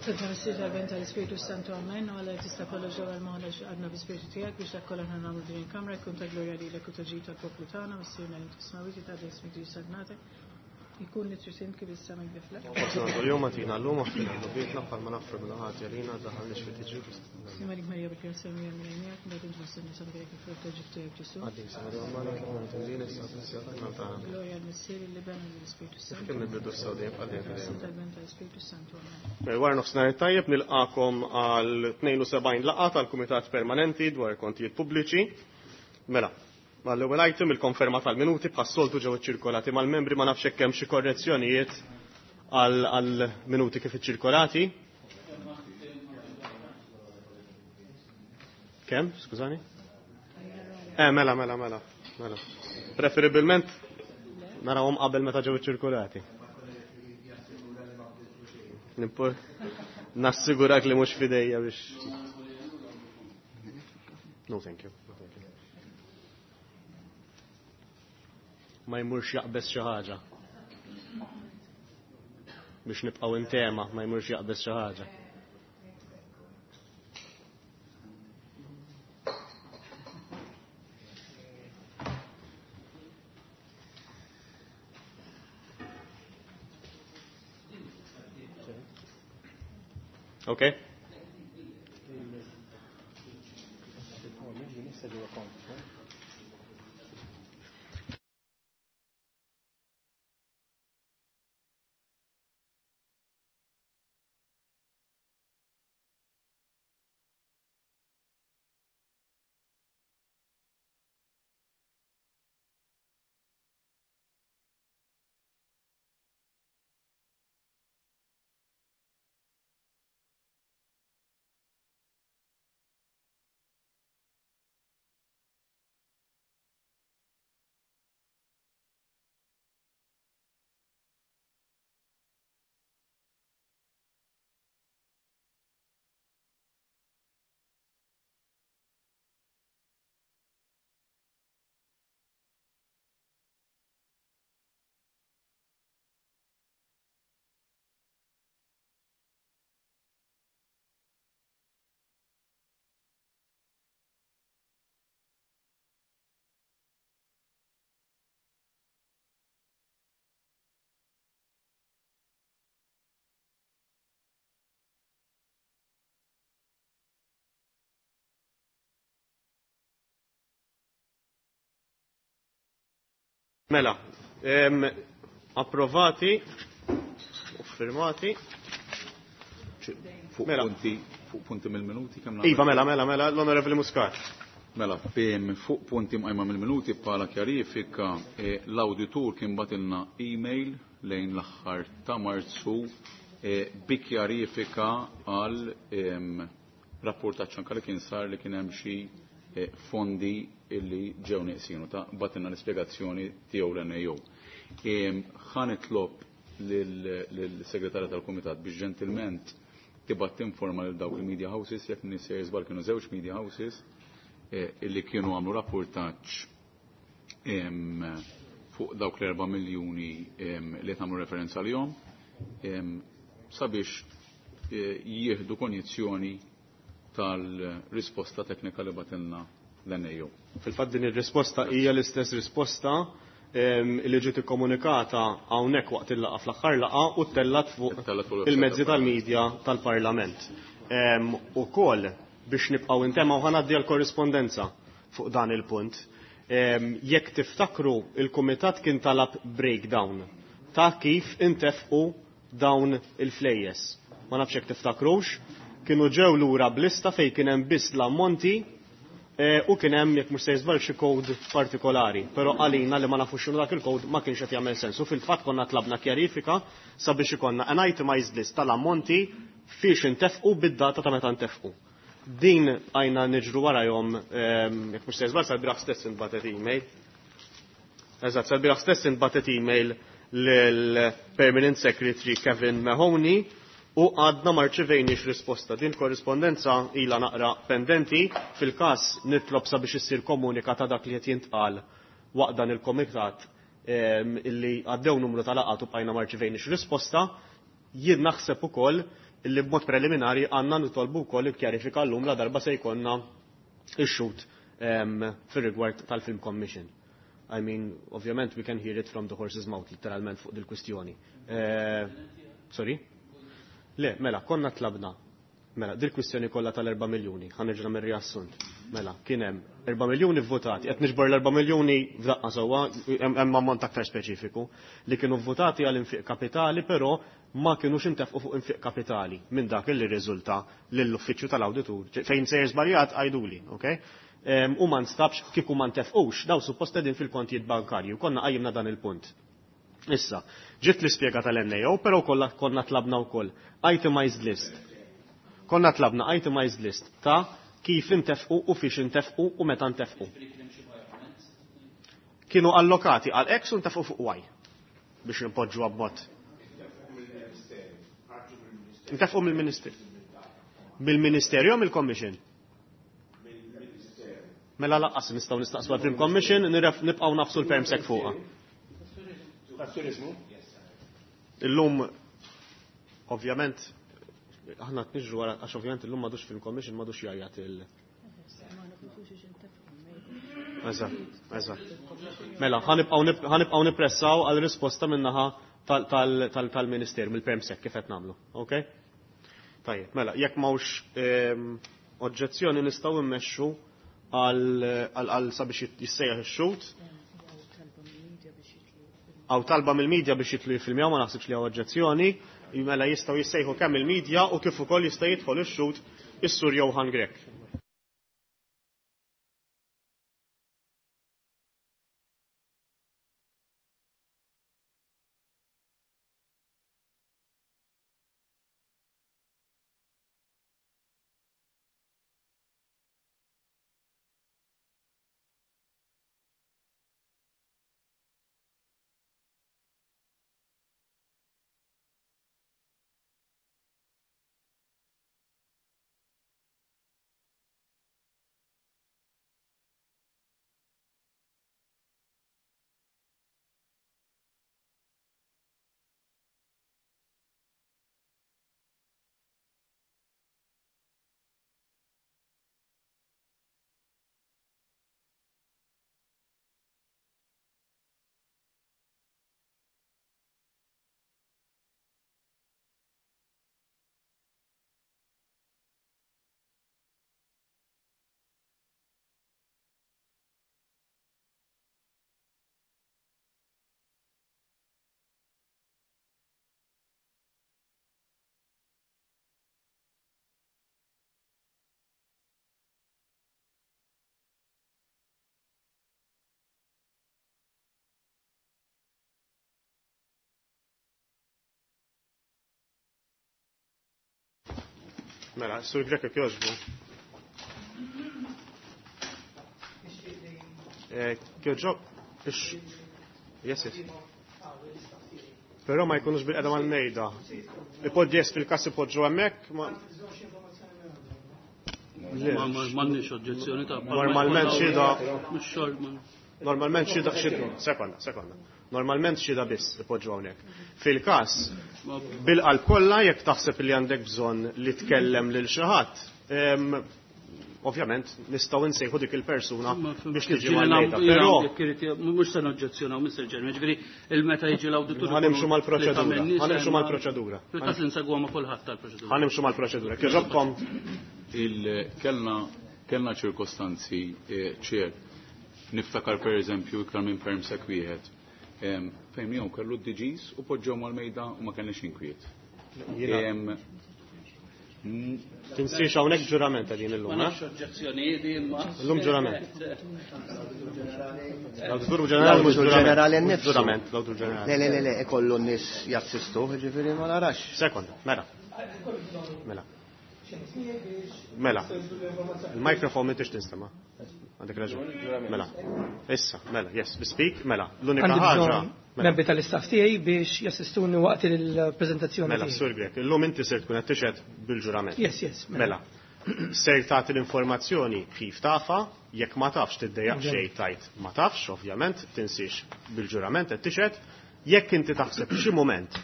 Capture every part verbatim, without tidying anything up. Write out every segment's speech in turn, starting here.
Santa Missier tal-Ben tal-Ispiritu Santu Amen, u għalla tista' kollox ġewwa l-moħħna għadna bi-Spiritu tiegħek biex dak kollha aħna nagħmlu din il-kamra jkun ta' glorja lilek u ta' ġid tal-poplu tagħna, Missierna li inti fis-smawwiet jitqaddes ismek tiġi saltnatek, ikun li trid int kif is-sema kif fl-art. Kuljum agħtina llum aħfir dnubietna bħalma naħfru minn ħati għalina daħalniex fi tiġrib. Sliem għalik Marija bil-grazzja Mulej miegħek, mbagħad int fost in-nisa mbierek il-frott ta' ġuf tiegħek Ġesù. Qaddisa Marija Omm Alla, itlob għalina midinbin issa u fis-siegħa tal-mewt tagħna. Glorja lill-Missier, lill-Iben u lill-Ispiritu Kif Santu. kien mill-bidu issa u dejjem bħal dejjem Santa dejjem. tal-Ben tal-Ispiritu Santu Amen. Mela, Wara nofsinhar tajjeb nilqakom għal tnejn u sebgħin laqgħa tal-Kumitat Permanenti dwar kontijiet pubbliċi. Mela, mal-ewwel item il-konferma tal-minuti bħas-soltu ġew iċċirkolati mal-membri, ma nafx hekk hemm xi korrezzjonijiet għal għal minuti kif iċċirkolati. Kemm, skużani? Eh, mela, mela, mela, mela. Preferibilment narawhom qabel meta ġew iċċirkolati. Nimpor nassigurak li mhux fidejja biex. No, thank you. No, thank you. Ma jmurx jaqbeż xi ħaġa. Biex nibqgħu in tema, ma jmurx jaqbeż xi ħaġa. Okay? Mela, em, approvati u firmati. Fuq Mela. punti, fuq punti mill-minuti kemm Iva, mela, mela, mela, l-Onorevoli Muscat. Mela, fem, fuq punti mqajma mill-minuti bħala kjarifika eh, l-awditur kien batilna email lejn l-aħħar ta' Marzu eh, bi kjarifika għal em, rapportaġġ anke li kien sar li kien hemm xi eh, fondi illi ġew neqsinu ta' batilna l-ispjegazzjoni tiegħu l-N A O. Ħa nitlob lill-segretarja tal-Kumitat biex ġentilment tibgħat tinforma lil dawk il-media houses, jekk nisser żball kienu żewġ media houses eh, illi kienu għamlu rapportaġġ em, fuq dawk l-erba' miljuni em, li tagħmlu referenza għalihom em, sabiex eh, jieħdu konjizzjoni tal-risposta teknika li batilna l-N A O. Fil-fatt din ir-risposta hija l-istess risposta em, li ġiet ikkomunikata hawnhekk waqt il-laqgħa fl-aħħar laqgħa u ttellat fuq Ittellat fuq il-website il-mezzi tal-Parlament. tal-medja tal-Parlament. Em, Ukoll biex nibqgħu intema u ħa ngħaddi għall-korrispondenza fuq dan il-punt. Em, Jekk tiftakru, il-Kumitat kien talab breakdown ta' kif intefqu dawn il-flejjes. Ma nafx jekk tiftakrux, kienu ġew lura b'lista fejn kien hemm biss l-ammonti eh, u kien hemm, jekk mhux se jiżball, xi kod partikolari, però għalina li ma nafux x'inhu dak il-kod ma kienx qed jagħmel sens. U fil-fatt konna tlabna kjarifika sabiex ikollna an itemized list tal-ammonti fiex intefqu bid-data ta' meta ntefqu. Din għajna niġru warajhom, ehm, jekk mhux se jiżball, sal-bieraħ stess intbagħtet email. Eżatt, sal-bieraħ stess intbagħtet email lill-Permanent Secretary Kevin Mahoney u għadna ma rċevejniex risposta. Din korrispondenza ila naqra pendenti. Fil-każ nitlob sabiex issir komunika ta' dak li qed jintqal waqt dan il-komitat em, illi għaddew numru ta' laqgħat u bqajna ma rċevejniex risposta. Jien naħseb ukoll Illi b'mod preliminari għandna nitolbu wkoll il-kjarifika llum la darba se jkollna ix-xhud fir-rigward tal-Film Commission. I mean, ovvjament we can hear it from the horse's mouth, literalment fuq dil-kwistjoni. Eh, sorry? Le, mela, konna tlabna. Mela, dil-kwistjoni kollha tal-erba' miljuni, ħa nerġa' nagħmel riassunt. Mela, kien hemm erba' miljuni vvotati, qed niġbor l-erba' miljuni f'daqqa sewwa, hemm ammont aktar speċifiku, li kienu vvotati għal infiq kapitali, però ma kienux intefqu fuq infiq kapitali minn dak li rriżulta lill-uffiċċju tal-awditur. Fejn sejjer żbaljat għajduli, okay? U ma nstabx kieku ma ntefqux, daw suppost qegħdin fil-kontijiet bankarji, u konna qajjimna dan il-punt. Issa, ġiet l-ispjega tal-N A O, però kollha konna tlabna wkoll itemized list. Konna tlabna itemized list ta' kif intefqu u fiex intefqu u meta ntefqu. Kienu allokati għal X u ntefqu fuq Y biex nipoġġu b'mod. Intefqu mill-Ministeru. Mill-Ministeru jew mill-Commission? Mela laqqas nistgħu nistaqsu għall-Film Commission, niref nibqgħu nafsu l-permsek fuqha. Illum ovvjament aħna qed niġru wara għax ovvjament illum m'għadux Film Commission m'għadux jgħajjat il- Eżatt, eżatt. Mela, ħanibqgħu nippressaw għal risposta min-naħa tal-Ministeru, mill-Permsec kif qed nagħmlu, ok? Tajjeb, mela, jekk m'hawnx oġġezzjoni nistgħu mmexxu għal sabiex jissejjaħ ix-xhud. Għaw talba mill-medja biex jitlu jiffilmjaw, ma naħsibx li hawn oġġezzjoni, mela jistgħu jissejħu kemm il-medja u kif ukoll jista' jidħol ix-xhud is-Sur Johann Grech. Mela, Sur Grech jekk jogħġbu. Kjoġob, ix. Yes, yes. Però ma jkunux bil-qedem għal-mejda. Ipoġġi jes fil-kas ipoġġu hemmhekk, ma. M'għandniex oġġezzjoni ta' Normalment xhieda. Normalment xhieda xhieda. Sekonda, sekonda. Normalment xhieda biss ipoġġu hawnhekk. Fil-każ, bil-qalb kollha jekk taħseb li għandek bżonn li tkellem lil xi ħadd, ovvjament nistgħu nsejħu dik il-persuna biex tiġi mal-mejda. Però mhux se noġġezzjonaw Mister Ġermi, ġifieri il-meta jiġi l-awditur. Ħanimxu mal-proċedura. Ħanimxu mal-proċedura. Fil-każ insegwa ma' kulħadd tal-proċedura. Ħanimxu mal-proċedura. Kieġobkom il-kellna kellna ċirkostanzi ċer. Niftakar per eżempju iktar minn permsek wieħed. Fejn jew kellu d-D Gs u poġġew mal-mejda u ma kellniex inkwiet. Tinsiex hawnhekk ġurament qegħdin illum, Ma nafx oġġezzjonijiet imma. Illum ġurament. L-awditur ġenerali mhux ġenerali nnifsu. Ġurament, l-awditur ġenerali. Le, le, le, le, ikollu n-nies jassistu, jiġifieri ma narax. Sekonda, mela. Mela. Mela. Il-mikrofon m'intix tinstema'. Għandek raġun. Mela. Issa, mela, yes, speak, mela. L-unika ħaġa. Membri tal-istaff tiegħi biex jassistuni waqt il-preżentazzjoni. Mela, Sur Grech, illum inti ser tkun qed tixhed bil-ġurament. Yes, yes. Mela. Ser tagħti l-informazzjoni kif tafa, jekk ma tafx tiddejjaq xejn tajt ma tafx, ovvjament, tinsiex bil-ġurament qed tixhed, jekk inti taħseb xi mument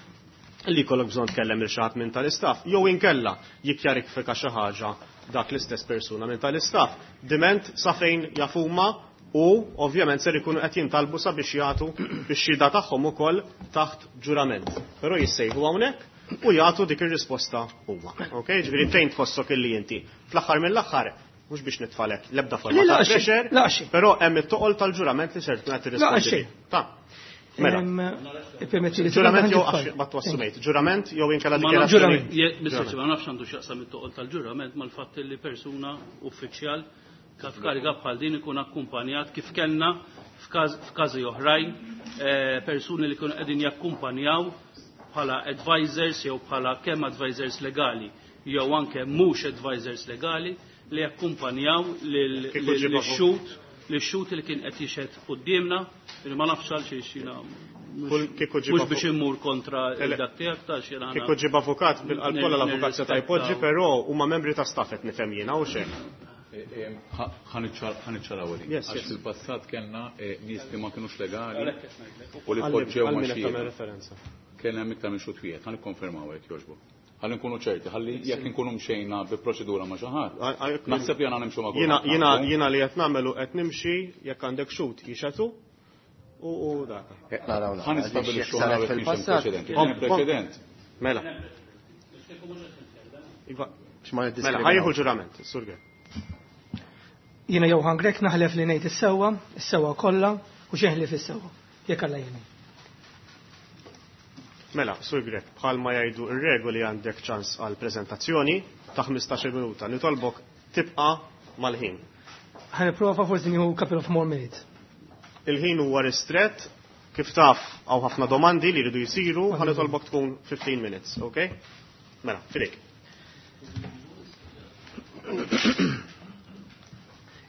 Li jkollok bżonn tkellem lil xi ħadd minn tal-istaff, jew inkella jikkjarifika xi ħaġa dak l-istess persuna minn tal-istaff, diment sa fejn jafuma u ovvjament ser ikunu qed jintalbu sabiex jagħtu bix-xhieda tagħhom ukoll taħt ġurament. Però jissejħu hawnhekk u jagħtu dik ir-risposta huma. Ok, ġifieri fejn tħossok illi inti. Fl-aħħar mill-aħħar mhux biex nitfalek l-ebda forma ta' pressure, però hemm it-toqol tal-ġurament li ser tkun qed tirrispondi. Ta' Mela. Ġurament jew ma twassumejt. Ġurament jew inkella dikjarazzjoni. Ma nafx għandu x'jaqsam it-toqol tal-ġurament mal-fatt li persuna uffiċjal f'kariga bħal din ikun akkumpanjat kif kellna f'każi oħrajn persuni li kienu qegħdin jakkumpanjaw bħala advisors jew bħala kemm advisors legali jew anke mhux advisors legali li jakkumpanjaw lil-xhud li xhud li kien qed jixhed quddiemna, li ma nafx għal xiex jiena mhux biex immur kontra dak tiegħek ta' xi Kieku ġib avukat bil-qalb kollha l-avukat seta' jpoġġi, però huma membri ta' staff qed nifhem jiena u xejn. Ħa niċċaraw li. Għax fil-passat kellna nies li ma kinux legali u li poġġew ma' xi. Kellna hemm iktar minn xhud wieħed, ħa nikkonfermaw hekk jogħġbok. Ħalli nkunu ċerti, ħalli jekk nkunu mxejna bi proċedura ma' xi ħadd. Naħseb li għandna nimxu ma' kulħadd. Jiena jiena li qed nagħmelu qed nimxi jekk għandek xhud jixhedu u dak. Ħa nistabbilixxu fil-passat. Preċedent. Mela. Iva. Mela, ħa jieħu ġurament, Sur Grech. Jiena Johann Grech naħlef li ngħid is-sewwa, is-sewwa kollha u xejn ħlief is-sewwa. Jekk Alla jgħinni. Mela, Sur Grech, bħalma jgħidu ir-regoli għandek ċans għal prezentazzjoni ta' ħmistax-il minuta. Nitolbok tibqa' mal-ħin. Ħa nipprova, forsi nieħu couple of more minutes. Il-ħin huwa ristret, kif taf hawn ħafna domandi li jridu jsiru, ħa nitolbok tkun fifteen minutes, ok? Mela, fidejk.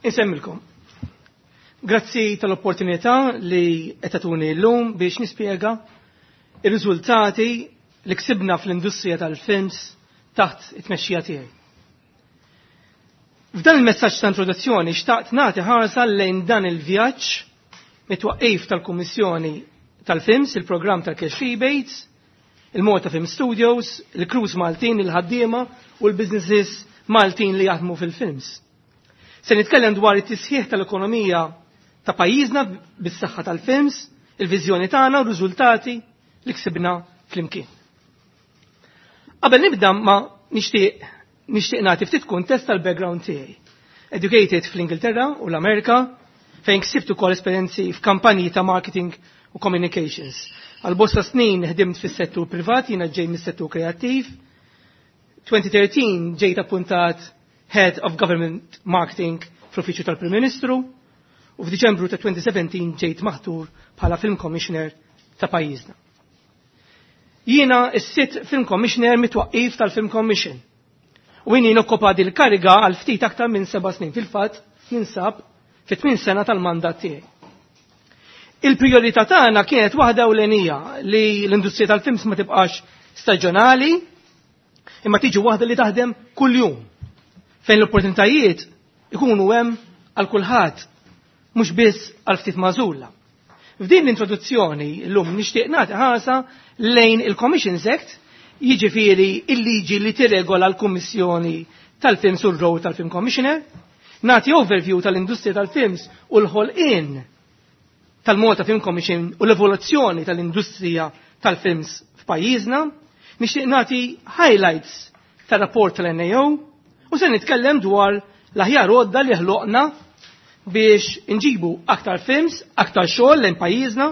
Insemmilkom. Grazzi tal-opportunità li qed tagħtuni llum biex nispjega ir-riżultati li ksibna fl-industrija tal-films taħt it-tmexxija tiegħi. F'dan il-messaġġ ta' introduzzjoni xtaqt nagħti ħarsa lejn dan il-vjaġġ mit-twaqqif tal-Kummissjoni tal-Films, il-programm tal-Cash Rebates, il-Malta Film Studios, il-crews Maltin, il-ħaddiema u l-businesses Maltin li jaħdmu fil-films. Se nitkellem dwar it-tisħiħ tal-ekonomija ta' pajjiżna bis-saħħa tal-films, il-viżjoni tagħna u r-riżultati li ksibna flimkien. Qabel nibda ma nixtieq nixtieq nagħti ftit kuntest tal-background tiegħi. Educated fl-Ingilterra u l-Amerika, fejn ksibt ukoll esperjenzi f'kampanji ta' marketing u communications. Għal bosta snin ħdimt fis-settur privat, jiena ġej mis-settur kreattiv. twenty thirteen ġejt appuntat Head of Government Marketing fl-Uffiċċju tal-Prim Ministru u f'Diċembru ta' twenty seventeen ġejt maħtur bħala Film Commissioner ta' pajjiżna. Jiena s-sitt Film Commissioner mit-twaqqif tal-Film Commission. U jien nokkopa dil kariga għal ftit aktar minn seba' snin, fil-fatt jinsab fit tmien sena tal-mandat tiegħi. Il-priorità tagħna kienet waħda ewlenija, li l-industrija tal-films ma tibqax staġjonali imma tiġi waħda li taħdem kuljum, fejn l-opportunitajiet ikunu hemm għal kulħadd, mhux biss għal ftit magħżula. F'din l-introduzzjoni llum nixtieq nagħti ħarsa lejn il-Commissions Act, jiġifieri il-liġi li tirregola l-Kummissjoni tal-Films u r-role tal-Film Commissioner, nagħti overview tal-industrija tal-films u l-ħolqien tal-Malta Film Commission u l-evoluzzjoni tal-industrija tal-films f'pajjiżna, nixtieq nagħti highlights tar-rapport tal-N A O u se nitkellem dwar l-aħjar għodda li ħloqna biex inġibu aktar films, aktar xogħol lejn pajjiżna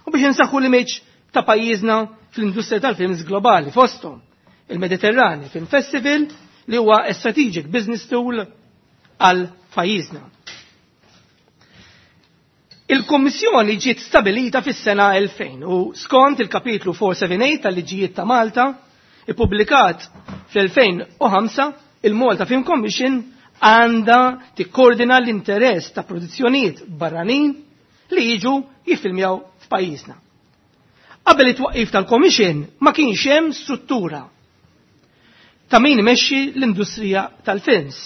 u biex insaħħu l-image ta' pajjiżna fl-industrija tal-films globali, fosthom il-Mediterrani Film Festival, li huwa a strategic business tool għal pajjiżna. Il-Kommissjoni ġiet stabilita fis-sena elfejn u skont il-kapitlu four seven eight tal-liġijiet ta' Malta, ippubblikat fl-elfejn u ħamsa, il-Malta Film Commission għandha tikkoordina l-interess ta' produzzjonijiet barranin li jiġu jiffilmjaw f'pajjiżna. Qabel it-twaqqif tal-Commission ma kienx hemm struttura ta' min imexxi l-industrija tal-films.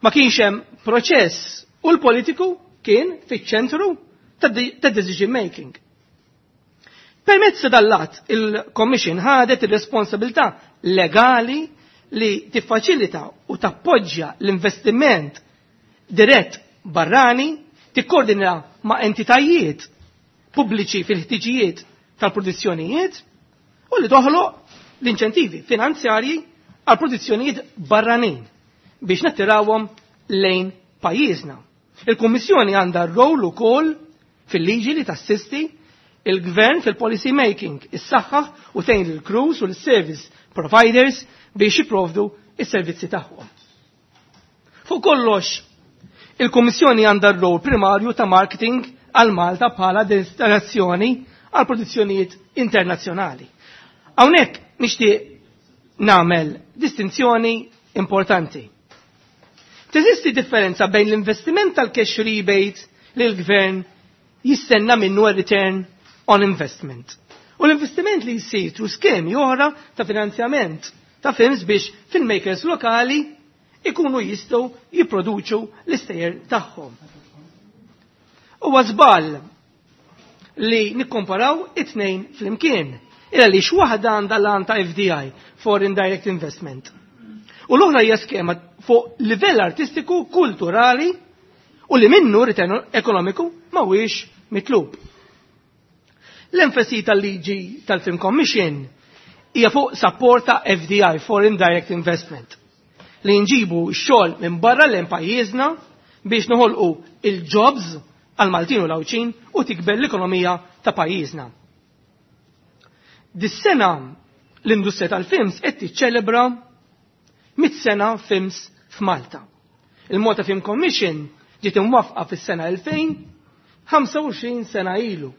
Ma kienx hemm proċess u l-politiku kien fiċ-ċentru ta' decision making. Permezz ta' dal-att il-Commission ħadet ir-responsabilità legali li tiffaċilita u tappoġġja l-investiment dirett barrani, tikkoordina ma' entitajiet pubbliċi fil-ħtiġijiet tal-produzzjonijiet u li toħloq l-inċentivi finanzjarji għal produzzjonijiet barranin biex nattirawhom lejn pajjiżna. Il-Kummissjoni għandha rol ukoll fil-liġi li tassisti il-gvern fil-policy making, is-saħħa u tgħin lill-crews u l-service providers biex jipprovdu is-servizzi tagħhom. Fuq kollox, il-Kummissjoni għandha r-rol primarju ta' marketing għal Malta bħala destinazzjoni għal produzzjonijiet internazzjonali. Hawnhekk nixtieq nagħmel distinzjoni importanti. Teżisti differenza bejn l-investiment tal-cash rebate li l-gvern jistenna minnu return on investment. U l-investiment li jsir through skemi oħra ta' finanzjament ta' films biex filmmakers lokali ikunu jistgħu jipproduċu l-istejjer tagħhom. Huwa żball li nikkomparaw it-tnejn flimkien. Illa li x'waħda għandha l ta' F D I, Foreign Direct Investment. U l-oħra hija skema fuq livell artistiku, kulturali u li minnu return ekonomiku ma huwiex mitlub. L-enfasi tal-liġi tal-Film Commission hija fuq support ta' F D I, Foreign Direct Investment, li nġibu xogħol minn barra lejn pajjiżna biex noħolqu il-jobs għal Maltin u l-Għawdxin u tikber l-ekonomija ta' pajjiżna. Dis-sena l-industrija tal-films qed tiċċelebra mit sena films f'Malta. Il-Malta Film Commission ġiet imwaffqa fis-sena elfejn, ħamsa u għoxrin sena ilu.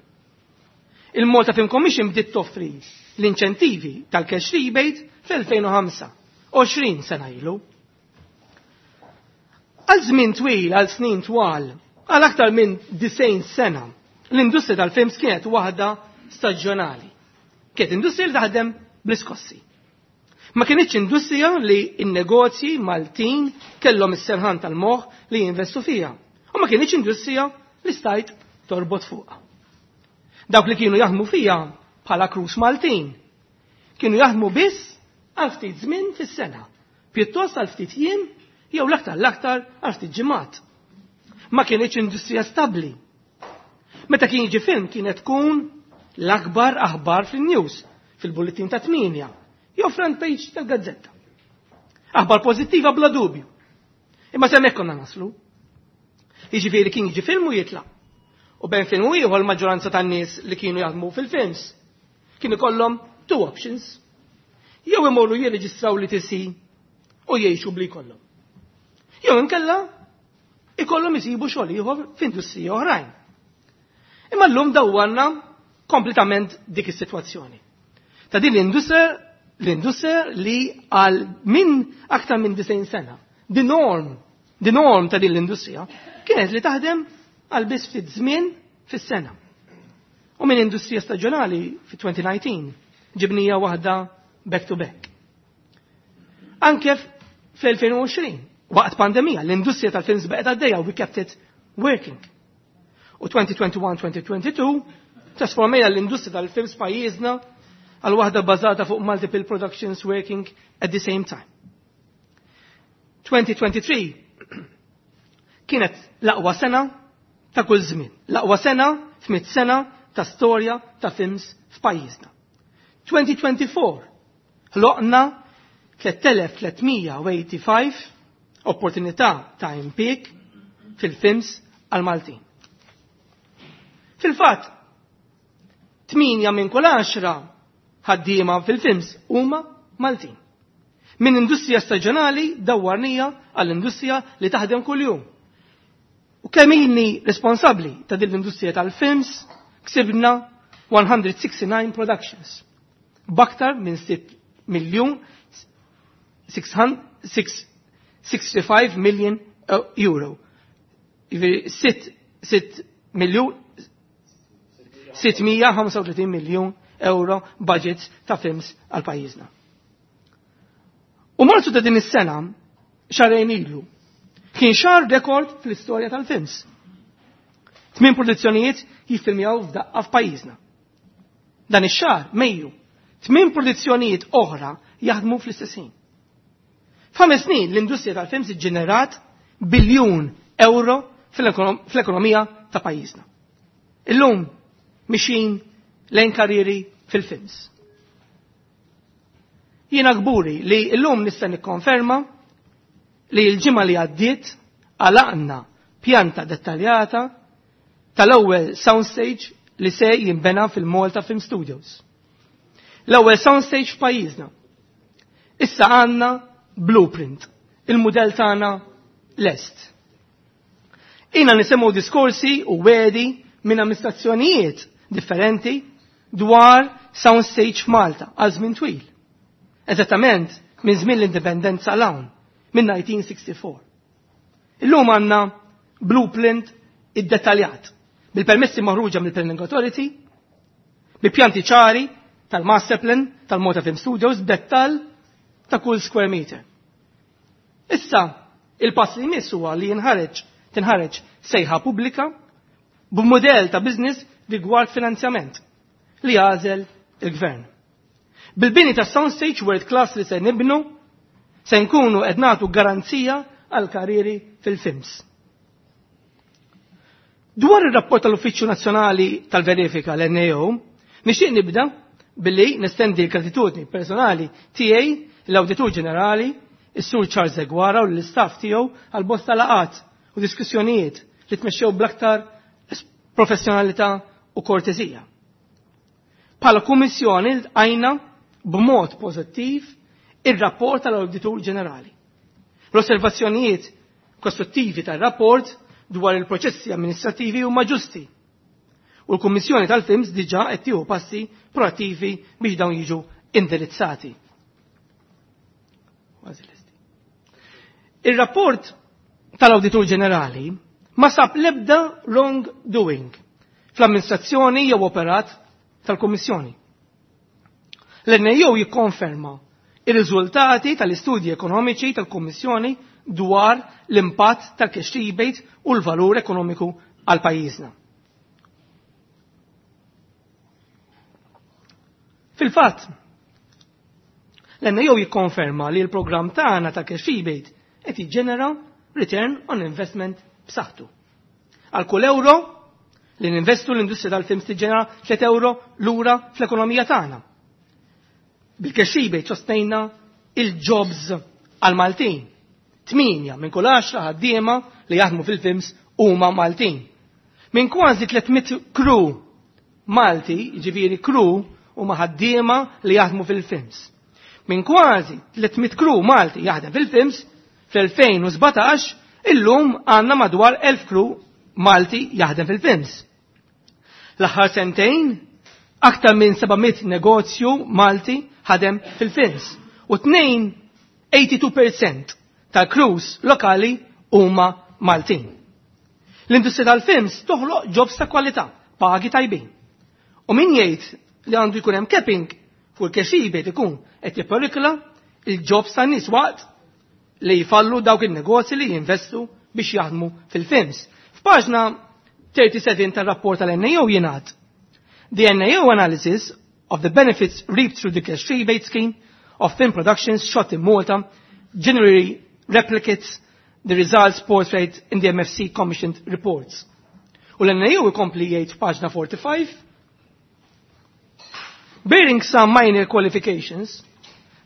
Il-Malta Film Commission bdiet toffri l-inċentivi tal-cash rebate fl-elfejn u ħamsa, għoxrin sena ilu. Għal żmien twil, għal snin twal, għal aktar minn disgħin sena, l-industrija tal-films kienet waħda staġjonali. Kienet industrija li taħdem bl-iskossi. Ma kienitx industrija li n-negozji Maltin kellhom is-serħan tal-moħħ li jinvestu fija. U ma kienitx industrija li stajt torbot fuqha. Dawk li kienu jaħdmu fija bħala crews Maltin kienu jaħdmu biss għal ftit żmien fis-sena, pjuttost għal ftit jiem jew l-aktar l-aktar għal ftit ġimgħat. Ma kienitx industrija stabbli. Meta kien jiġi film kienet tkun l-akbar aħbar fil-news, fil-bulletin ta' tmienja, jew front page tal-gazzetta. Aħbar pożittiva bla dubju. Imma s'hemmhekk konna naslu. Jiġifieri kien jiġi film u jitlaq. U bejn film u ieħor l-maġġoranza tan-nies li kienu jaħdmu fil-films kienu kollhom two options. Jew imorru jirreġistraw l-E T C u jgħixu bli kollhom. Jew inkella ikollhom isibu xogħol ieħor f'industriji oħrajn. Imma llum dawwarna kompletament dik is-sitwazzjoni. Ta' din l-industrija l-industrija li għal minn aktar minn disgħin sena, the norm, the norm ta' din l-industrija kienet li taħdem għal biss ftit żmien fis-sena. U minn industrija staġjonali fi elfejn u dsatax ġibnija waħda back to back. Anke fl-elfejn u għoxrin, waqt pandemija, l-industrija tal-films baqgħet għaddejja u we kept it working. U elfejn u wieħed u għoxrin-elfejn u tnejn u għoxrin trasformejna l-industrija tal-films pajjiżna għal waħda bażata fuq multiple productions working at the same time. elfejn u tlieta u għoxrin kienet l-aqwa sena ta' kull żmien, l-aqwa sena f'mit sena ta' storja ta' films f'pajjiżna. elfejn u erbgħa u għoxrin ħloqna tliet elef tliet mija u ħamsa u tmenin opportunità ta' impjieg fil-films għal Maltin. Fil-fatt, tmienja minn kull għaxra ħaddiema fil-films huma Maltin. Minn industrija staġjonali dawwarnija għall-industrija li taħdem kuljum. U kemm ilni responsabbli ta' din l-industrija tal-films, ksibna mija u disgħa u sittin productions. B'aktar minn sitt miljun sitt mija u ħamsa u sittin million euro. sitt miljun sitt mija u ħamsa u tletin miljun euro budgets ta' films għal pajjiżna. U Marzu ta' din is-sena, xahrejn ilu, kien xahar rekord fl-istorja tal-films. Tmien produzzjonijiet jiffilmjaw f'daqqa f'pajjiżna. Dan ix-xahar, Mejju, tmien produzzjonijiet oħra jaħdmu fl-istess ħin. F'ħames snin l-industrija tal-films iġġenerat biljun euro fl-ekonomija ta' pajjiżna. Illum mixin lejn karrieri fil-films. Jiena kburi li illum nista' nikkonferma li l-ġimgħa li għaddiet għalaqna pjanta dettaljata tal-ewwel soundstage li se jinbena fil-Malta Film Studios. L-ewwel soundstage f'pajjiżna. Issa għandna blueprint, il-mudell tagħna lest. Ina nisimgħu diskorsi u wegħdi minn amministrazzjonijiet differenti dwar soundstage f'Malta għal żmien twil. Eżattament minn żmien l-indipendenza 'l hawn, minn elf disa' mija u sitta u sittin. Illum għandna blueprint iddettaljat bil-permessi maħruġa mill-Planning Authority, bi pjanti ċari tal-Master Plan tal-Malta Film Studios, dettal ta' kull square meter. Issa, il-pass li jmiss huwa li jinħareġ tinħareġ sejħa pubblika b'mudell ta' business rigward finanzjament li jagħżel il-gvern. Bil-bini ta' soundstage world class li se nibnu, se nkunu qed nagħtu garanzija għal karrieri fil-films. Dwar ir-rapport tal-Uffiċċju Nazzjonali tal-Verifika, l-N A O, nixtieq nibda billi nestendi l-gratitudni personali tiegħi l-Awditur Ġenerali, is-Sur Charles Deguara, u l-istaff tiegħu għal bosta laqat u diskussjonijiet li tmexxew bl-aktar professjonalità u kortesija. Bħala kummissjoni lqajna b'mod pożittiv ir-rapport tal-Awditur Ġenerali. L-osservazzjonijiet kostruttivi tar-rapport dwar il-proċessi amministrativi huma ġusti. U l-Kummissjoni tal-Films diġà qed tieħu passi proattivi biex dawn jiġu indirizzati. Ir-rapport tal-Awditur Ġenerali ma sab l-ebda wrong doing fl-amministrazzjoni jew operat tal-Kummissjoni. L-N A O jikkonferma ir-riżultati tal-istudji ekonomiċi tal-Kummissjoni dwar l-impatt tal-cash rebate u l-valur ekonomiku għal pajjiżna. Fil-fatt, l-N A O jikkonferma li l-programm tagħna ta' cash rebate qed jiġġenera return on investment b'saħħtu. Għal kull euro li ninvestu, l-industrija tal-films tiġġenera tliet euro lura fl-ekonomija tagħna. Bil-cash rebate sostnejna il-jobs għal-Maltin. Tminja minn kull għaxra ħaddiema li jaħdmu fil-films huma Maltin. Minn kważi tliet mitt crew Malti, ġifieri crew huma ħaddiema li jaħdmu fil-films. Minn kważi tliet mitt crew Malti jaħdem fil-films fl-elfejn u sbatax, illum għandna madwar elf crew Malti jaħdem fil-films. L-aħħar sentejn, aktar minn seba' mitt negozju Malti ħadem fil-films. U tnejn tnejn u tmenin fil-mija tal-crews lokali huma Maltin. L-industrija tal-films toħloq jobs ta' kwalità, pagi tajbin. U min jgħid li għandu jkun hemm capping fuq il-cash rebate ikun qed jipperikla il-jobs tan-nies waqt li jfallu dawk il-negozji li jinvestu biex jaħdmu fil-films. F'paġna tlieta u tletin tal-rapport tal-N A O jingħad: "The N A O analysis of the benefits reaped through the cash rebate scheme of film productions shot in Malta generally replicates the results portrayed in the M F C commissioned reports." U l-N A O ikompli jgħid f'paġna quaranta u ħamsa: "Bearing some minor qualifications,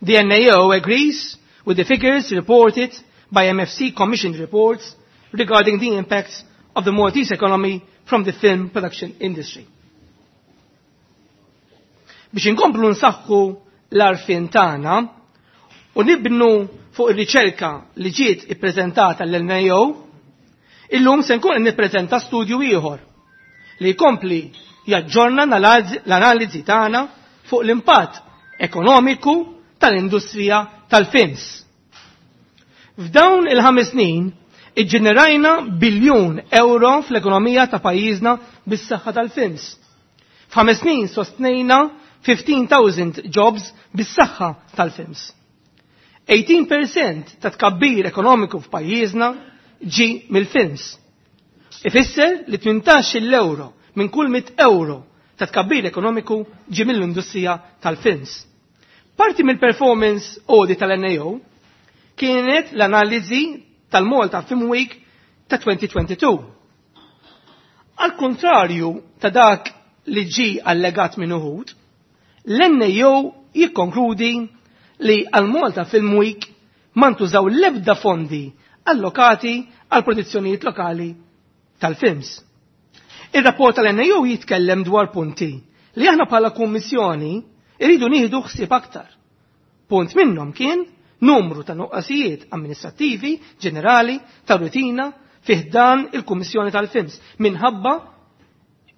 the N A O agrees with the figures reported by M F C commissioned reports regarding the impacts of the Maltese economy from the film production industry." Biex inkomplu nsaħħu l-għarfien tagħna u nibnu fuq ir-riċerka li ġiet ippreżentata l-N A O, illum se nkun nippreżenta studju ieħor li jkompli jaġġorna l-analiżi tagħna fuq l-impatt ekonomiku tal-industrija tal-films. F'dawn il-ħames snin iġġenerajna biljun euro fl-ekonomija ta' pajjiżna bis-saħħa tal-films. F'ħames snin sostnejna ħmistax-elf jobs bis-saħħa tal-films. tmintax fil-mija ta' tkabbir ekonomiku f'pajjiżna ġi mill-films. Ifisser li tmintax-il euro minn kull mitt euro ta' tkabbir ekonomiku ġie mill-industrija tal-films. Parti mill-performance audit tal-N A O kienet l-analiżi tal-Malta Film Week ta' elfejn u tnejn u għoxrin. Al kontrarju ta' dak li ġi allegat minn uħud, l-N A O jikkonkludi li għal Malta Film Week ma ntużaw l-ebda fondi allokati għal produzzjonijiet lokali tal-films. Il-rapport tal-N A O jitkellem dwar punti li aħna bħala kummissjoni irridu nieħdu ħsieb aktar. Punt minnhom kien numru ta' nuqqasijiet amministrattivi ġenerali ta' rutina fih dan il-Kummissjoni tal-Films minħabba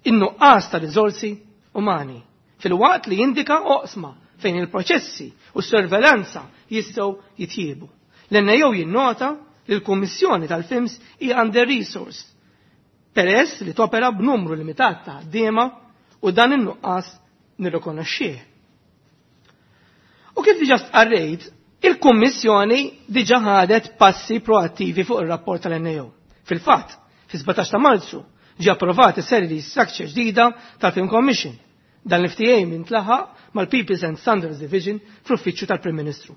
in-nuqqas ta' riżorsi umani, filwaqt li jindika oqsma fejn il-proċessi u s-sorveljanza jistgħu jitjiebu. L-N A O jinnota li l-Kummissjoni tal-Films hija under resourced peress li topera b'numru limitat ta' ħaddiema u dan in-nuqqas nirrikonoxxih. U kif diġa stqarrejt, il-Kummissjoni diġa ħadet passi proattivi fuq ir-rapport tal-N A O. Fil-fatt, fi sbatax ta' Marzu ġi approvat is-salary structure ġdida tal-Film Commission. Dan l-F T A intlaħaq mal-Peoples and Standards Division fl-Uffiċċju tal-Prim Ministru.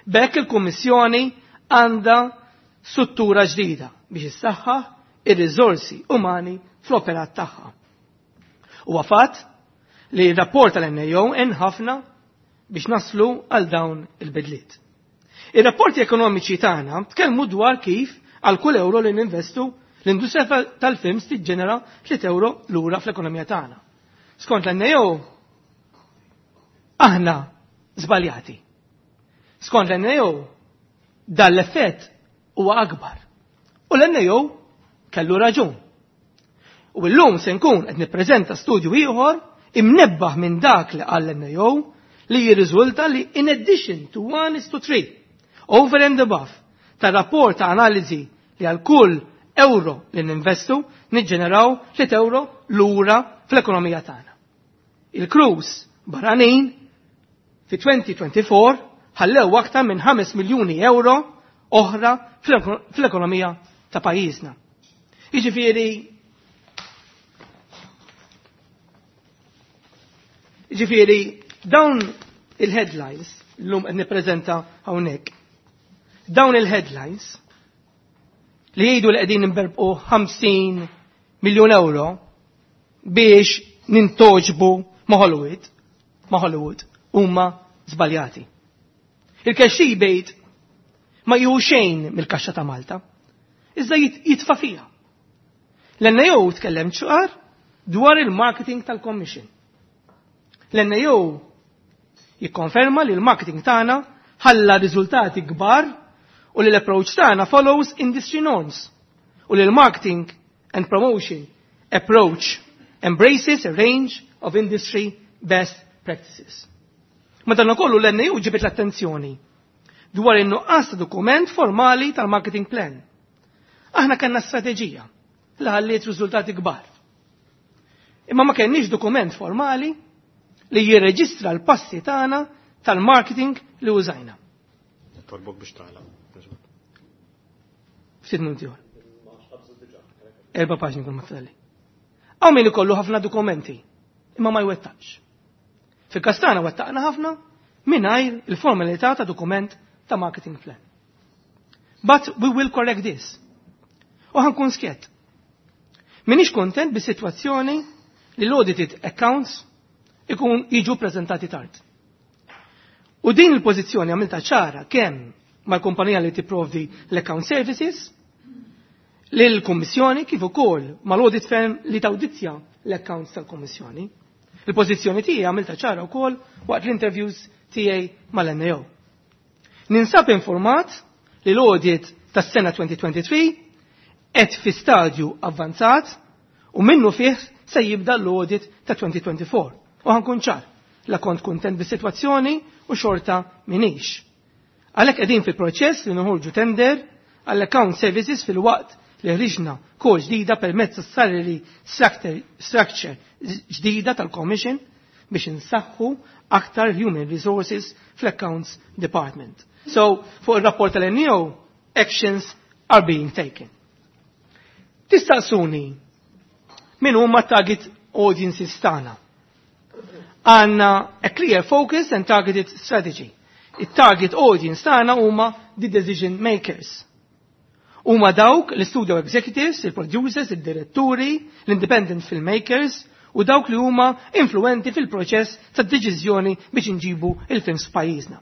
B'hekk il-Kummissjoni għandha struttura ġdida biex issaħħaħ ir-riżorsi umani fl-operat tagħha. Huwa fatt li r-rapport tal-N A O għen ħafna biex naslu għal dawn il-bidliet. Ir-rapporti ekonomiċi tagħna tkellmu dwar kif għal kull euro li ninvestu, l-industrija tal-films tiġġenera tliet euro lura fl-ekonomija tagħna. Skont l-N A O aħna żbaljati. Skont l-N A O dan l-effett huwa akbar. U l-N A O kellu raġun. U llum se nkun qed nippreżenta studju ieħor imnebbaħ minn dak li qal l-N A O li jirriżulta li in addition to one is to three, over and above, ta' rapport ta' analiżi li għal kull euro li ninvestu niġġeneraw tliet euro lura fl-ekonomija tagħna. Il-crews barranin fi elfejn u erbgħa u għoxrin ħallew aktar minn ħames miljuni euro oħra fl-ekonomija ta' pajjiżna. Jiġifieri Jiġifieri dawn il-headlines l-lum qed nippreżenta hawnhekk. Dawn il-headlines li jgħidu li qegħdin nberbqu ħamsin miljun euro biex nintogħġbu ma' Hollywood, ma' Hollywood huma żbaljati. Il-cash rebate ma jieħu xejn mill-kaxxa ta' Malta, iżda jitfa' fiha. L-N A O tkellem ċar dwar il-marketing tal-Commission. L-N A O jikkonferma li l-marketing tagħna ħalla riżultati kbar u li l-approach tagħna follows industry norms u li l-marketing and promotion approach embraces a range of industry best practices. Madankollu l-N A O ġibet l-attenzjoni dwar in-nuqqas ta' dokument formali tal-marketing plan. Aħna kellna strateġija li ħalliet riżultati kbar. Imma ma kenniex dokument formali li jirreġistra l-passi tagħna tal-marketing li użajna. Tolbok biex tagħlaq. Ftit minuti oħra. Erba' paġni kull ma tfadalli. Hawn min ikollu ħafna dokumenti, imma ma jwettaqx. Fil-każ tagħna wettaqna ħafna mingħajr il-formalità ta' dokument ta' marketing plan. But we will correct this. U ħa nkun skjett. Minix kontent bis-sitwazzjoni li l-audited accounts ikun jiġu prezentati tard. U din il-pożizzjoni għamilta ċara kemm mal-kumpanija li tipprovdi l-account services, lill-Kummissjoni, kif ukoll mal-audit firm li tawditja l-accounts tal-Kummissjoni. Il-pożizzjoni tiegħi għamilta ċara wkoll waqt l-interviews tiegħi mal-N A O. Ninsab informat li l-audit tas-sena elfejn u tnejn u għoxrin qed fi stadju avvanzat u minnu fih se jibda l-audit ta' elfejn u erbgħa u għoxrin. U ħa nkun ċar, la kont kontent bis-sitwazzjoni u xorta minix. Għalhekk qegħdin fil-proċess li noħorġu tender għall-account services, filwaqt li ħriġna call ġdida permezz salary structure ġdida tal-Commission biex insaħħu aktar human resources fl-accounts department. So, fuq il-rapport tal-N A O, actions are being taken. Tistaqsuni, min huma target audiences tagħna. Għandna a clear focus and targeted strategy. Il-target audience tagħna huma the decision makers. Huma dawk l-studio executives, il-producers, il-diretturi, l-independent filmmakers u dawk li huma influenti fil-proċess tad-deċiżjoni biex inġibu il-films f'pajjiżna.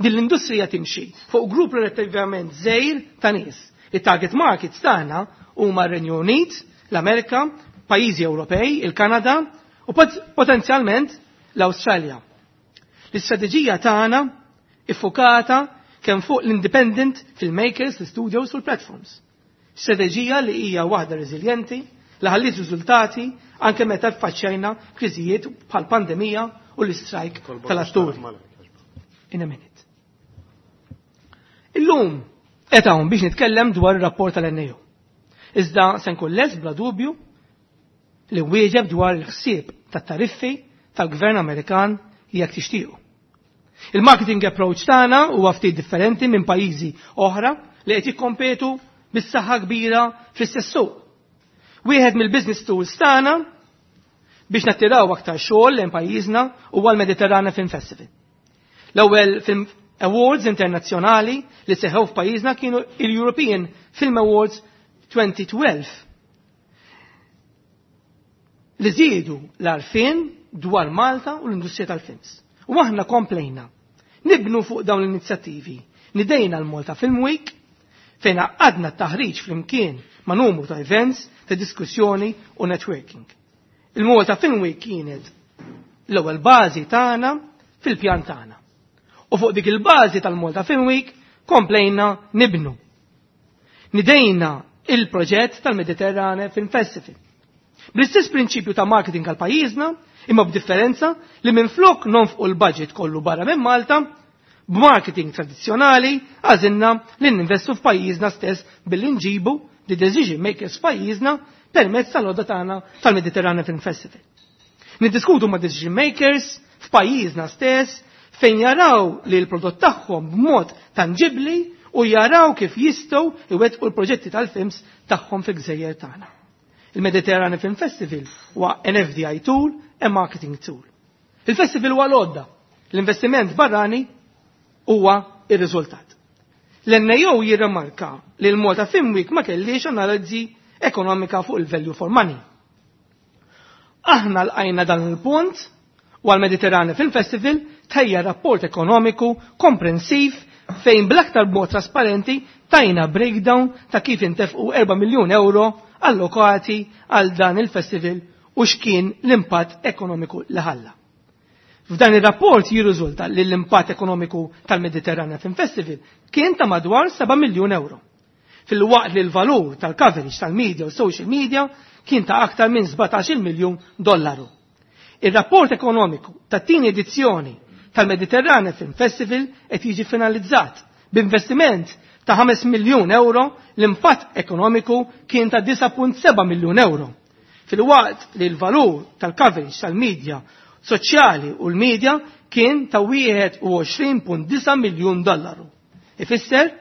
Din l-industrija timxi fuq grupp relattivament żgħir ta' nies. Il-target markets tagħna huma r-Renju Unit, l-Amerika, pajjiżi Ewropej, il-Kanada u potenzjalment l-Awstralja. L-istrateġija tagħna iffokata kemm fuq l-independent filmmakers, l-studios u l-platforms. Strateġija li hija waħda reżiljenti, li ħalliet riżultati anke meta ffaċċjajna kriżijiet bħal pandemija u l-istrajk tal-atturi. In a minute. Illum qed hawn biex nitkellem dwar ir-rapport tal-N A O. Iżda se nkun lest bla dubju li wieġeb dwar il-ħsieb tat-tariffi tal-Gvern Amerikan jekk tixtiequ. Il-marketing approach tagħna huwa ftit differenti minn pajjiżi oħra li qed jikkompetu bis-saħħa kbira fl-istess suq. Wieħed mill-business tools tagħna biex nattiraw aktar xogħol lejn pajjiżna huwa l-Mediterranean Film Festival. L-ewwel film awards internazzjonali li seħħew f'pajjiżna kienu il-European Film Awards elfejn u tnax li żiedu l-għarfien dwar Malta u l-industrija tal-films. U aħna komplejna nibnu fuq dawn l-inizjattivi. Nidejna l-Malta Film Week fejn għadna t-taħriġ flimkien ma' numru ta' events, ta' diskussjoni u networking. Il-Malta Film Week kienet l-ewwel bażi tagħna fil-pjan tagħna. U fuq dik il-bażi tal-Malta Film Week komplejna nibnu. Nidejna il-proġett tal-Mediterrane Film Festival. Bl-istess prinċipju ta' marketing għal pajjiżna, imma b'differenza li minn flok nonfqu l-budget kollu barra minn Malta, b'marketing tradizzjonali għażilna li ninvestu f'pajjiżna stess billi nġibu the decision makers f'pajjiżna permezz tal-għodda tagħna tal-Mediterranean Film Festival. Niddiskutu ma' decision makers f'pajjiżna stess fejn jaraw li l-prodott tagħhom b'mod tangibli u jaraw kif jistgħu iwettqu l-proġetti tal-films tagħhom fil-gżejjer tagħna. Il-Mediterranean Film Festival huwa an F D I tool and marketing tool. Il-festival huwa l-għodda. L-investiment barrani huwa ir-riżultat. L-N A O jirremarka li l-Malta Film Week ma kellix analiżi ekonomika fuq il-value for money. Aħna lqajna dan il-punt u għal-Mediterranean Film Festival tħejja rapport ekonomiku komprensiv fejn bl-aktar mod trasparenti tajna breakdown ta' kif intefqu erba' miljun euro allokati għal dan il-festival u x'kien l-impatt ekonomiku li ħalla. F'dan ir-rapport jirriżulta li l-impatt ekonomiku tal-Mediterranean Film Festival kien ta' madwar seba' miljun euro. Fil-waqt li l-valur tal-coverage tal-media u social media kien ta' aktar minn sbatax-il miljun dollaru. Il-rapport ekonomiku tat-tieni edizzjoni tal-Mediterranean Film Festival qed jiġi finalizzat b'investiment ta' ħames miljun euro, l-impatt ekonomiku kien ta' disgħa punt seba' miljun euro. Fil-waqt li l-valur tal-coverage tal-media soċjali u l-media kien ta' wieħed u għoxrin punt disgħa miljun dollaru. Ifisser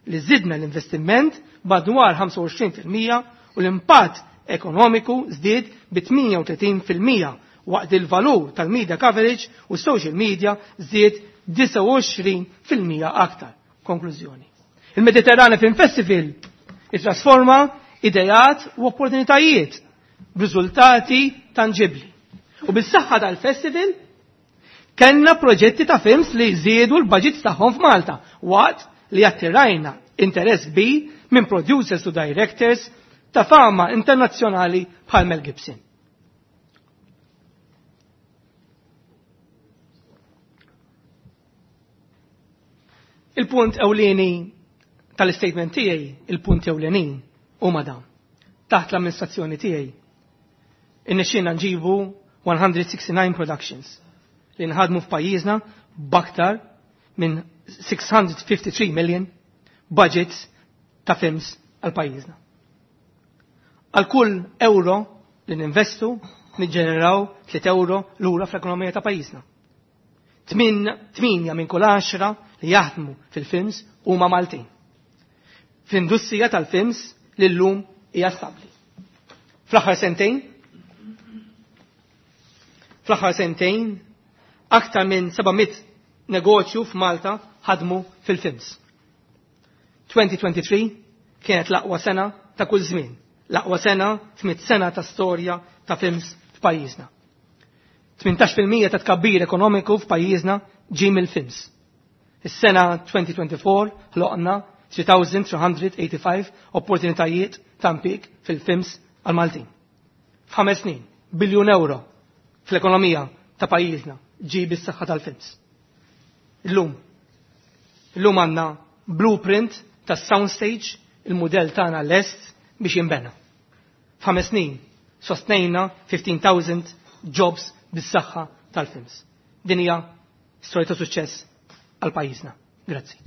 li zidna l-investiment madwar ħamsa u għoxrin fil-mija u l-impatt ekonomiku żdied bi tmienja u tletin fil-mija waqt il-valur tal-media coverage u social media żdied disgħa u għoxrin fil-mija aktar. Konklużjoni. Il-Mediterranean Film Festival ittrasforma idejat u opportunitajiet b'riżultati tangibli. U bis-saħħa tal-festival kellna proġetti ta' films li żiedu l-budgets tagħhom f'Malta waqt li attirajna interess kbir minn producers u directors ta' fama internazzjonali bħal Mel Gibson. Il-punt ewlieni tal-statement tiegħi, il-punt ewlenin huma dawn. Taħt l-amministrazzjoni tiegħi irnexxielna nġibu one hundred sixty-nine productions li nħadmu f'pajjiżna b'aktar minn six hundred fifty-three million budgets ta' films għal pajjiżna. Għal kull euro li ninvestu niġġeneraw tliet euro lura fl-ekonomija ta' pajjiżna. Tminja minn kull għaxra li jaħdmu fil-films huma Maltin. Fl-industrija tal-films li llum hija stabbli. Fl-aħħar sentejn Fl-aħħar sentejn, aktar minn seba' mitt negozju f'Malta ħadmu fil-films. twenty twenty-three kienet l-aqwa sena ta' kull żmien, l-aqwa sena f'mitt sena ta' storja ta' films f'pajjiżna. tmintax fil-mija ta' tkabbir ekonomiku f'pajjiżna ġie mill-films. Is-sena twenty twenty-four ħloqna three thousand three hundred eighty-five opportunitajiet ta' impjieg fil-films għal-Maltin. F'ħames snin, biljun euro fl-ekonomija ta' pajjiżna ġie bis-saħħa tal-films. Illum, illum għandna blueprint ta' soundstage, il-mudell tagħna lest biex jinbena. F'ħames snin sostnejna fifteen thousand jobs bis-saħħa tal-films. Din hija storja ta' suċċess għal pajjiżna. Grazzi.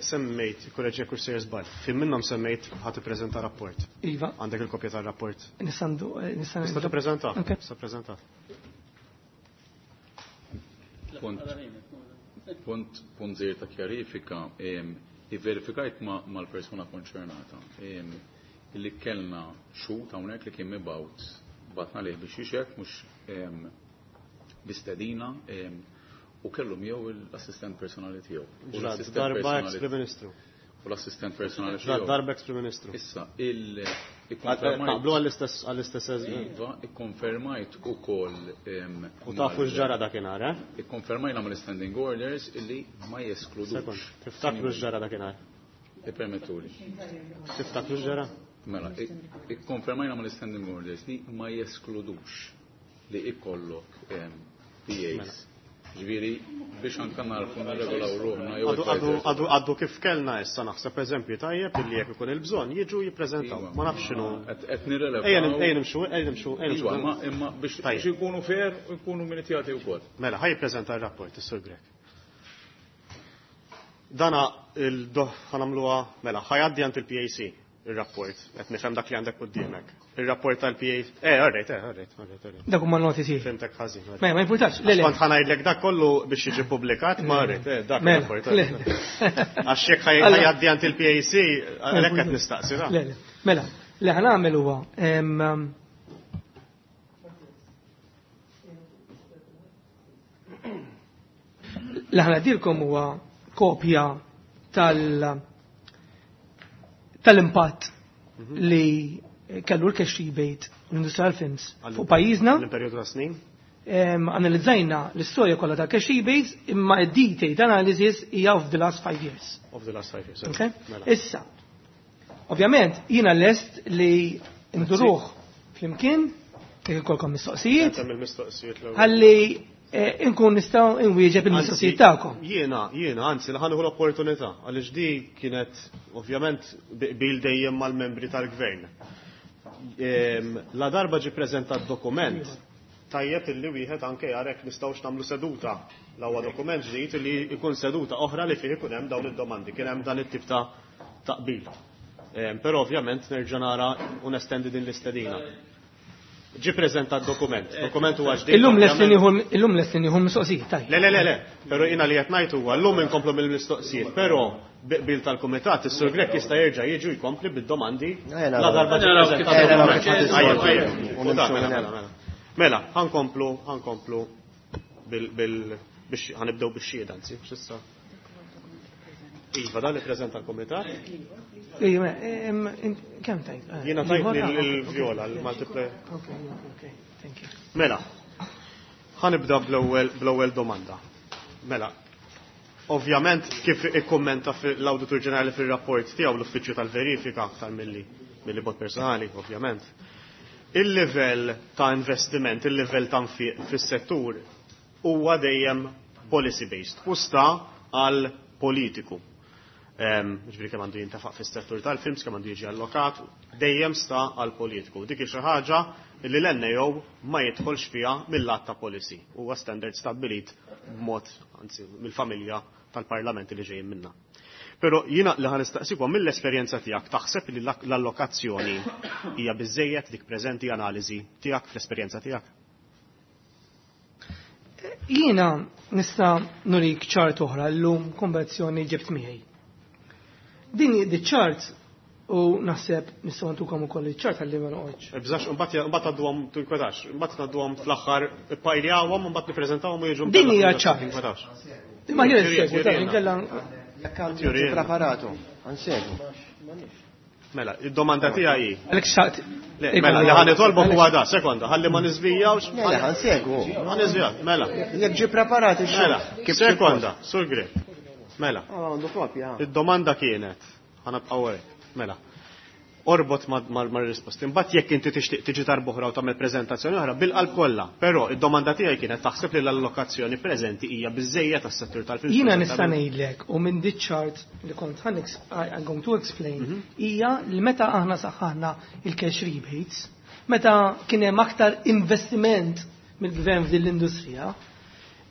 Semmejt, korreġi jekk sejjer żball, fi minnhom semmejt ħadd ippreżenta rapport. Iva. Għandek il-kopja tar-rapport. Nistandu, nista' Tista' tippreżenta? Ok. Tista' tippreżenta. Punt, punt, punt żgħir ta' kjarifika, ivverifikajt ma' mal-persuna konċernata, illi kellna xhud hawnhekk li kien mibgħut batna lih biex jixek, mhux bistedina, u kellu miegħu l-assistent personali tiegħu. U Ġrat l-assistent darba personali ex-Prim Ministru. U l-assistent personali Ġrat tiegħu. darba ex-Prim Ministru. Issa, il- Taqblu għall-istess, għall-istess eż- Iva, ikkonfermajt ukoll, em, U tafu mal- x'ġara dakinhar, eh? Ikkonfermajna mal-standing orders illi ma jeskludux. Sekond, tiftakru x'ġara dakinhar? Ippermettuli. Tiftakru x'ġara? Mela, ik-, ikkonfermajna mal-standing orders li ma jeskludux li ikollok, em, P As. Mela. Ġifieri biex anke narfu nirregolaw ruħna jew Għadu, għadu, advisors. għadu, għadu kif kellna issa naħseb eżempju tajjeb illi jekk ikun il-bżonn jiġu jippreżentaw. Iva. Ma nafx x'inhu. Qed, qed nirrelevaw. Ejja nim-, ejja nimxu, ejja nimxu, ejja nimxu. Iva, ma, imma biex, Tajjeb. biex ikunu fair u jkunu minitjati wkoll. Mela, ħaj jippreżenta r-rapport is-Sur Grech. Dana il-doħ ħanamluha, mela, ħajaddi għand il-P A C il-rapport, qed nifhem dak li għandek quddiemek. Il-rapport tal-P A C, eh, all right, eh, all right, all right, all right. Dak huma noti tiegħi. Fimtek ħażin, all right. Ma, ma jimpurtax, le, le. Kont ħanajdlek dak kollu biex jiġi ppubblikat, ma all right, eh, dak Mela, il-rapport, le, all right. le. Għax jekk ħaj-, Alla. ħajaddi għand il-P A C, għalhekk qed nistaqsi, da. Le, le. Mela, li ħanagħmel huwa, em, li ħanadilkom huwa kopja tal-, tal-impatt Mhm. li kellu l-cash rebate u l-industrial films fuq pajjiżna. L-perjodu ta' snin? Em, analizzajna l-istorja kollha tal-cash rebates imma d-detailed analysis hija of the last five years. Of the last five years. Okay? Mela. Issa, ovvjament, jiena lest li nduruh flimkien, jekk ikolkom mistoqsijiet, Kemm il-mistoqsijiet l-ewwel. ħalli, eh, inkun nistgħu nwieġeb il-mistoqsijiet Anzi, tagħkom. Jiena, jiena, anzi, li ħanieħu l-opportunità, għaliex di kienet ovvjament bil dejjem mal-membri tal-gvern. Ehm, la darba ġi preżentat dokument, tajjeb illi wieħed anke jarek nistgħux nagħmlu seduta. L-ewwel dokument ġdid li jkun seduta oħra li fih ikun hemm dawn id-domandi, kien hemm dan it-tip ta' taqbil. Ehm, però ovvjament nerġa' nara u nestendi din l-istedina. Ġi preżentat dokument. Dokument huwa ġdid. Illum lest li ovvjament. nieħu, illum lest li nieħu mistoqsijiet, tajjeb. Le, le, le, le. Però jiena li qed ngħid huwa llum inkomplu mill-mistoqsijiet, però bil tal-kumitat is-Sur Grech jista' jerġa' jiġu jkompli bid-domandi Eh, la darba ġi Naraw preżentat kif dokument. ħadd issolvi. Tajjeb, tajjeb. U nimxu Mela, minn mela, hemm. mela. Mela, ħankomplu, ħankomplu bil, bil, biex ħanibdew bix-xhieda, anzi, x'issa. Iva, dan li preżenta l-kumitat. Ejja, mela, em, em, kemm tajt? Eh, Jiena tajt ieħor? lil- Ah, lil ok, Viola, ok, l-multiple. Ok, ok, ok, thank you. Mela, ħanibda bl-ewwel, bl-ewwel domanda. Mela, ovvjament kif ikkummenta l-Awditur Ġenerali fir-rapport tiegħu l-Uffiċċju tal-Verifika aktar milli, milli bot personali, ovvjament. Il-livell ta' investiment, il-livell ta' nfiq fis-settur huwa dejjem policy-based u sta għal politiku. Em, ġifieri kemm għandu jintefaq fis-settur tal-films, kemm għandu jiġi allokat, dejjem sta għal politiku. Dik hi xi ħaġa li l-N A O ma jidħolx fiha mill-att ta' policy. Huwa standard stabbilit b'mod, anzi, mill-familja tal-parlamenti li ġejjin minna. Però jiena li ħa nistaqsikom mill-esperjenza tiegħek taħseb li l-, l-allokazzjoni hija biżejjed dik preżenti analiżi tiegħek fl-esperjenza tiegħek? Jiena nista' nurik ċart oħra llum konvenzjoni ġibt miegħi. Din di ċart U naħseb nistgħu ntukom ukoll iċ-ċart ħalli ma noqgħodx. Ibżax, mbagħad mbagħad għadduhom tinkwetax, mbagħad ngħadduhom fl-aħħar ppajljawhom u mbagħad nippreżentawhom u jiġu. Din hija ċart. Ma jien segwu ta' inkella Jekk għandu preparatu, għansegwu. Mela, id-domanda tiegħi hi. Għalhekk xtaqt. Mela, li ħa nitolbok huwa da, sekonda, ħalli ma niżvijawx. Mela, ħansegwu. Ma niżvijaw, mela. Jekk ġie preparat ix-xogħol. Mela, sekonda, Sur Grech. Mela. Għandu kopja. Id-domanda kienet, ħa nibqgħu hekk, mela. Orbot mal-risposti. Imbagħad jekk inti tixtieq tiġi darb'oħra u tagħmel preżentazzjoni oħra bil-qalb kollha. Però id-domanda tiegħi kienet taħseb li l-allokazzjoni preżenti hija biżejjed tas-settur tal-film. Jiena nista' ngħidlek u minn dit chart li kont ħa I'm going to explain hija li meta aħna saħħaħna il-cash rebates, meta kien hemm aktar investiment mill-gvern f'din l-industrija,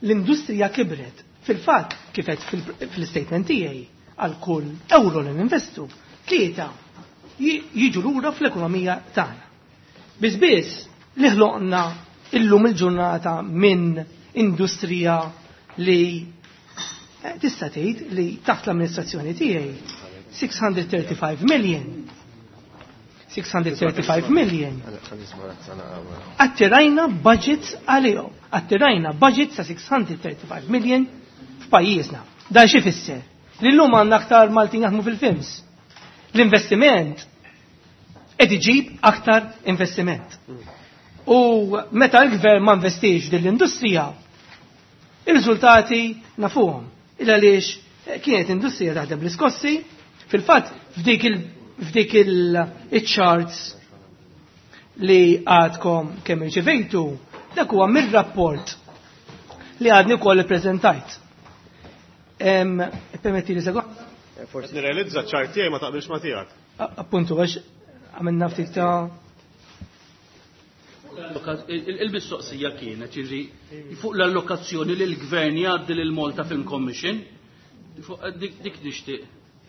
l-industrija kibret. Fil-fatt kif qed fil-statement tiegħi għal kull euro li ninvestu, tlieta jiġu lura fl-ekonomija tagħna. Biss biss li ħloqna illum il-ġurnata minn industrija li tista' tgħid li taħt l-amministrazzjoni tiegħi six hundred thirty-five million. six hundred thirty-five million. Attirajna budgets għalihom. Attirajna budgets ta' six hundred thirty-five million f'pajjiżna. Dan xi fisser? Li llum għandna aktar Maltin jaħdmu fil-films. L-investiment qed iġib aktar investiment. U meta l-gvern ma investix din l-industrija, ir-riżultati nafuhom. Il għaliex kienet industrija taħdem bl-iskossi, fil-fatt f'dik il-, f'dik il-charts li għadkom kemm irċevejtu, dak huwa mir-rapport li għadni wkoll ippreżentajt. Em, permetti li sekonda? Forsi nirrealizza ċ-ċart tiegħi ma taqbilx ma tiegħek. Appuntu, għax għamilna ftit ta' Il-mistoqsija kienet, jiġri, fuq l-allokazzjoni li l-gvern jgħaddi lil Malta Film Commission, fuq dik, dik nixtieq,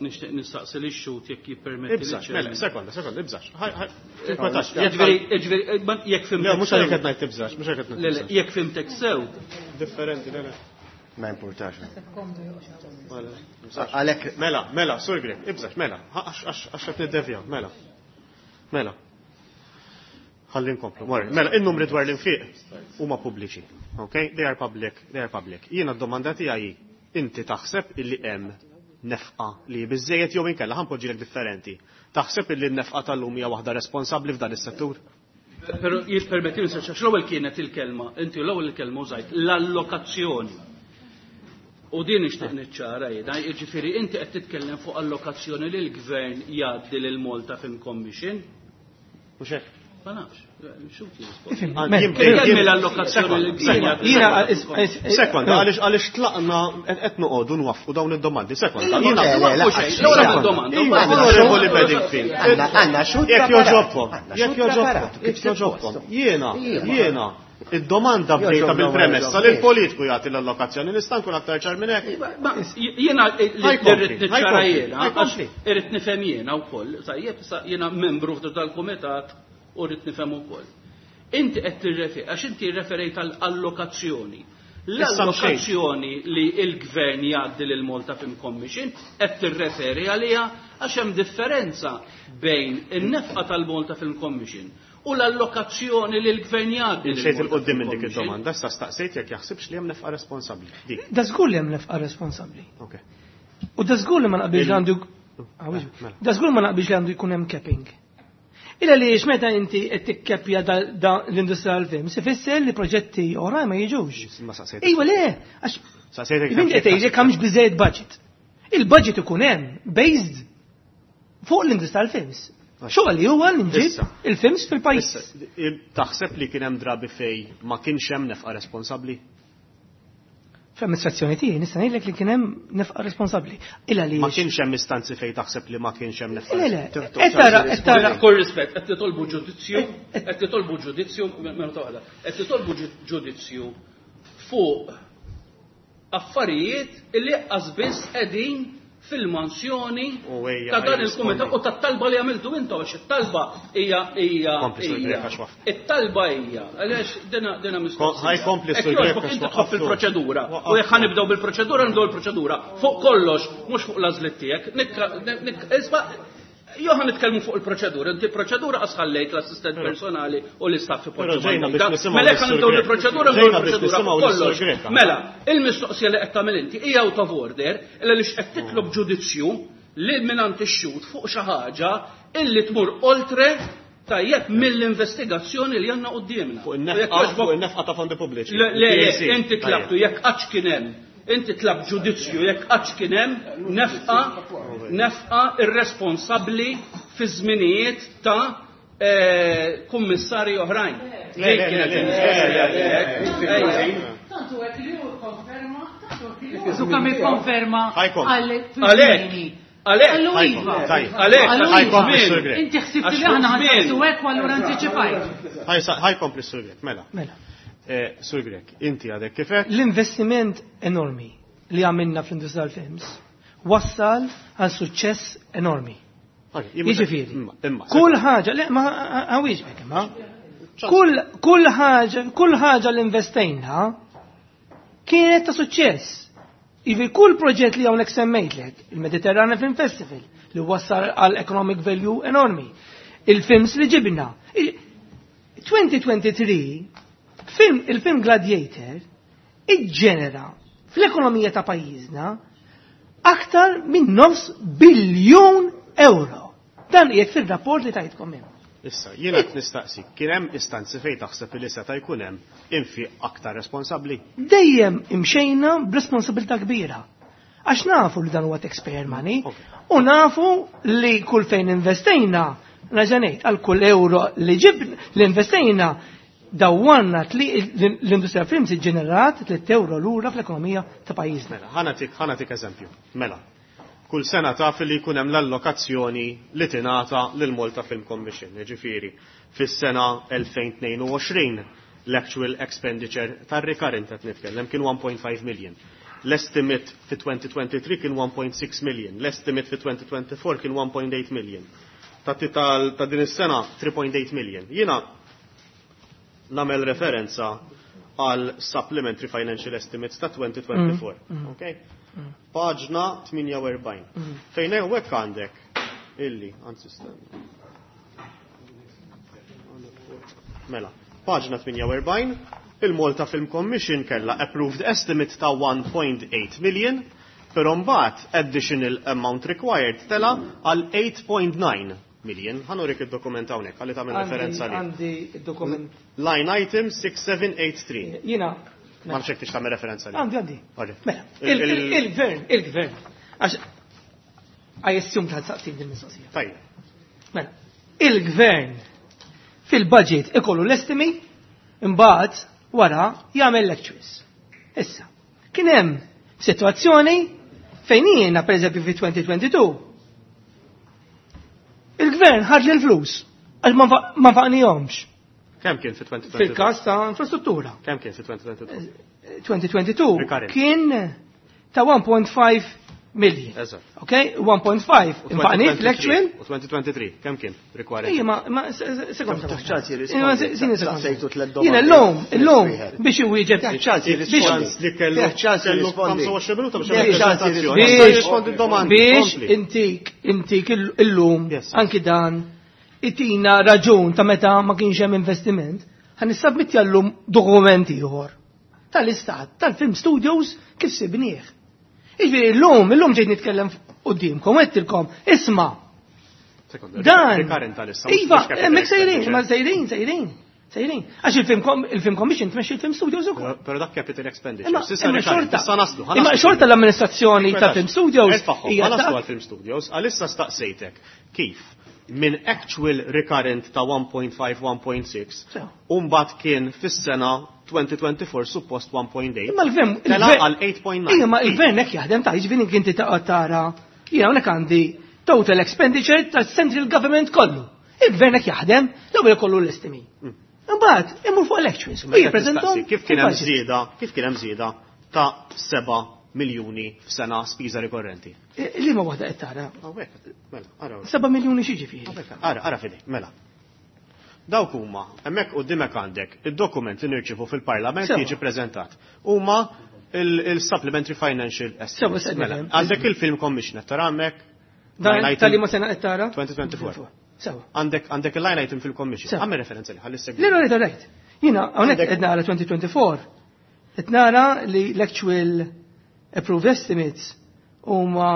nixtieq nistaqsi lix xhud jekk jippermetti li Ibżax, ċermen. mela, sekonda, sekonda, ibżax. Ħaj, ħaj, tinkwetax. Jiġifieri, jiġifieri, ma, jekk fimtek Le, mhux għalhekk sew. qed ngħid tibżax, mhux għalhekk qed ngħid Le, le, tibżax. jekk fimtek sew. Differenti, le, le. Ma importax. Mela, ibżax. Għalhekk Mela, mela, Sur Grech, ibżax, mela, għax, għax, għax qed niddevja, mela. Mela. Ħalli nkomplu. Mori, mela, in-numri dwar l-infiq huma pubbliċi. Okay? They are public, they are public. Jiena d-domanda tiegħi inti taħseb illi hemm nefqa li biżejjed jew inkella ħanpoġġilek differenti. Taħseb illi n-nefqa tal-lum hija waħda responsabbli f'dan is-settur? Però jippermetti li għax l-ewwel kienet il-kelma, inti l-ewwel il-kelma użajt l-allokazzjoni. U din nixtieq niċċara jiena, jiġifieri inti qed titkellem fuq allokazzjoni li l-gvern jgħaddi lil Malta Film Commission. Mhux hekk? Ma nafx, xu Ifhem, jirrispondi? Ah, mela, jien Kelmi jien- l-allokazzjoni li l-gvern jgħaddi Jiena, lil is- is- is- Sekonda, għaliex għaliex tlaqna qed qed noqogħdu nwaffqu dawn id-domandi. Sekonda, Le, jiena le, le, Mhux hekk, l-ewwel Sekonda. domanda, Iva, mbagħad Onorevoli Bedingfield. Għandna- għandna xhud Jekk preparat. joġobkom, Għandna jekk xhud joġobkom, preparat, kif jekk joġobkom. suppost. Jiena, Iva. jiena, id-domanda bdejta Joġobna ma bil-premessa joġobniex. li l-politiku jagħti l-allokazzjoni, nista' nkun aktar ċar minn hekk. Ma jiena li Ħajkompli, rrid niċċara ħajkompli, jiena, għax ħajkompli. irrid nifhem jiena wkoll, tajjeb, sa jiena membru tal-kumitat u rrid nifhem ukoll. Inti qed tirrefi, għax inti referejt għal allokazzjoni. Issa mxejt. L-allokazzjoni li l-gvern jgħaddi lil Malta Film Commission qed tirreferi għaliha għax hemm differenza bejn in-nefqa tal-Malta Film Commission u l-allokazzjoni li l-gvern jgħaddi lil Imxejt Malta il-qoddim Film minn dik Commission. id-domanda, issa staqsejt jekk jaħsibx li hemm nefqa responsabbli. Dik. Da żgur li hemm nefqa responsabbli. Ok. U da żgur li ma naqbilx Il- għandu Ah, Mela, mela. Da żgur ma naqbilx li għandu jkun hemm capping. Illa li meta inti qed tikkeppja da, da l-industrija tal-film, se fisser li proġetti oħrajn ma jiġux. Ma saqsejtek. Ejwa le, għax Saqsejtek Inti qed tgħid jekk hemmx biżejjed budget. Il-budget ikun hemm based fuq l-industrija tal-films. Xogħol li huwa li nġib Issa. il-films fil-pajjiż. Issa, il- taħseb li kien hemm drabi fej ma kienx hemm nefqa responsabbli? Fl-amministrazzjoni tiegħi nista' ngħidlek li kien hemm nefqa responsabbli. Illa li Ma kienx hemm istanzi fej taħseb li ma kienx hemm nefqa. Le, le, qed tara, qed tara. Kull rispett, qed titolbu ġudizzju, qed titolbu ġudizzju, minuta waħda, qed titolbu ġu-, ġudizzju fuq affarijiet illi qas biss qegħdin fil-mansjoni U ejja, ta' dan ejja, il-kumitat rispondi. u tat-talba li għamiltu intom, għax it-talba hija, hija, Kompli, Sur hija. Grech, għax waqf. It-talba hija, għaliex dina, dina mistoqsija. Ħaj kompli, Hekk Sur Grech, jogħġbok għax inti tħobb waqaftu. il-proċedura. U Waqaftu. jekk ħanibdew bil-proċedura, nibdew il-proċedura. Fuq kollox, mhux fuq l-għażliet tiegħek. Nikka, nik, isma', Jew ħa nitkellmu fuq il-proċedura, inti proċedura qas ħallejt l-assistent personali u l-istaff Però ipoġġu ġejna mal-mejda. biex nisimgħu Mela jekk lis-Sur nibdew Grech. il-proċedura nibdew Ġejna biex il-proċedura nisimgħu fuq lis-Sur kollox. Grech, aħna. Mela, il-mistoqsija li qed tagħmel inti hija out of order illa li x'qed titlob ġudizzju lil mingħand ix-xhud fuq xi ħaġa illi tmur oltre tajjeb mill-investigazzjoni li għandna quddiemna. Fuq U jekk in-nefqa jogħġbok- fuq in-nefqa ta' fondi pubbliċi. Le, le, le, P A C. inti tlabtu jekk qatt kien hemm, inti tlab ġudizzju jekk qatt kien hemm nefqa nefqa irresponsabbli fi żminijiet ta' eh, kummissarji oħrajn. Le, le, Dik kienet le, le, il-mistoqsija le, le, tiegħek. Ejja. Tantu hekk li hu konferma, tantu hekk li hu. Su kemm ikkonferma Ħajkom. għal Għalhekk, għalhekk, Għallu Ħajkom, iva. tajjeb. Għalhekk, Għallu ħajkom iva. is-Sur Grech. Inti ħsibt Għax li aħna fuq żmien. ħansaqsu hekk u allura antiċipajt. Ħaj- Ħajkompli s-Sur Grech, mela. Mela. Eh, Sur Grech, inti għadek kifek? L-investiment enormi li għamilna fl-industrija tal-films wassal għal suċċess enormi. Jiġifieri, Imma, imma. kull ħaġa, le, ma għawiġbek, imma. Kull, kull ħaġa, kull ħaġa li investejna kienet ta' suċċess. Jiġifieri kull proġett li hawnhekk semmejtlek, il-Mediterranean Film Festival, li wassal għal economic value enormi, il-films li ġibna. Il- twenty twenty-three, film, il-film Gladiator, iġġenera fl-ekonomija ta' pajjiżna aktar minn nofs biljun euro. Dan qiegħed fir-rapport li tajtkom hemm. Issa, jiena qed nistaqsi, kien hemm istanzi fejn taħseb li seta' jkun hemm infiq aktar responsabbli? Dejjem imxejna b'responsabilità kbira. Għax nafu li dan huwa taxpayer money Ok. u nafu li kull fejn investejna, raġanejt, għal kull euro li ġib li investejna dawwanna tli l-industrija films ġenerat tliet euro lura fl-ekonomija ta' pajjiżna. Mela, ħa nagħtik ħa nagħtik eżempju. Mela, kull sena taf li jkun hemm l-allokazzjoni li tingħata lil Malta Film Commission, jiġifieri fis-sena elfejn u tnejn u għoxrin l-actual expenditure tar-recurrent qed nitkellem kien one point five million. L-estimate fi twenty twenty-three kien one point six million, l-estimate fi twenty twenty-four kien one point eight million. Ta' ta' ta' din is-sena three point eight million. Jiena nagħmel referenza għal supplementary financial estimates ta' twenty twenty-four. Okay? Paġna tmienja u erbgħin. Fejn hawnhekk għandek illi, anzi stenna. Mela, paġna tmienja u erbgħin, il-Malta Film Commission kella approved estimate ta' one point eight million, però mbagħad additional amount required tela għal eight point nine million. Ħa nurik id-dokument hawnhekk għalli tagħmel referenza li. Għandi dokument. Line item six seven eight three. Jiena Ma nafx jekk tix tagħmel referenza li. Għandi, għandi. Ok. Mela, Il- il- il- il-gvern, il-gvern. Għax, I assume ta' saqsin din mistoqsija. Tajjeb. Mela, il-gvern fil-budget ikollu l-estimi, imbagħad wara jagħmel l-actuals. Issa, kien hemm sitwazzjoni fejn jiena pereżempju fi twenty twenty-two il-gvern ħad li l-flus għax ma nfa- ma nfaqnihomx Kemm kien fi twenty twenty-two? fil-każ ta' infrastruttura. Kemm kien fi twenty twenty-two? twenty twenty-two Recurrent. kien ta' one point five million. Eżatt. Ok, one point five U infaqni fl-actual. U twenty twenty-three, kemm kien required? Ija, ma, ma, se- se- sekonda. Taħ ċans jirrispondi. Ija, ma, se- sini sekonda. Saqsejtu tliet domandi. Jiena l-lum, l-lum, Wieħed. biex iwieġeb. Taħ ċans Biex- jirrispondi. Ċans li kellu Taħ ċans kellu jirrispondi. ħamsa u għoxrin minuta biex Taħ jagħmel ċans preżentazzjoni. jirrispondi. Issa Biex, jirrispondi d-domandi. biex Kompli. intik, intik il- illum, Yes. anki dan, itina raġun ta' meta ma kienx hemm investiment, ħa nissabmitti llum dokumenti ieħor tal-istat, tal-film studios kif sibnieh. Iġifieri llum, illum ġejt nitkellem qudiemkom, għedtilkom, isma' Sekonda, Dan. recurrent tal-issa. Mhux Iva, capital hemmhekk sejrin, expenditure. ma sejrin, sejrin, sejrin. Għax il-film com- il-film commission tmexxi il-film studios ukoll. Però- Però dak capital expenditure. Imma S'issa imma recurrent, xorta. issa naslu. Imma Ħa naslu. xorta l-amministrazzjoni tal-film studios Erfagħhom, hija ħa naslu ta' għal-film studios, għalissa staqsejtek kif minn actual recurrent ta' one point five, one point six, Sew. umbagħad kien fis-sena twenty twenty-four suppost one point eight. Imma l-gvern. Tela il-gvern- għal eight point nine. Ija, ma il-gvern hekk jaħdem ta' jiġifieri inti taqgħod tara. Jiena hawnhekk għandi total expenditure ta' central government kollu. Il-gvern hekk jaħdem, l-ewwel ikollu l-estimi. Imbagħad imur fuq l-actuals u Mela jippreżentahom nistaqsi, kif kien hemm fil-budget. żieda, kif kien hemm żieda ta' seba' miljuni f'sena spiża rikorrenti? Eh, Liema waħda qed tara? Hawnhekk, mela, ara. seba' miljuni xi ġifieri. Ara, ara fidi, mela. Dawk huma, hemmhekk quddiemek għandek id-dokument li nirċivu fil-Parlament Sewa. jiġi preżentat. Huma il-Supplementary Financial Sewa, Estimates. se Mela, nifhem. għandek il-Film Commissioner tara hemmhekk Dan Line item tal-li ma sena qed tara? twenty twenty-four. Sewa. Għandek għandek il-line item fil-commission. Sewa. Għamel referenza li ħalli segwi. Le, le, le, rajt. Jiena hawnhekk Għandek- qed nara twenty twenty-four. Qed nara li l-actual approved estimates huma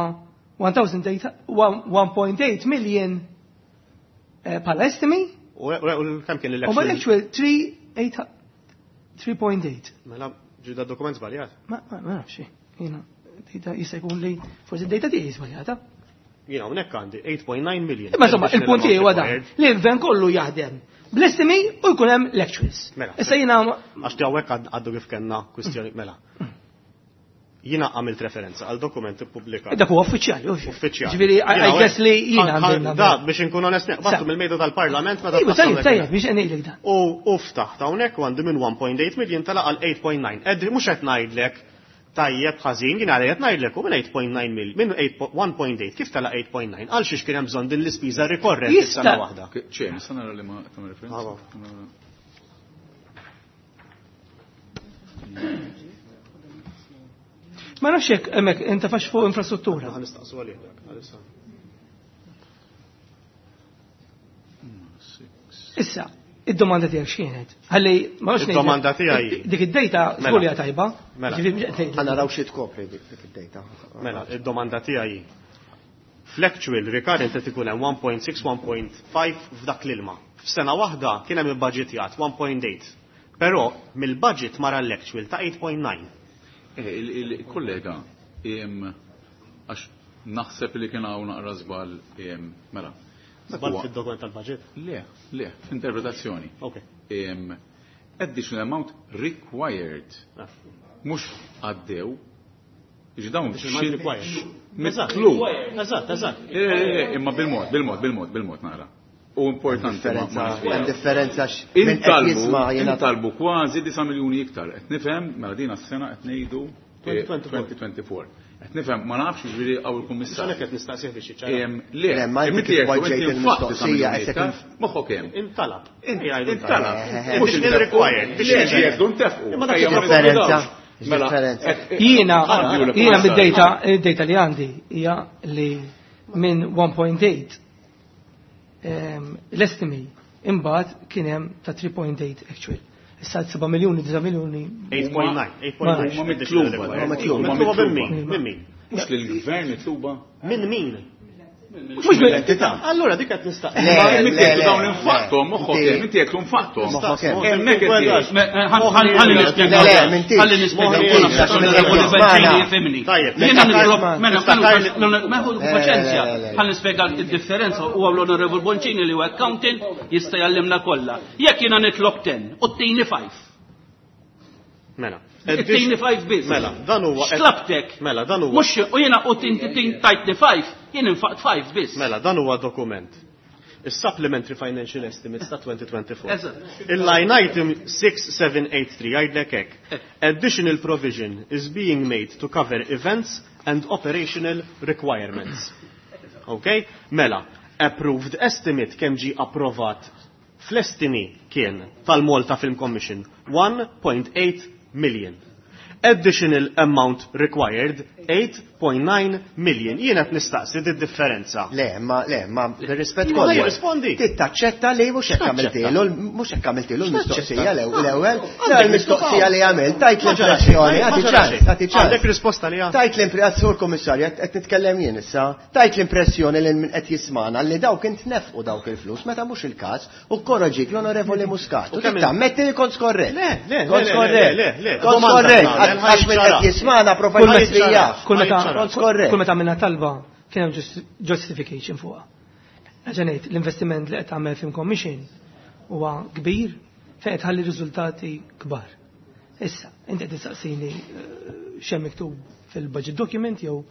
one thousand eight, one, one point eight million, eh, bħala estimi. U, u, u kemm kien U ma l-actual? l-actual three eight, three point eight. Mela ġi da dokument żbaljat. Ma, ma, ma nafx, jiena data jista' jkun li forsi d-data tiegħi żbaljata. Jiena hawnhekk għandi eight point nine million. Imma insomma, Additional il-punt tiegħi huwa dan amount required. li l-gvern kollu jaħdem bl-estimi u jkun hemm l-actuals. Mela. Issa jiena Għax ti hawnhekk għad-, għaddu kif kellna kwistjoni, mela. Jiena għamilt referenza għal dokument ippubblikat. Dak huwa uffiċjali, uffiċjali. Uffiċjali. Ġifieri, I, I Jiena guess li jiena ħan- għandi ħan- Da, biex inkun onest, battu Sa. mill-mejda tal-Parlament meta Iva, tqassam tajjeb, dak tajjeb, il- biex ngħidlek dan. U, u ftaħt hawnhekk u għandi minn one point eight million tala għal eight point nine. Ed, mhux qed ngħidlek tajjeb ħażin, jien għalhekk qed ngħidlek u minn eight point nine million, minn eight po-, one point eight, kif tala eight point nine? Għal xiex kien hemm bżonn din l-ispiża rikorrenti Jista' f'sena waħda. Ċe, nista' nara li ma tagħmel referenza? Bravo. Ma nafx hekk hemmhekk inta fax fuq infrastruttura. Ħa nistaqsu għalih dak, għalissa. Issa, id-domanda tiegħek x'kienet? Ħalli ma nafx ngħidlek. Id-domanda tiegħi. Dik id-dejta Mela. żgur li hija tajba. Mela. Ġifieri mhux qed ngħidlek. Ħa naraw xi tkopri dik, dik id-dejta. Mela, id-domanda tiegħi. Fl-actual recurrent qed ikun hemm one point six, one point five f'dak l-ilma. F'sena waħda kien hemm ibbaġitjat one point eight. Però mill-budget mara l-actual ta' eight point nine. Eh, il-, il-kollega, em, għax naħseb li kien hawn naqra żball, em, mela. Dak Żball huwa- fid-dokument tal-budget? Le, le, f'interpretazzjoni. Ok. Em, additional amount required. Ah. Mhux għaddew. Jiġi dawn Additional amount xi- required. Mitlub. Eżatt, eżatt. Eh, eh, eh, imma bil-mod, bil-mod, bil-mod, bil-mod naqra. U importanti ma- ma Differenza, nisbija. hemm differenza x- minn qed Intalbu, jisma' jiena intalbu kważi disa' miljuni iktar. Qed nifhem, mela din għas-sena qed ngħidu, eh, twenty twenty-four. twenty twenty-four. Qed nifhem, ma nafx jiġifieri hawn il-kummissarju. Għalhekk qed nistaqsih biex jiċċara. Em, le, Le, ma inti inti kif jekk poġġejt inti infatti disa' il-mistoqsija, miljuni qed iktar, inf- moħħok hemm. Intalab. Int- Ejja, jgħidu Intalab. Eh, Mhux eh, intefqu. required. Le, Biex jiġi. jgħidu ntefqu. Imma dak Ejja, ma differenza. nifhmux. Mela, Differenza. eh, eh, Jiena, għandi u jiena l-kummissarju. mid-data, id-data li għandi hija li minn one point eight, ehm, l-estimi imbagħad kien hemm ta' three point eight actual. Issa seba' miljuni, disa' miljuni. eight point nine, eight point nine. Huma mitluba. Huma mitluba. Huma Mitluba minn mitluba. min? Minn min? Mhux lill-gvern mitluba. Minn min? Mhux minn Entità. Allura dik qed nistaqsi. Le, Ma le, inti jekk le, dawn le. infaqthom, moħħok Inti- hemm, inti jekk infaqthom. Moħħok hemm. Hemmhekk qed jgħid. Ħalli nispjega. Le, le, m'intix. Ħalli nispjega. M'intix, għax minn qed jismana. Jifhimni. Tajjeb, Jiena niftakar- nitlob, mela, niftakar li- mela, ħu Le, le, paċenzja. le, le, le. Ħalli nispjega d-differenza huwa l-Onorevol Boncini li huwa accountant jista' jallimna kollha. Jekk jiena nitlob ten u ttini five. Mela. It-tini five biss. Mela, dan huwa X'tlabtek? Mela, dan huwa Mhux u jiena u tinti tin tajtni five, jien infaqt five biss. Mela, dan huwa dokument. Is-supplementary financial estimates ta' twenty twenty-four. Eżatt. Il-line item six seven eight three jgħidlek hekk. Additional provision is being made to cover events and operational requirements. Okay? Mela, approved estimate kemm ġie approvat fl-estimi kien tal-Malta Film Commission one point eight million. Additional amount required eight point nine million. Jien qed nistaqsi di differenza. Le, ma le, ma bir-rispett Ma kollu. jirrispondi. Trid taċċetta li mhux hekk għamiltilu, mhux hekk għamiltilu l-mistoqsija l-ewwel, l-ewwel, Għandek l-mistoqsija li għamilt, tajt Ma ġara l-impressjoni, xejn, ma għati ġara ċans, xejn. għati ċans. Għandek risposta li għandek. Tajt l-impressjoni, Sur Kummissarju, qed nitkellem jien issa, tajt l-impressjoni li min qed jismana li dawk intnefqu dawk il-flus meta mhux il-każ u korroġik l-Onorevoli Muscat. U U kemm trid tammetti li kont skorrett. Le, le, le, Kont le, skorrett. le, le, le. Kont Domanda skorrett. tagħmel, Għax min qed jismana Kull profajt meta- jaf. kull meta- Ħajċara. Kont skorrett. kull meta għamilna talba kien hemm just-, justification fuqha. Nerġa' ngħid, l-investiment li qed tagħmel Film Commission huwa kbir fejn qed tħalli riżultati kbar. Issa, inti qed tistaqsini, eh, x'hemm miktub fil-budget document jew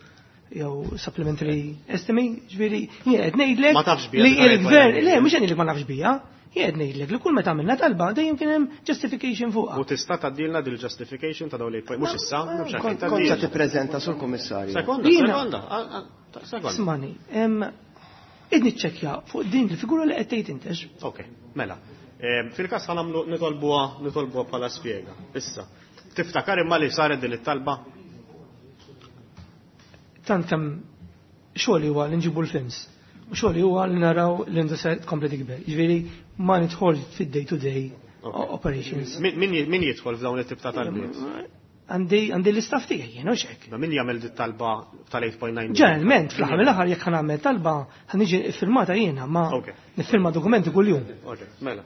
jew supplementary estimate, ġifieri jien qed ngħidlek Ma tafx bija, li dik il-gvern, għalhekk. le, mhux qed ngħidlek ma nafx bija, jien qed ngħidlek li kull meta għamilna talba dejjem kien hemm justification fuqha. U tista' tgħaddilna dil-justification ta' dawn li mhux issa, mhux għalfejn Kont kont se tgħaddilna. tippreżenta sur Kummissarju. Sekonda, Jiena- sekonda, ah, ah, ta' sekonda. Smani, em, id niċċekkja fuq din il-figura li qed tgħid intex. Ok, mela. Em, fil-każ ħa nagħmlu nitolbuha, nitolbuha bħala spjega. Issa, tiftakar imma li saret din it-talba? Tant kemm Xogħli huwa li nġibu l-films. U xogħli huwa li naraw l-industrija tkompli tikber. Jiġifieri ma nidħol fid-day to day operations. Min jidħol f'dawn it-tip ta' talbiet? Għandi għandi l-istaff tiegħi jien hux hekk. Ma min jagħmel dit talba tal-eight point nine? Ġeneralment fl-aħħar mill-aħħar jekk ħanagħmel talba ħa niġi iffirmata jiena ma niffirma dokumenti kuljum. Ok, mela.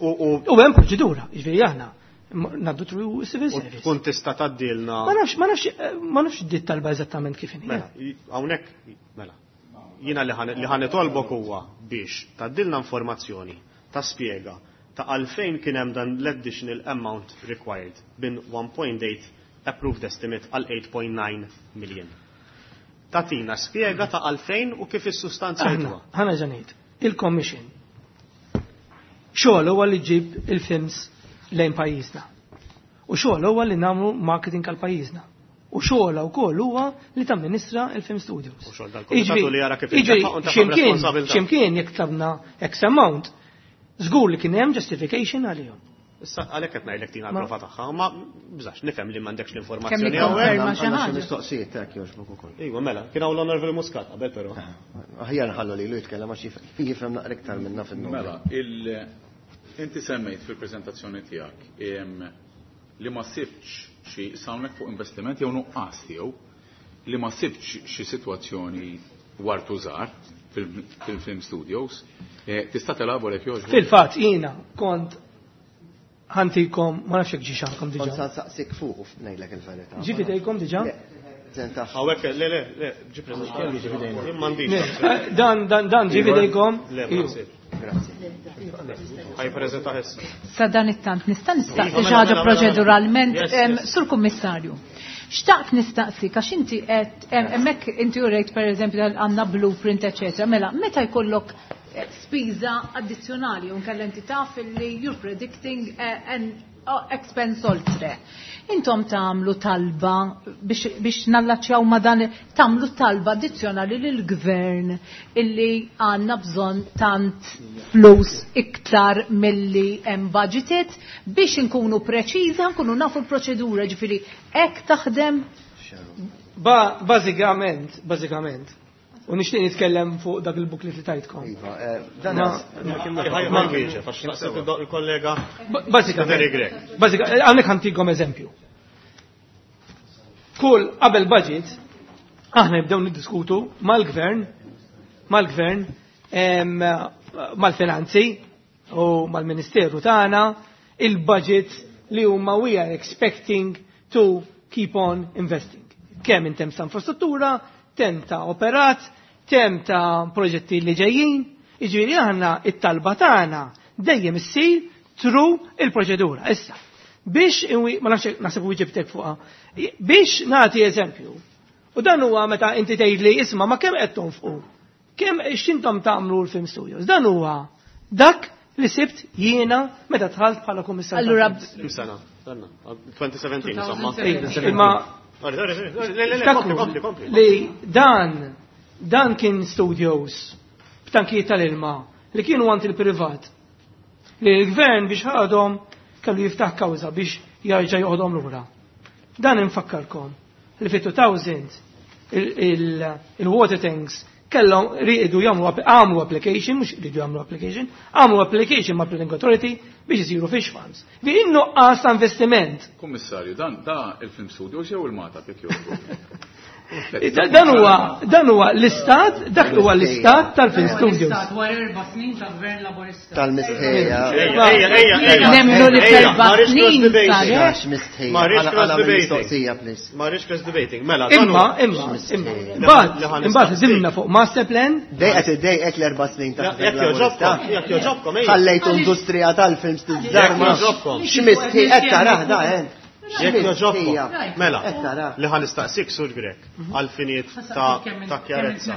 U u hemm proċedura, jiġifieri aħna ngħaddu through civil service. Tkun tista' tgħaddilna. Ma nafx, ma nafx, ma nafx dit talba eżattament kif inhi. Mela, hawnhekk, mela. Jiena li ħa nitolbok huwa biex tgħaddilna informazzjoni ta' spjega ta' għalfejn kien hemm dan l-additional amount required bin one point eight approved estimate għal eight point nine million. Tatina spjega ta' għalfejn u kif is-sustanzjajtuha. Ħana ġanejt, il-commission xogħol huwa li ġib il-films lejn pajjiżna. U xogħol huwa li nagħmlu marketing għal pajjiżna. U xogħol wkoll huwa li tamministra il-film studios. U xogħol dal-kumitatu li jara kif Jiġifieri, intefaq u ntefaq x'imkien, responsabilità. x'imkien jekk tlabna X amount, żgur li kien hemm justification għalihom. Issa għalhekk qed ngħidlek tina Ma- l-prova tagħha, ma bżax nifhem li m'għandekx l-informazzjoni Kemm hawnhekk. ikkonferma xi Għandna xi ħaġa. mistoqsijiet hekk jogħġbok ukoll. Iva, mela, kien hawn l-Onorevoli Muscat qabel però. Aħjar nħallu lilu jitkellem għax jif-, jifhem naqra iktar minna fin-numru. Mela, il- inti semmejt fil-preżentazzjoni tiegħek, em, li ma sibtx xi hawnhekk fuq investiment jew nuqqas tiegħu li ma sibtx xi sitwazzjoni wartu żgħar fil-, fil-film studios. Eh, tista' telabora jekk jogħġbok? Fil-fatt jiena kont ħantikom, ma nafx jekk ġiex għandkom diġà. Kont sa nsaqsik fuq u ngħidlek il-verità. Ġi fidejkom diġà? Le, prezenta. Hawnhekk, le, le, le, ġi preżentat. Jien m'għandix. Le, dan, dan, dan ġi fidejkom. Le, ma Iju. nsibx. Grazie. Ħaj preżenta issa. Sa dan it-tant nista' nistaqsi Iva, xi ħaġa mela, mela, proċeduralment, Yes, em, yes. Sur Kummissarju. Xtaqt nistaqsi għax inti qed, em, hemmhekk inti urejt pereżempju għandna blueprint eċetera. Mela, meta jkollok, eh, spiża addizzjonali u nkella inti taf li you're predicting, eh, an expense oltre. Intom tagħmlu talba biex, biex nallaċċjaw ma dan, tagħmlu talba addizzjonali lill-gvern illi għandna bżonn tant flus iktar milli hemm budgeted biex inkunu preċiża, nkunu nafu l-proċedura, ġifieri hekk taħdem. Ba-, bażikament, bażikament. U nixtieq nitkellem fuq dak il-booklet li tajtkom. Iva, eh, dan Ma- Ma- ma nwieġeb, għax naqseb il-kollega Ba-, bażikament. Very Grech. Bażikament, hawnhekk ħantikom eżempju. Kull qabel budget aħna nibdew niddiskutu mal-gvern, mal-gvern, em, mal-finanzi u mal-ministeru tagħna il-budget li huma we are expecting to keep on investing. Kemm in terms ta' infrastruttura, kemm ta' operat, kemm ta' proġetti li ġejjin, jiġifieri aħna it-talba tagħna dejjem issir through il-proċedura. Issa, biex inwi, ma nafx naħseb u ġibtek fuqha, biex nagħti eżempju, u dan huwa meta inti tgħidli isma' ma kemm qed tonfqu, kemm x'intom tagħmlu l-film studios, dan huwa dak li sibt jiena meta dħalt bħala kummissarju. Allura, Kemm sena? Danna, twenty seventeen, insomma. Imma Sorry, sorry, sorry, le, le, le, Ftakru kompli, kompli, kompli. li dan, dan kien studios b'tankijiet tal-ilma li kienu għand il-privat. Li l-gvern biex ħadhom kellu jiftaħ kawża biex jarġa' joħodhom lura. Dan infakkarkom li fi two thousand il-, il-, il-water tanks kellhom riedu jagħmlu app-, għamlu application, mhux riedu jagħmlu application, għamlu application ma' Planning Authority biex isiru fish farms. Vi innuqqas ta' investiment. Kummissarju, dan da il-film studios jew il-Mata jekk jogħġbok? Da-, dan huwa, dan huwa l-istat, dak huwa l-istat tal-film studios. L-istat wara erba' snin ta' gvern laburista. Tal-mistħija. Ejja, ejja, ejja, ejja. Nemmnu li Ejja, f'erba' ma rridx snin cross debating. sar. Għax mistħija. Ma rridx Għala- cross għala debating. mistoqsija, please. Ma rridx cross debating. Mela, dan Imma, huwa- imma, X'mistħija. imma. Imbagħad, Li ħan imbagħad nistaqsi. żimna fuq master plan. Dejqet id-dejqet l-erba' snin ta' Jekk gvern laburista. jogħġobkom, jekk jogħġobkom, ejja. Ħallejtu industrija tal-films tiżżarma. Jekk jogħġobkom. X'mistħija qed tarah da, eh? Jekk jogħġobkom. X'mistħija. Mela, Qed tarah. li ħan nistaqsik Sur Grech għal finijiet ta' ta' kjarezza.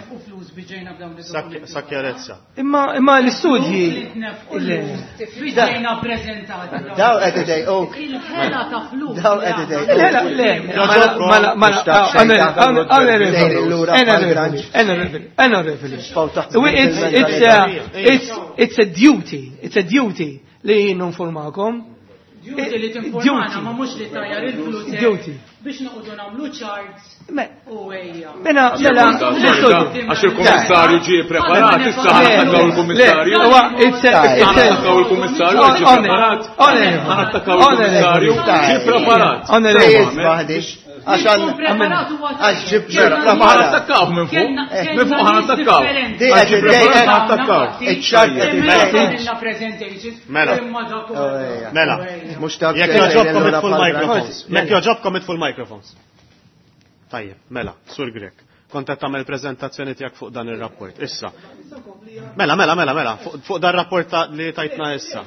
Sa' sa' kjarezza. Imma, imma l-istudji. Le. Biex ġejna preżentati. Daw qed idejquk. Il-ħela ta' flus. Daw qed idejquk. Le, le, mela, mela, mela, it's, it's a duty, it's a duty li jien ninformakom. Duty li tinformana, ma mhux li tajjar il-flus. Duty. Biex noqogħdu nagħmlu charts u ejja. Mela, mela, Għax il-kummissarju ġie preparat, issa ħa nattakkaw il-kummissarju. Issa ħa nattakkaw il-kummissarju ġie preparat. Ħa nattakkaw il-kummissarju ġie preparat. Għax għax ġib Ma ħa nattakkaw minn fuq. Minn fuq ħa nattakkaw. Għax ġie preparat ħa nattakkaw. Mela. Mela. Jekk jogħġobkom itfu l-microphones. Jekk jogħġobkom itfu l-microphones. Tajjeb, mela, Sur Grech. Kont qed tagħmel preżentazzjoni tiegħek fuq dan ir-rapport. Issa. Mela, mela, mela, mela, fuq dan rapport li tajtna issa.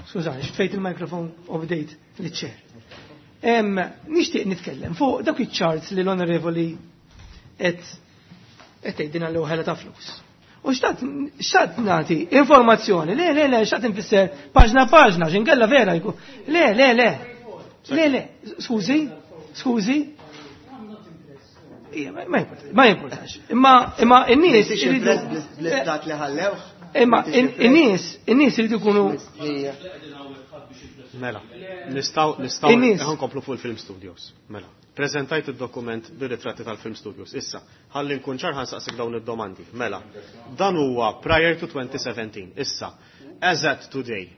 Skużani, xtfejt il-mikrofon u bdejt li-chair. Nixtieq nitkellem fuq dawk iċ-charts li l-onorevoli qed qed tgħidilna l ħela ta' flus. U xtaqt xtaqt nagħti informazzjoni, le le le, xtaqt nfisser paġna paġna, x'inkella vera jkun. Le le le. Le le, skużi, skużi. Ma jimportax. Imma imma n-nies iridu bl-istat li ħallew. Imma in-nies, in-nies iridu jkunu Mela, nistgħu nistgħu nkomplu fuq il-Film Studios. Mela, preżentajt id-dokument bir-ritratti tal-Film Studios. Issa, ħalli nkun ċar ħa nsaqsik dawn id-domandi. Mela, dan huwa prior to twenty seventeen. Issa, as at today,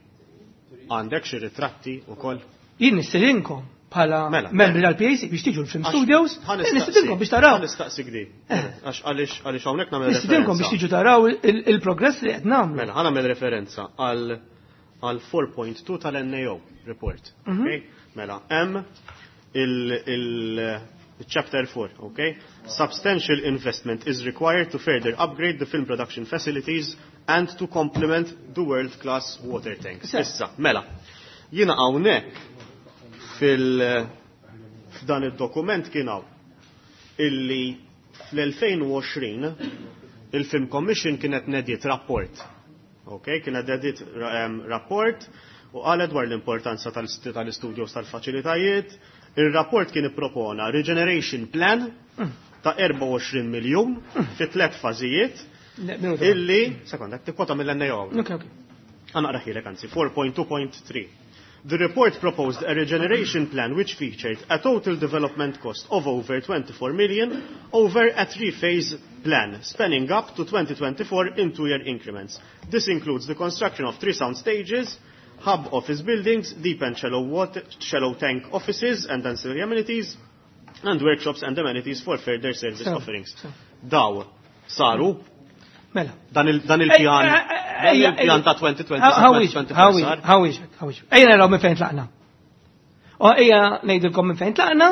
għandek xi ritratti wkoll? Jien nistedinkom bħala membri tal-P A C biex tiġu l-Film Studios, nistedinkom biex taraw. Nistaqsik di. Għax għaliex għaliex hawnhekk nagħmel referenza. Nistedinkom biex tiġu taraw il-progress li qed nagħmlu. Mela, ħa nagħmel referenza għal għal four point two tal-N A O report. Okay? Mela, hemm il-chapter four, okay? Substantial investment is required to further upgrade the film production facilities and to complement the world-class water tanks. Issa, mela, jiena hawnhekk fil f'dan id-dokument kien hawn illi fl-elfejn u għoxrin il-Film Commission kienet nediet rapport. Okay, kienet nediet rapport u qalet dwar l-importanza tal-istudios tal-faċilitajiet. Il-rapport kien ippropona regeneration plan ta' erbgħa u għoxrin miljun fi tliet fażijiet illi, sekonda, tikkwota mill-N A O. Okay, okay. Għanaqra ħilek, anzi, four point two point three. The report proposed a regeneration plan which featured a total development cost of over twenty-four million over a three-phase plan, spanning up to twenty twenty-four in two-year increments. This includes the construction of three sound stages, hub office buildings, deep and shallow, water, shallow tank offices and ancillary amenities, and workshops and amenities for further service So, offerings. so. Daw, saru, Mela. Dan il-, dan il-pjan, dan il-pjan ta' twenty twenty How twenty is it? twenty How is it? sar. How is it? How is it? Ejja naraw minn fejn tlaqna. U ejja ngħidilkom minn fejn tlaqna,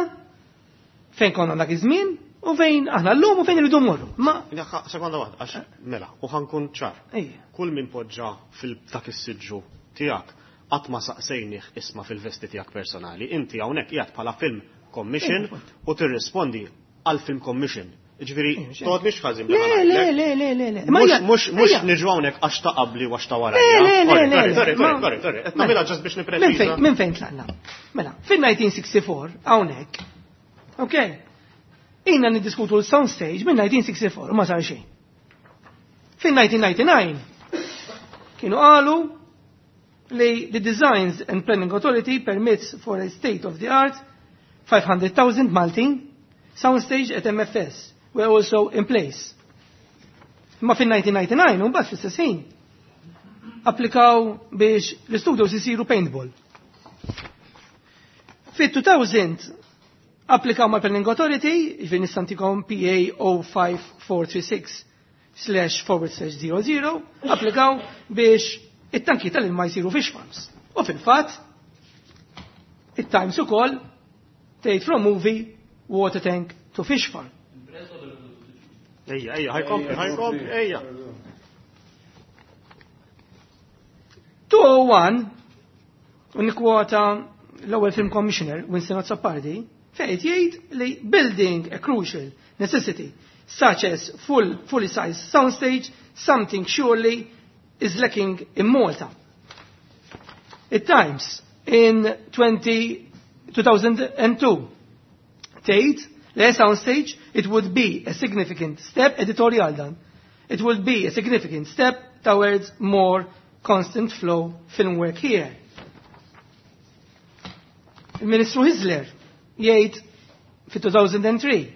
fejn konna dak iż-żmien, u fejn aħna llum u fejn irridu mmorru. Ma Ja, sekonda waħda, għax mela, u ħankun ċar. Ejja. Kull min poġġa fil-dak is-siġġu tiegħek qatt ma saqsejnih isma' fil-vesti tiegħek personali. Inti hawnhekk qiegħed bħala Film Commission Ejja, appunt. u tirrispondi għal Film Commission. Ġifieri, Ejja, xejn. toqgħod mhix ħażin Le, bla ma le, ngħidlek. le, le, le, le. Ma Mhux, hija- mhux, mhux hija. niġu hawnhekk għax ta' qabli u għax ta' wara. Le, le, le, Sorry, le, sorry, le. sorry, Ma- sorry, sorry. Qed Mela. nagħmilha ġast biex Minn nippreċiża. fejn, minn fejn tlaqna? Mela, fin-nineteen sixty-four hawnhekk. Ok. Ejna niddiskutu l-sound stage minn nineteen sixty-four u ma sar xejn. Fin-nineteen ninety-nine kienu qalu li the Designs and Planning Authority permits for a state of the art five hundred thousand Maltin soundstage at M F S were also in place. Ma fin-nineteen ninety-nine, un bat fl-istess ħin, applikaw biex l-studios isiru paintball. Fit-two thousand applikaw ma' Planning Authority, ġifieri nistantikom P A O five four three six slash forward slash zero zero, applikaw biex it-tanki tal-ilma jsiru fish farms. U fil-fatt, it-Times ukoll tgħid from movie water tank to fish farm. Ejja, ejja, ħajkompli, ħajkompli, ejja. two oh one, u nikkwota l-ewwel film commissioner Winston Azzopardi, fejn jgħid li building a crucial necessity such as full, fully sized soundstage, something surely is lacking in Malta. It Times in twenty, two thousand and two tgħid li soundstage it would be a significant step, editorial dan, it would be a significant step towards more constant flow film work here. Il-Ministru Hyzler jgħid fi two thousand three,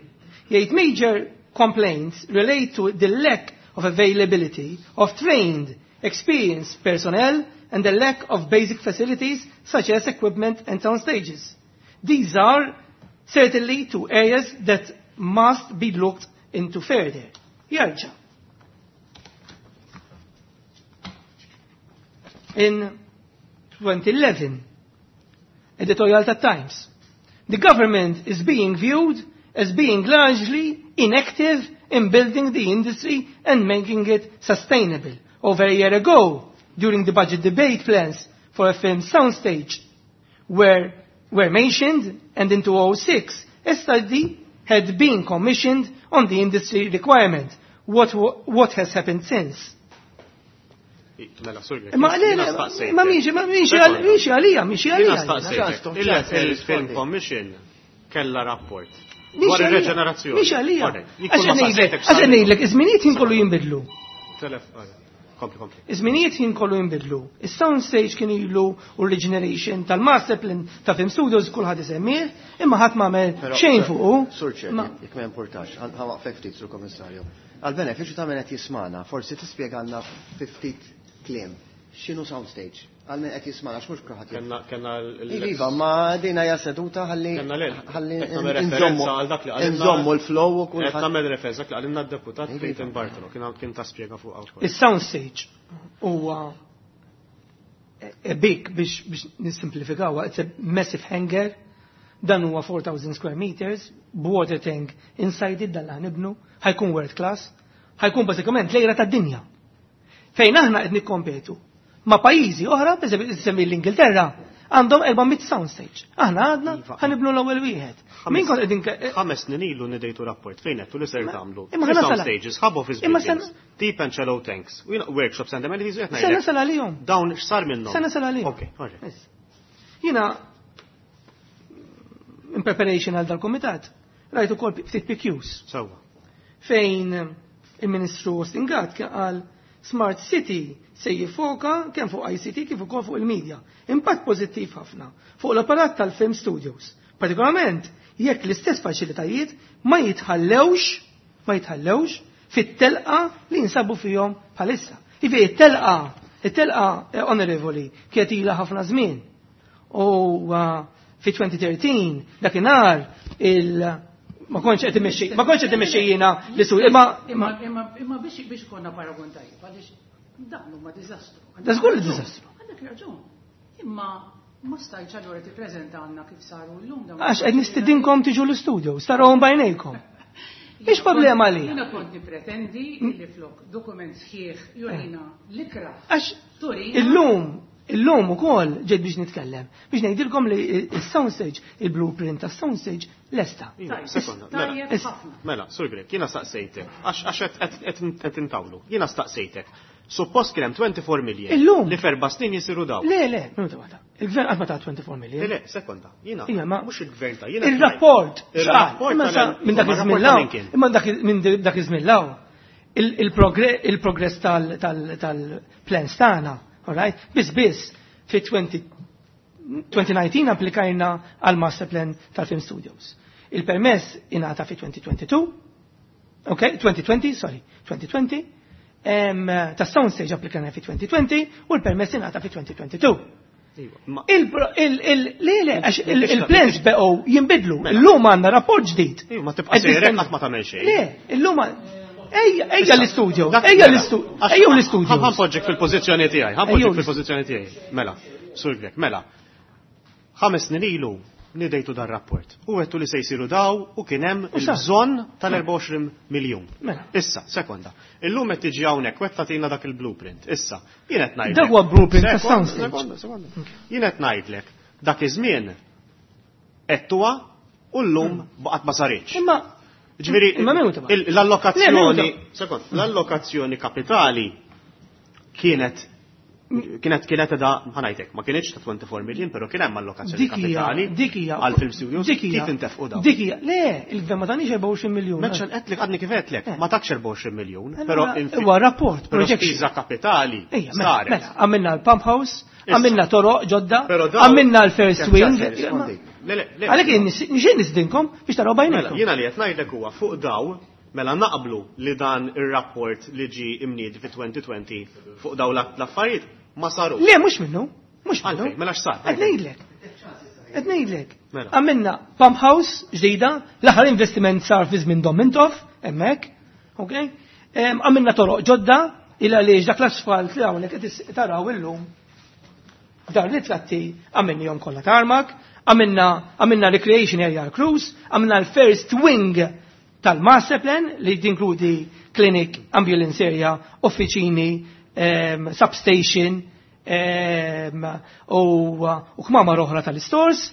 jgħid, "Major complaints relate to the lack of availability of trained, experienced personnel and the lack of basic facilities such as equipment and sound stages. These are certainly two areas that must be looked into further." Jerġa'. In twenty eleven, editorial ta' Times. "The government is being viewed as being largely inactive in building the industry and making it sustainable. Over a year ago, during the budget debate, plans for a film soundstage were, were mentioned, and in two thousand six a study had been commissioned on the industry requirement. What, what has happened since?" Mela, Sur Grech. Ma le, ma miexi, ma miexi għalija, miexi għalija. Il-Film Commission kella rapport dwar il-reġenerazzjoni. Miexi għalija. Għax ngħidlek, iż-żminijiet jien kollu jinbidlu. Kompli, kompli. Iż-żminijiet jien kollu jinbidlu. Is-sound stage kien ilu u regeneration tal-master plan ta' Film Studios kulħadd isemmih, imma ħadd m'għamel xejn fuqu. Sur Chair, jekk ma importax, ħa nwaqfek ftit, Sur Komissarju. Għal-benefiċċju ta' min qed jismana, forsi tispjegalna fi ftit kliem x'inhu soundstage? Għal min qed jismana, x'mhux kulħadd. Kenna kenna Iva, ma dina hija seduta ħalli Kenna le. Ħalli nżommu nżommu l-flow u Qed kulħadd. nagħmel referenza dak li qalilna d-deputat Clayton Bartolo, kien kien ta' spjega fuq wkoll. Is-sound stage huwa a big, biex biex nissimplifikaw, it's a massive hangar, dan huwa four thousand square meters, water tank inside it, dan li ħa nibnu, ħa jkun world class, ħa jkun bażikament l-għira tad-dinja. Fejn aħna qed nikkompetu ma' pajjiżi oħra, per semmi l-Ingilterra, għandhom erba' mitt soundstage. Aħna għadna Iva. ħa nibnu l-ewwel wieħed. Min kont qegħdin Ħames snin ilu nidejtu rapport fejn għedtu li ser tagħmlu. Imma ħa Sound nasal- stages, hub office Imma buildings, deep and shallow tanks, u jiena workshops and amenities, u qed Se ngħidlek. nasal għalihom. Dawn x'sar minnhom? Se nasal għalihom. Ok, alright. Jiena in preparation għal dal-komitat, rajt ukoll ftit P Qs Sewwa. Fejn il-Ministru Austin Gatt kien qal Smart City se jiffoka kemm fuq I C T kif ukoll fuq il-media. Impatt pożittiv ħafna fuq l-apparat tal-film studios. Partikolarment jekk l-istess faċilitajiet ma jitħallewx ma jitħallewx fit-telqa li jinsabu fihom bħalissa. Ivi it-telqa, it-telqa eh, onorevoli, kienet ilha ħafna żmien. U uh, fi twenty thirteen dakinhar il ma kontx qed imexxi ma kontx qed imexxi jiena li su imma Imma imma imma biex biex konna paragon tajjeb, għaliex dan huma diżastru. Da żgur li diżastru. Għandek raġun. Imma ma stajtx allura tippreżenta għandna kif saru llum dawn. Għax qed nistidinkom tiġu l-studio, tarawhom b'għajnejkom. Mhix problema li. Jiena kont nipretendi li flok dokument sħiħ jurina l-ikra. Għax Turina. illum, illum ukoll ġejt biex nitkellem, biex ngħidilkom li il-soundstage, il-blueprint ta' soundstage lesta. Iva, Tajjeb, sekonda, mela. tajjeb ħafna. Mela, Sur Grech, jiena staqsejtek, għax għax qed- qed qed intawlu, jiena staqsejtek. Suppost kien hemm twenty-four million. Illum. Li f'erba' snin jisiru daw. Le, le, minuta waħda. Il-gvern qatt ma ta' twenty-four million. Le, le, sekonda. Jiena, Ija, ma- mhux il-gvern ta' jiena. Il-rapport, Il-rapport imma sa tal- minn dak ma iż-żmien rapport law, ta' min kien? imma dak minn dak iż-żmien law, il- il-progress il-progress tal- tal- tal-plans tagħna, all right? Biss biss fi twenty twenty nineteen applikajna għal master plan tal-Film Studios. Il-permess ingħata fi twenty twenty-two, ok, twenty twenty, sorry, twenty twenty, em, ta' soundstage applikajna fi twenty twenty u l-permess ingħata fi twenty twenty-two. Iva, ma- Il, il, il, le, le, għax il- Mela. il-plans beqgħu jinbidlu. Illum għandna rapport ġdid. Iva, ma tibqa' Qed sejrek nistenna- qatt ma tagħmel xejn. Le, illum għan- Ejja, ejja l-istudio, Dak- ejja mela, l-istudio, għax- ejja l-istudio. Ħa npoġġek fil-pożizzjoni tiegħi, ħa npoġġek Ejjew fil-pożizzjoni tiegħi. Mela, Sur Grech, mela. Ħames snin ilu nidejtu dar rapport. U għedtu li se jsiru daw u kien hemm U sa. il-bżonn tal-erbgħa u għoxrin miljun. Mela. Issa, sekonda. Illum qed tiġi hawnhekk u qed tagħtina dak il-blueprint. Issa, jien qed ngħidlek. Dak huwa blueprint ta' Sekonda, soundstage. Sekonda, sekonda. Jien qed ngħidlek dak iż-żmien għedtuha u llum baqgħet ma saritx. Imma Ġifieri, Imma minuta ba. il- Le, l-allokazzjoni, minuta. sekond, l-allokazzjoni kapitali kienet Kienet kienet da ħanajtek, ma kienx ta' twenty-four million, però kien hemm allokazzjoni kapitali dik hija għal film studios. Dik hija. Kif intefqu dawn? Dik hija, le, il-gvern ma tanix erbgħa u għoxrin miljun. Meċċan qedlek għadni kif qedlek, Eh. ma takx erbgħa u għoxrin miljun, però Huwa rapport, però projection. spiża kapitali Ejja, mela, saret. mela, għamilna l-pump house, Issa. għamilna toroq ġodda, Però dawn- għamilna l-first wing. Rispondi. Le, le, le. Għalhekk nixtieq nisdinkom biex taraw Mela, bajnejkom. jiena li qed ngħidlek huwa fuq daw, mela naqblu li dan ir-rapport li ġi imniedi fi twenty twenty fuq daw l-affarijiet ma saru. Le, mhux minnu, mhux minnu. Għalfejn, mela x'sar? Qed ngħidlek. Qed ngħidlek. Mela. Għamilna pump house ġdida, l-aħħar investiment sar fi żmien Dom Mintoff, hemmhekk, ok? Em, Għamilna toroq ġodda, il għaliex dak l-asfalt li hawnhekk qed is-, taraw illum. Dar ritratti għamilnihom kollha tarmak, għamilna, għamilna recreation area cruise, għamilna l-first wing tal-master plan li tinkludi clinic, ambulance area, uffiċini, em, substation, em, u, u kmamar oħra tal-stores.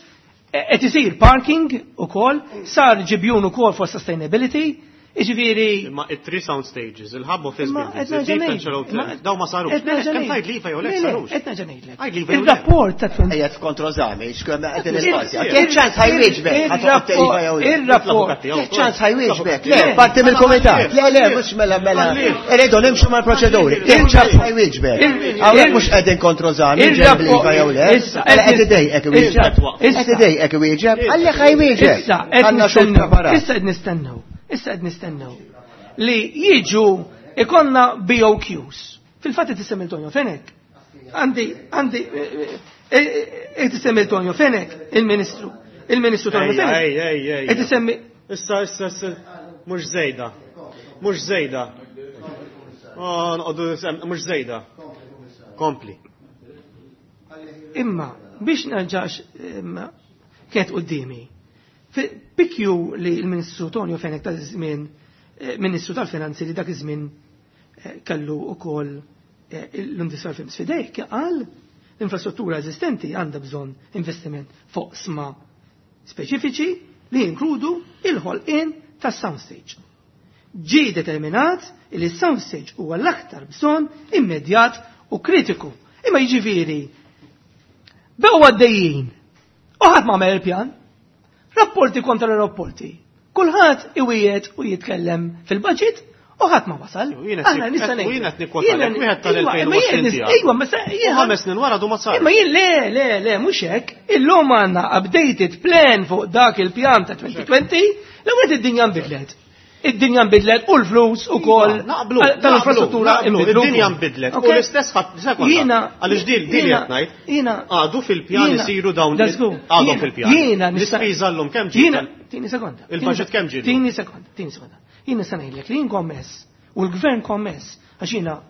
E, qed isir parking ukoll, sar ġibjun ukoll for sustainability, jiġifieri Imma it-three sound stages, il-hub office Imma buildings, qed nerġa' il-deep ngħid. central hotel, Imma daw ma sarux. qed nerġa' Kemm ngħid. tgħid li iva jew le Le, le, sarux? qed nerġa' ngħidlek. Għid li iva jew le. Il-rapport ta' twenty Ejja f'kontrożami, x'kemm qed Il- il-ispazzja. il- Kien ċans ħajwieġbek, il- ħa toqgħod tgħid iva jew le. Il-rapport. Kien ċans ħajwieġbek. Le, Le. parti mill-kumitat. Le, le, mhux mela mela. Irridu nimxu mal-proċeduri. Kien ċans ħajwieġbek. Il- Hawnhekk il- mhux qegħdin kontrożami, il- ġejb li iva jew le. Issa, Mela qed idejqek iwieġeb. Issa. Qed idejqek iwieġeb, għalli ħajwieġeb. Issa, qed Għandna xogħol nistennew, preparat. issa qed nistennew, issa qed nistennew li jiġu ikonna B O Qs. Fil-fatt qed issemmi Tonio Fenech. Għandi, għandi, qed issemmi Tonio Fenech, il-Ministru. Il-Ministru Tonio Ej, Fenech. ej, ej, ej. Qed isemmi Issa, issa, issa, mhux żejda. Mhux żejda. Oh, noqogħdu sem-, mhux żejda. Kompli. Imma biex nerġax, imma, kienet qudiemi. Fi P Q li l-Ministru Tonio Fenech ta' żmien, eh, Ministru tal-Finanzi li dak iż-żmien, eh, kellu ukoll, eh, l-Industrial Films fidejh, kien qal l-infrastruttura eżistenti għandha bżonn investiment fuq sma speċifiċi li jinkludu il-ħolqien tas-soundstage. Ġie determinat li s-soundstage huwa l-aktar bżonn immedjat u kritiku. Imma jiġifieri beqgħu għaddejjin u ħadd ma għamel il-pjan. Rapporti kontra rapporti. Kulħadd iwiegħed u jitkellem fil-budget u ħadd ma wasal. U jiena Aħna qed nista' u ngħid. jiena qed nikkwota Jiena lek, wieħed tal- Ejwa, imma jien elfejn u għoxrin nis- tiegħek. Ejwa, ma sa- U jien ħames snin wara du ma sar. Imma jien le, le, le, mhux hekk. Illum għandna updated plan fuq dak il-pjan ta' twenty twenty, l-ewwel id-dinja nbidlet. Id-dinja nbidlet u l-flus ukoll Iva, naqblu, tal-infrastruttura naqblu, nbidlu id-dinja wkoll. nbidlet. U Ok? l-istess ħadd, sekonda, Jiena- għaliex dil, dil jiena- qed ngħid, jiena- għadu fil-pjan jiena- isiru dawn Let's go. għadhom Jiena- fil-pjan. Jiena nista' L-ispiża llum kemm ġiet? Jiena, tini sekonda. Il-budget kemm ġiet? Tini sekonda, tini sekonda. Jiena nista' ngħidlek li jien kommess u l-gvern kommess għax jiena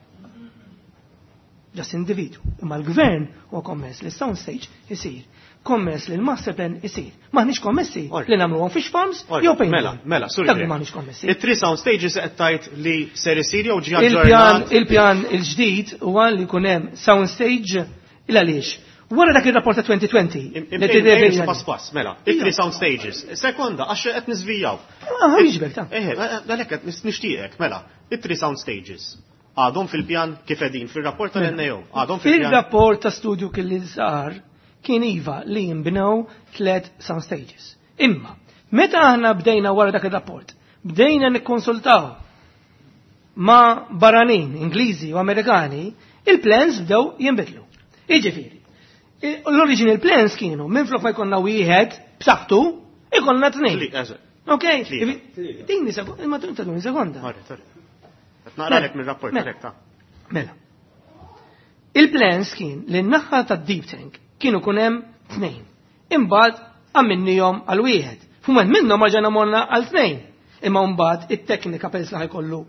just individu, imma l-gvern huwa kommess li sound stage isir, kommess li l-master plan isir. M'aħniex kommessi Orri. li nagħmluhom fish farms Orri, jew paint. Mela, mela, sorry. Dak li m'aħniex kommessi. It-three sound stages qed tgħid li ser isir jew ġie Il-pjan, aġġornat? il-pjan il-ġdid huwa li jkun hemm sound stage il għaliex. Wara dak ir-rapport ta' twenty twenty, Im- li im- tirreveli im- Pass pass, mela. It-three sound stages. Sekonda, għax qed niżvijaw. Ah, jiġbek ta' Eħe, għalhekk qed nis-, nixtieqek, mela. It-three sound stages. Għadhom fil-pjan kif qegħdin fir-rapport tal-N A O. Għadhom fil-pjan. Fil-rapport ta' studju kien li sar kien iva li jinbnew tliet sound stages. Imma, meta aħna bdejna wara dak ir-rapport, bdejna nikkonsultaw ma' barranin, Ingliżi u Amerikani, il-plans bdew jinbidlu. Jiġifieri, i-, l-original plans kienu minflok ma jkollna wieħed b'saħħtu, ikollna tnejn. Tli-, eżatt. Ok? Tlieta. Tini sek-, imma tuni sekonda. Marri, sorry. Qed naqralek mir-rapport Mela. direkt, ta. Mela. Il-plans kien li n-naħa ta' deep tank kienu kunem tnejn. Imbagħad għamilnihom għal wieħed. F'mument minnhom ġejna morna għal tnejn. Imma mbagħad it-teknika peress li ħajkollu,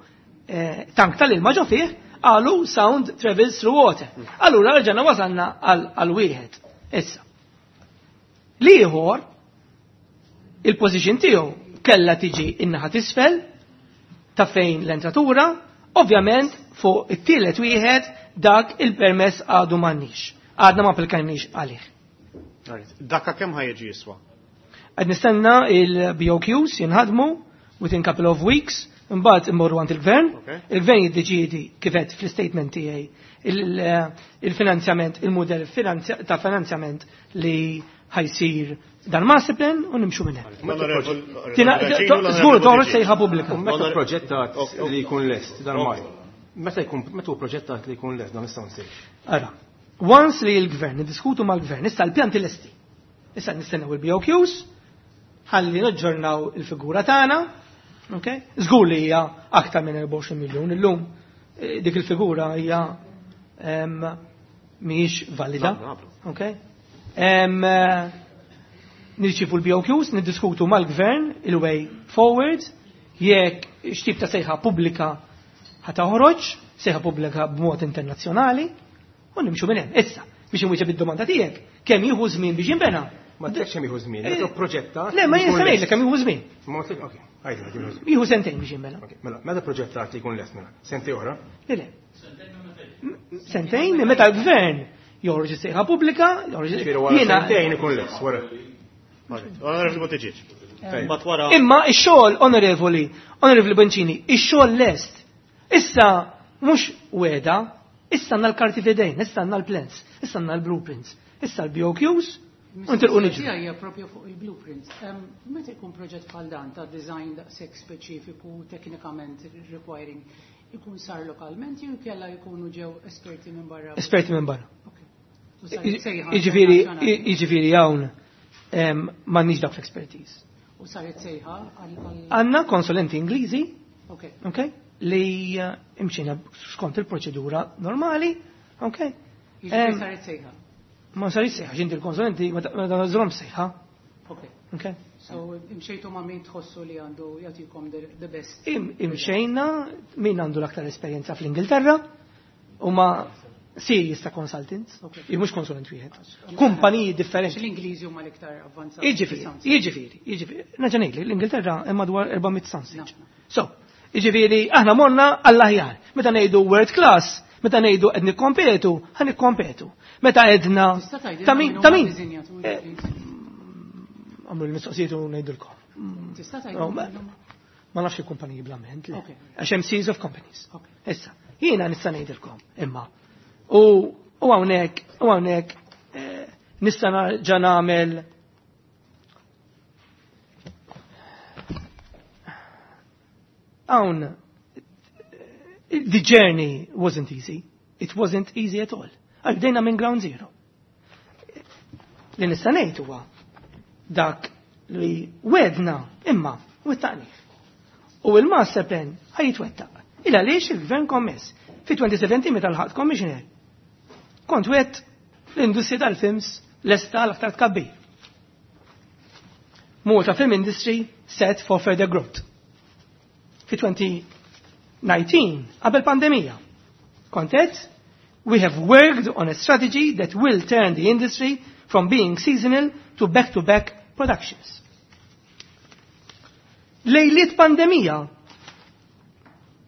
eh, tank tal-ilma ġo fih, qalu sound travels through water. Allura rġajna wasalna għal, għal wieħed. Issa. L-ieħor, il-position tiegħu kellha tiġi in-naħa t'isfel ta' fejn l-entratura, ovvjament fuq it-tielet wieħed dak il-permess għadu m'għandniex. Għadna ma applikajniex għalih. Alright. Dakka kemm ħajġi jiswa? Qed nistenna il-B O Qs jinħadmu within couple of weeks, Imbagħad immorru għand il-gvern, il-gvern jiddeċiedi kif qed fl-istatement tiegħi il-finanzjament, il-mudell ta' finanzjament li ħa jsir dan master plan u nimxu minn hemm. Żgur toħroġ sejħa pubblika. Meta proġettat li jkun lest dan maj. Meta jkun meta hu proġettat li jkun lest dan nistgħu nsir. Ara, once li l-gvern niddiskutu mal-gvern, issa l-pjanti lesti. Issa nistennew il-B O Qs, ħalli naġġornaw il-figura tagħna, okay? Żgur li hija aktar minn erbgħa u għoxrin miljun illum dik il-figura hija mhijiex valida. Okay? Nirċifu l-B O Qs, niddiskutu mal-gvern il-way forward, jekk x'tip ta' sejħa pubblika ħa toħroġ, sejħa pubblika b'mod internazzjonali, u nimxu minn hemm. Issa, biex inwieġeb id-domanda tiegħek, kemm jieħu żmien biex jinbena? Ma tgħidx kemm jieħu żmien, meta proġetta. Le, ma jien ngħidlek kemm jieħu żmien. Ma tgħidx, okej, għidli kemm jieħu żmien. Jieħu sentejn biex jinbena. Mela, meta proġettat li jkun lest mela? Sentejn oħra? Le, le. Sentejn minn meta l-gvern joħroġ is-sejħa pubblika, joħroġ jiena sentejn ikun lest wara. Onorevoli Buttigieg. Imma ix-xogħol, onorevoli, onorevoli Boncini, ix-xogħol lest. Issa mhux weda, issa għandna l-karti f'idejn, issa għandna l-plans, issa għandna l-blueprints, issa l-B O Qs, u ntilqu niġru. Hija propju fuq il-blueprints. Meta jkun proġett bħal dan ta' design daqshekk speċifiku, teknikament requiring, ikun sar lokalment jew kella jkunu ġew esperti minn barra? Esperti minn barra. Jiġifieri, jiġifieri hawn m'għandniex dak l-expertise. U saret sejħa għal Għandna konsulenti Ingliżi, okay, li imxina skont il-proċedura normali, okay. Jiġifieri saret sejħa. Ma saret sejħa, x'inti l-konsulenti ma tażilhom sejħa. Okay. Okay. So imxejtu ma' min tħossu li għandu jagħtikom the best. Imxejna min għandu l-aktar esperjenza fl-Ingilterra u ma' series ta' consultants, okay. Mhux konsulent wieħed. Kumpaniji differenti. L-Ingliżi huma l-iktar avvanzati. Jiġifieri, jiġifieri, jiġifieri. Nerġa' ngħidli, l-Ingilterra hemm madwar erba' mitt soundstage. So, jiġifieri aħna morna għall-aħjar. Meta ngħidu world class, meta ngħidu qed nikkompetu, ħa nikkompetu. Meta għedna ta' min, ta' min? Għamlu l-mistoqsijiet u ngħidulkom. Tista' tgħidilna? Ma nafx il-kumpaniji bl-amment, le. Għax hemm series of companies. Issa, jiena nista' ngħidilkom imma. U hawnhekk, u hawnhekk nista' ġa nagħmel hawn the journey wasn't easy. It wasn't easy at all. Għal bdejna minn ground zero. Li nista' ngħid huwa dak li wedna imma wettaqnih. U il-master plan ħaj jitwettaq. Il għaliex il-gvern kommess. Fi twenty seventeen meta lħaqt commissioner, kont wet l-industrija tal-films lesta l-aktar tkabbir. Malta Film Industry set for further growth. Fi twenty nineteen, qabel pandemija, kont qed, we have worked on a strategy that will turn the industry from being seasonal to back-to-back productions. Lejliet pandemija,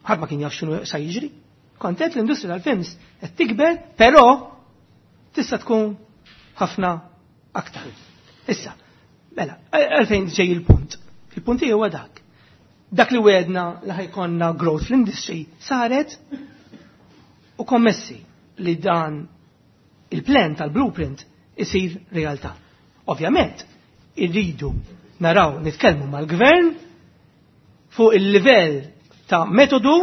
ħadd ma kien jaf x'inhu sa jiġri. Kont qed l-industrija tal-films qed tikber, però tista' tkun ħafna aktar. Issa, mela, għalfejn ġej il-punt. Il-punt huwa dak. Dak li wedna li ħajkonna growth fl-industry saret u kommessi li dan il-plan tal-blueprint isir realtà. Ovvjament, irridu naraw nitkellmu mal-gvern fuq il-livell ta' metodu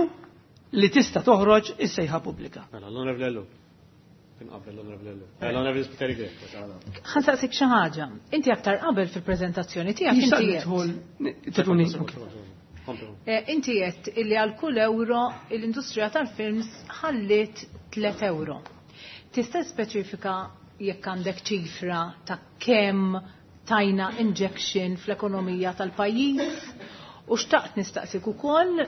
li tista' toħroġ is-sejħa pubblika. Mela, l-Onorevoli Ellul. Tinqabel l-Onorevoli Ellul. L-Onorevoli Spiteri Grech. Ħa nsaqsik xi ħaġa. Inti aktar qabel fil-preżentazzjoni tiegħek inti Jista' qed nidħol, tituni, Eh, inti qed illi għal kull euro l-industrija tal-films ħalliet tliet euro. Tista' speċifika jekk għandek ċifra ta' kemm tajna injection fl-ekonomija tal-pajjiż u xtaqt nistaqsik ukoll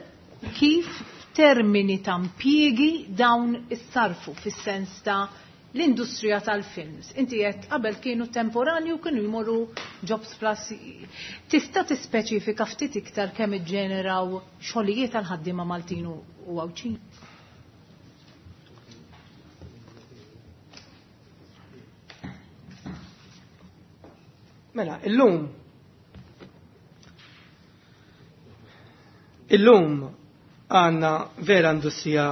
kif f'termini ta' impjiegi dawn issarfu fis-sens ta' l-industrija tal-films. Inti qed qabel kienu temporani u kienu jmorru Jobs Plus. Tista' tispeċifika ftit iktar kemm iġġeneraw xogħlijiet għal ħaddiema Maltin u Għawdxin? Mela, illum illum għandna vera industrija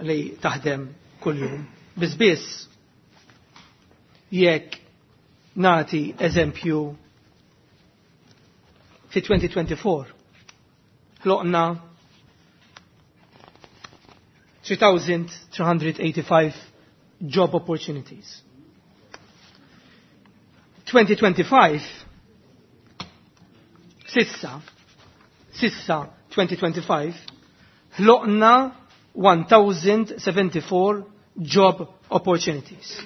li taħdem kuljum. Biss biss jekk nagħti eżempju fi twenty twenty-four ħloqna three thousand three hundred eighty-five job opportunities. twenty twenty-five s'issa s'issa twenty twenty-five ħloqna one thousand seventy-four job opportunities.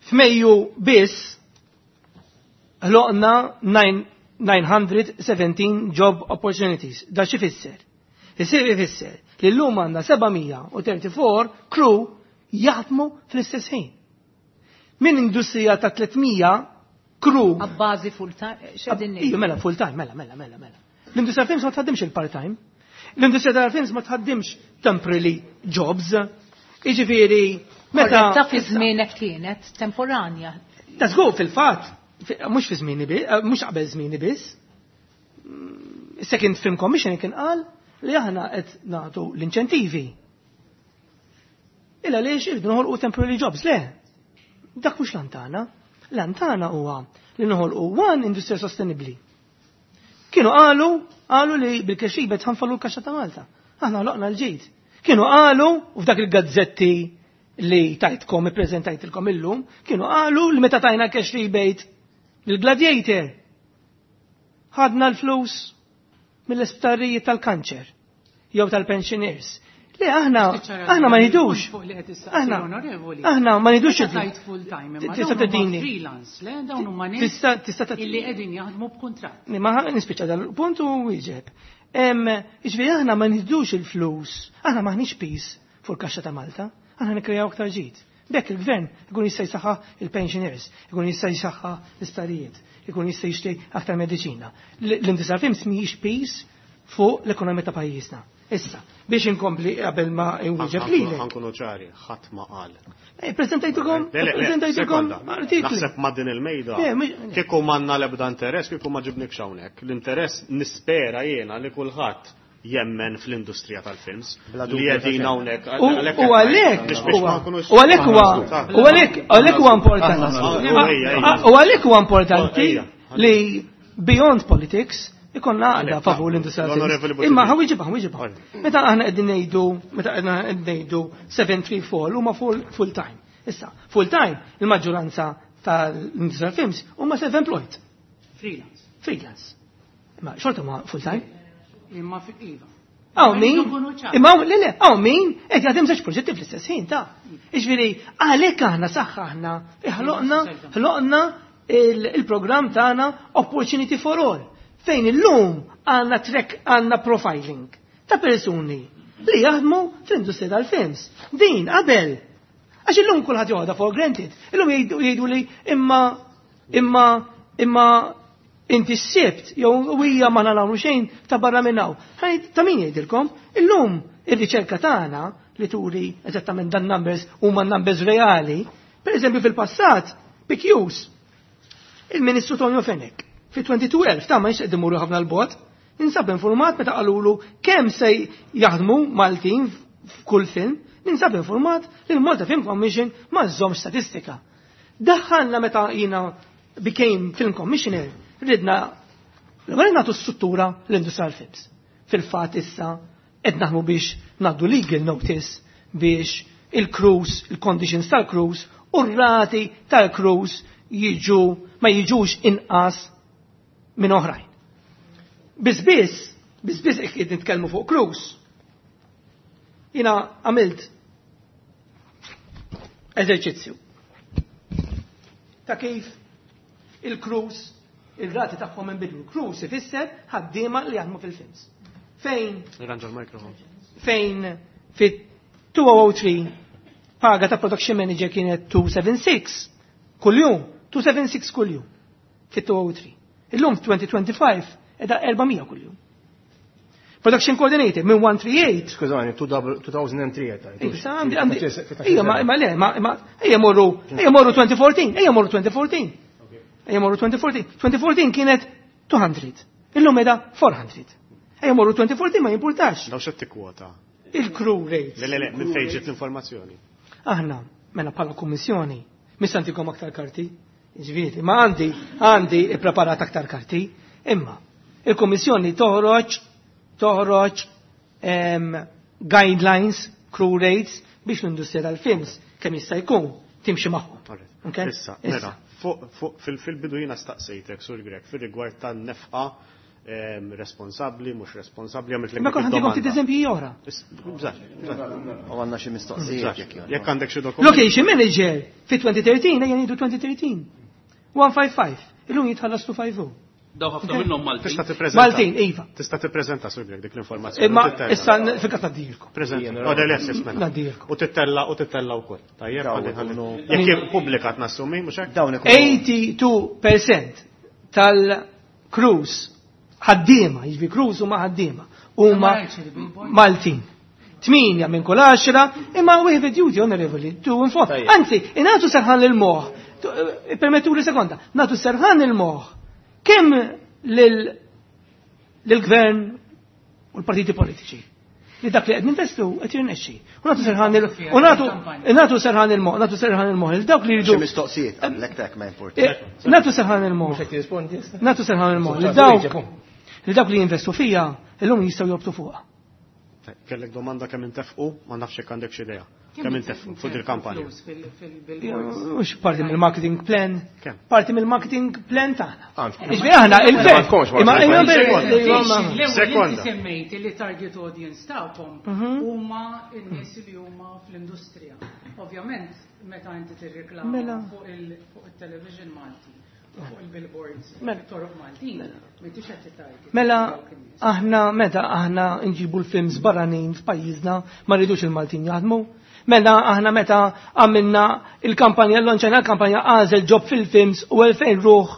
F'Mejju biss ħloqna nine hundred seventeen job opportunities. Da xi fisser? Isir ifisser li llum għandna seven hundred thirty-four crew jaħdmu fl-istess ħin. Min industrija ta' tliet mija crew. Abbażi full time, x'qegħdin Iju, mela, full time, mela, mela, mela, mela. L-industrija films ma tħaddimx il-part time. L-industrija tal-films ma tħaddimx temporary jobs. Iġifieri, meta. Korretta, fi żmienek kienet temporanja. Ta' żgur, fil-fatt, mhux fi żmieni biss, eh, mhux qabel żmieni biss. Mm, Second Film Commission kien qal li aħna qed nagħtu l-inċentivi. Illa għaliex irridu noħolqu temporary jobs, le. Dak mhux l-għan tagħna. L-għan tagħna huwa li noħolqu one industrija sostenibbli. Kienu qalu, qalu li bil-cash rebate ħa nfallu l-kaxxa ta' Malta. Aħna ħloqna l-ġid. Kienu qalu, u f'dak il-gazzetti li tajtkom, ippreżentajtilkom illum, kienu qalu li meta tajna cash rebate il-Gladiator, ħadna l-flus mill-isptarijiet tal-kanċer jew tal-pensioners. Le, aħna aħna ma nidux. Aħna aħna ma nidux. Tajt full time, imma Tista' dawn huma tedini. freelance, le, dawn huma nies Tista' tista' illi qegħdin jaħdmu b'kuntratt. Ma nispiċċa dan il-punt u wieġeb. Iġifieri aħna ma nidux il-flus, aħna maħniex piż fuq il-kaxxa ta' Malta, aħna nikkrejaw aktar ġid. B'hekk il-gvern ikun jista' jsaħħa il-pensioners, ikun jista' jsaħħa l-isptarijiet, ikun jista' jixtri aktar mediċina. L-industrija films mhijiex piż fuq l-ekonomija ta' pajjiżna. Issa, biex inkompli qabel ma nwieġeb lilek. Ħa nkunu ċari, ħadd ma qal. Eh, Preżentajtukom, Le, le, le, preżentajtukom sekonda. artikli. Naħseb ma' din il-mejda. Le, mhux- Kieku m'għandna l-ebda interess, kieku ma ġibnik hawnhekk. L-interess nispera jiena li kulħadd jemmen fl-industrija tal-films. Bla Li dubju ta' qegħdin xejn. hawnhekk. U u għalhekk Biex biex ma huwa- nkunux. u għalhekk huwa u għalhekk għalhekk huwa importanti. Aħna- ejja, ejja. U għalhekk huwa importanti Ejja. li beyond politics ikonna għaqda Għalhekk, favur l-industrija l-Onorevoli tal-films. Imma Buttigieg. ħa nwieġeb, ħa nwieġeb. Meta aħna qegħdin ngħidu, meta aħna qegħdin ngħidu seven three four huma full full time. Issa, full time, il-maġġoranza tal-industrija films huma self-employed, Freelance. Freelance. Imma xorta ma full time. Imma fi iva. Hawn min, Rridu nkunu ċari. imma hawn- le le, hawn min qed jaħdem żewġ proġetti fl-istess ħin ta' Iġifieri, għalhekk aħna saħħa aħna ħloqna ħloqna il- il-programm tagħna Opportunity for All, fejn illum għandna track, għandna profiling ta' persuni li jaħdmu fl-industrija tal-films. Din qabel. Għax illum kulħadd joħodha for granted. Illum jgħidu jgħidu li imma imma imma inti s-sibt, jew hija ma nagħmlu xejn ta' barra minn hawn. Ħajt ta' min jgħidilkom, illum ir-riċerka tagħna li turi eżattament dan numbers huma numbers reali. Per eżempju, fil-passat, P Qs, il-Ministru Tonio Fenech, fi twenty twelve, ta' ma jix imurru ħafna 'l bogħod, ninsab informat meta qalulu kemm se jaħdmu Maltin f'kull film, ninsab informat li l-Malta Film Commission ma żommx statistika. Daħħalna meta jina became Film Commissioner, ridna l-għal nagħtu struttura l-industrial films. Fil-fatt issa qed naħmu biex ngħaddu legal notice biex il-crews, il-conditions tal-crews u r-rati tal-crews jiġu ma jiġux inqas minn oħrajn. Biss biss, biss biss qed nitkellmu fuq crews. Jina għamilt eżerċizzju ta' kif il-crews, il-rati tagħhom inbidlu. Crews ifisser ħaddiema li jaħdmu fil-films. Fejn Irranġa l-mikrofon. Fejn fit two thousand three paga ta' production manager kienet two seven six kuljum, two seven six kuljum fit two thousand three. Illum twenty twenty-five edha four hundred kuljum. Production coordinator minn one three eight. Skużani, two thousand three għedt. Issa għandi għandi. Ejja, ma ma le, ma ma ejja morru, ejja morru twenty fourteen, ejja morru twenty fourteen. Ejja morru twenty fourteen. twenty fourteen kienet two hundred. Illum edha four hundred. Ejja morru twenty fourteen, ma jimpurtax. Daw xed tikkwota? Il-crew rates. Le, le, le, minn fejn ġiet l-informazzjoni? Aħna, mela bħala kummissjoni, mhux nagħtikom aktar karti, ġifieri, ma għandi għandi ippreparat aktar karti, imma il-kummissjoni toħroġ toħroġ em, guidelines, crew rates biex l-industrija tal-films kemm jista' jkun timxi magħhom. Okay? Issa, mela, fuq fuq fil- fil-bidu jiena staqsejtek, Sur Grech, fil-rigward tan-nefqa em, responsabbli, mhux responsabbli, għamilt Ma kont ħantikom ftit eżempji oħra. Bżax, U għandna xi mistoqsijiet jekk jogħġbok. Jekk għandek xi dokument. Location manager fi twenty thirteen, ejja ngħidu twenty thirteen. one five five. Illum jitħallas two five zero. Daw ħafna minnhom Maltin. Tista' tippreżenta. Maltin, iva. Tista' tippreżenta, Sur Grech, dik l-informazzjoni. Imma U tittella. issa fil-każ ngħaddilkom. Preżenta. Oh, le, le, mela. Ngħaddilkom. U tittella u tittella wkoll. Tajjeb, Dawn ħalli ħalli. ikunu- Jekk pubblikat nassumi, mhux hekk? Dawn ikunu eighty-two percent tal-crews ħaddiema, jiġifieri crews huma ħaddiema, huma Maltin. Tminja minn kull għaxra, imma we have a duty, onorevoli, to inform. Tajjeb. Anzi, nagħtu serħan il-moħ, permettu li sekonda, nagħtu serħan il-moħ, kemm lil-gvern u l-partiti politiċi li dak li qed ninvestu qed jirnexxi. U nagħtu serħan il u nagħtu nagħtu serħan il-moħ, nagħtu serħan il-moħ il dawk li Xi jridu mistoqsijiet qablek tek ma importa. Eh, nagħtu serħan il-moħ. Mhux qed tirrispondi issa? Nagħtu serħan il-moħ li dawk li dawk li jinvestu fija illum jistgħu jobtu fuqha. Kellek domanda kemm intefqu, ma nafx jekk għandek xi idea. Kemm intefqu fuq il-kampanja? Flus fil-billboards. Mhux parti mill-marketing plan. Kemm? Parti mill-marketing plan tagħna. Għandkom. Jiġifieri aħna il-ver. Għandkomx Imma marketing imma plan. ver- L-ewwel imma- Sekonda. inti semmejt li target audience tagħkom Mhm. huma n-nies li huma fl-industrija. Ovvjament, meta inti tirreklama Mela. fuq il- fuq il-television Malti, fuq il-billboards, Mela. toroq Maltin, m'intix qed tittarget Mela dawk in-nies. aħna meta aħna nġibu l-films barranin f'pajjiżna ma rridux il-Maltin jaħdmu. Mela aħna meta għamilna il-kampanja, l-lonċajna l-kampanja Agħżel Job fil-Films u elfejn ruħ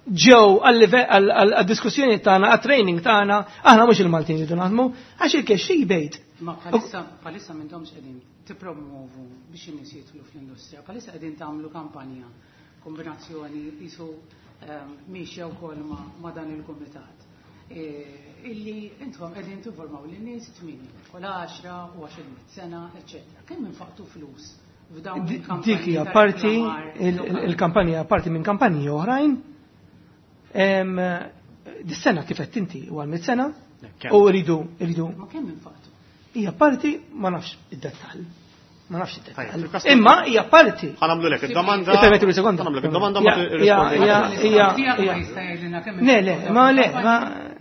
ġew għal-diskussjoni tagħna, għat-training tagħna, aħna mhux il-Maltin rridu naħdmu, għax il-cash rebate. Ma bħalissa bħalissa m'intomx qegħdin tippromovu biex in-nies jidħlu fl-industrija, bħalissa qegħdin tagħmlu kampanja kombinazzjoni qisu ehm, miexja wkoll ma, ma dan il-kumitat. E, illi intom qegħdin tinformaw lin-nies tmien kull għaxra u għaxar mitt sena, eċċetera. Kemm infaqtu flus f'dawn il-kampanji Dik hija ta' parti reklamar il- il- lokali? il-kampanja parti minn kampanji oħrajn. Em, Dis-sena kif qed inti u għal sena Kemm? u rridu rridu Ma kemm infaqtu? Hija parti, ma nafx id-dettall. Ma nafx Tajjeb, id-dettall. fil-każ Imma hija parti. Ħa nagħmlu lek id-domanda. Ippermettu li sekonda. Ħa nagħmlu lek id-domanda ma Ja, tirrispondi. ja, ja, L-istaff tiegħek ma ja. jista' jgħidilna kemm Le, le, infaqtu ma le, fil-kampanja. ma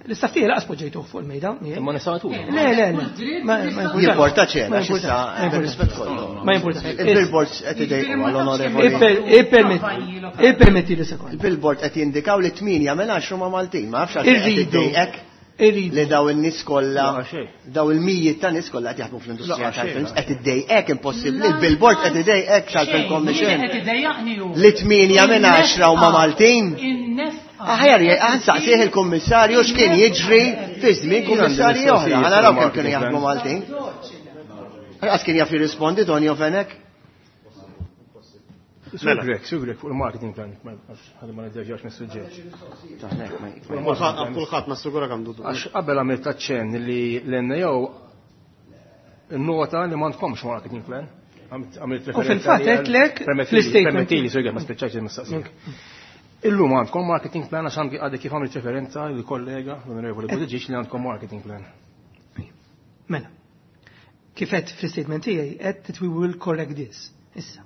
l-istaff tiegħi laqas poġġejtuh fuq il-mejda. Imma nisatu. Le, le, le. Ma ma jimpurtax. Jimporta ċena, Ma xissa, jimpurtax. Ma rispett kollu. Ma jimpurtax. Il-billboards qed idejqu għall-onorevoli. Ipper- Ippermetti ippermetti li sekonda. Il-billboard qed jindikaw li tmienja minn għaxra ma Maltin, ma nafx għalfejn qed Irridu. iddejqek Irridu. li daw in-nies kollha, La, xejn. daw il-mijiet ta' nies kollha qed jaħdmu fl-industrija La, xejn, tal-films, la. qed iddejqek impossibbli, il-billboard qed idejqek x'għal-commission. Qed idejjaqni hu. Li tmienja minn għaxra huma Maltin. In-nefqa. Aħjar nsaqsih il-kummissarju x'kien jiġri fi żmien kummissarji oħra. Ħa naraw kemm kienu jaħdmu Maltin. Għas kien jaf jirrispondi Tonio Fenech? Sur Grech, Sur Grech, fuq il-marketing plan, ħalli ma niddeġġax mis-suġġett. Kulħadd kulħadd nassigura kemm dudu. Għax qabel għamilt aċċenn li l-N A O nota li m'għandkomx marketing plan. Għamilt U referenza fil-fatt li għal- għedtlek Permettili, fl-statement. Permettili, Sur Grech, ma spiċċajtx il-mistaqsija. Illum għandkom marketing plan għax għandi għadek kif għamilt referenza il-kollega, l-onorevoli Buttigieg, li għandkom marketing plan. Mela. Kif qed fl-statement tiegħi qed that we will correct this. Issa.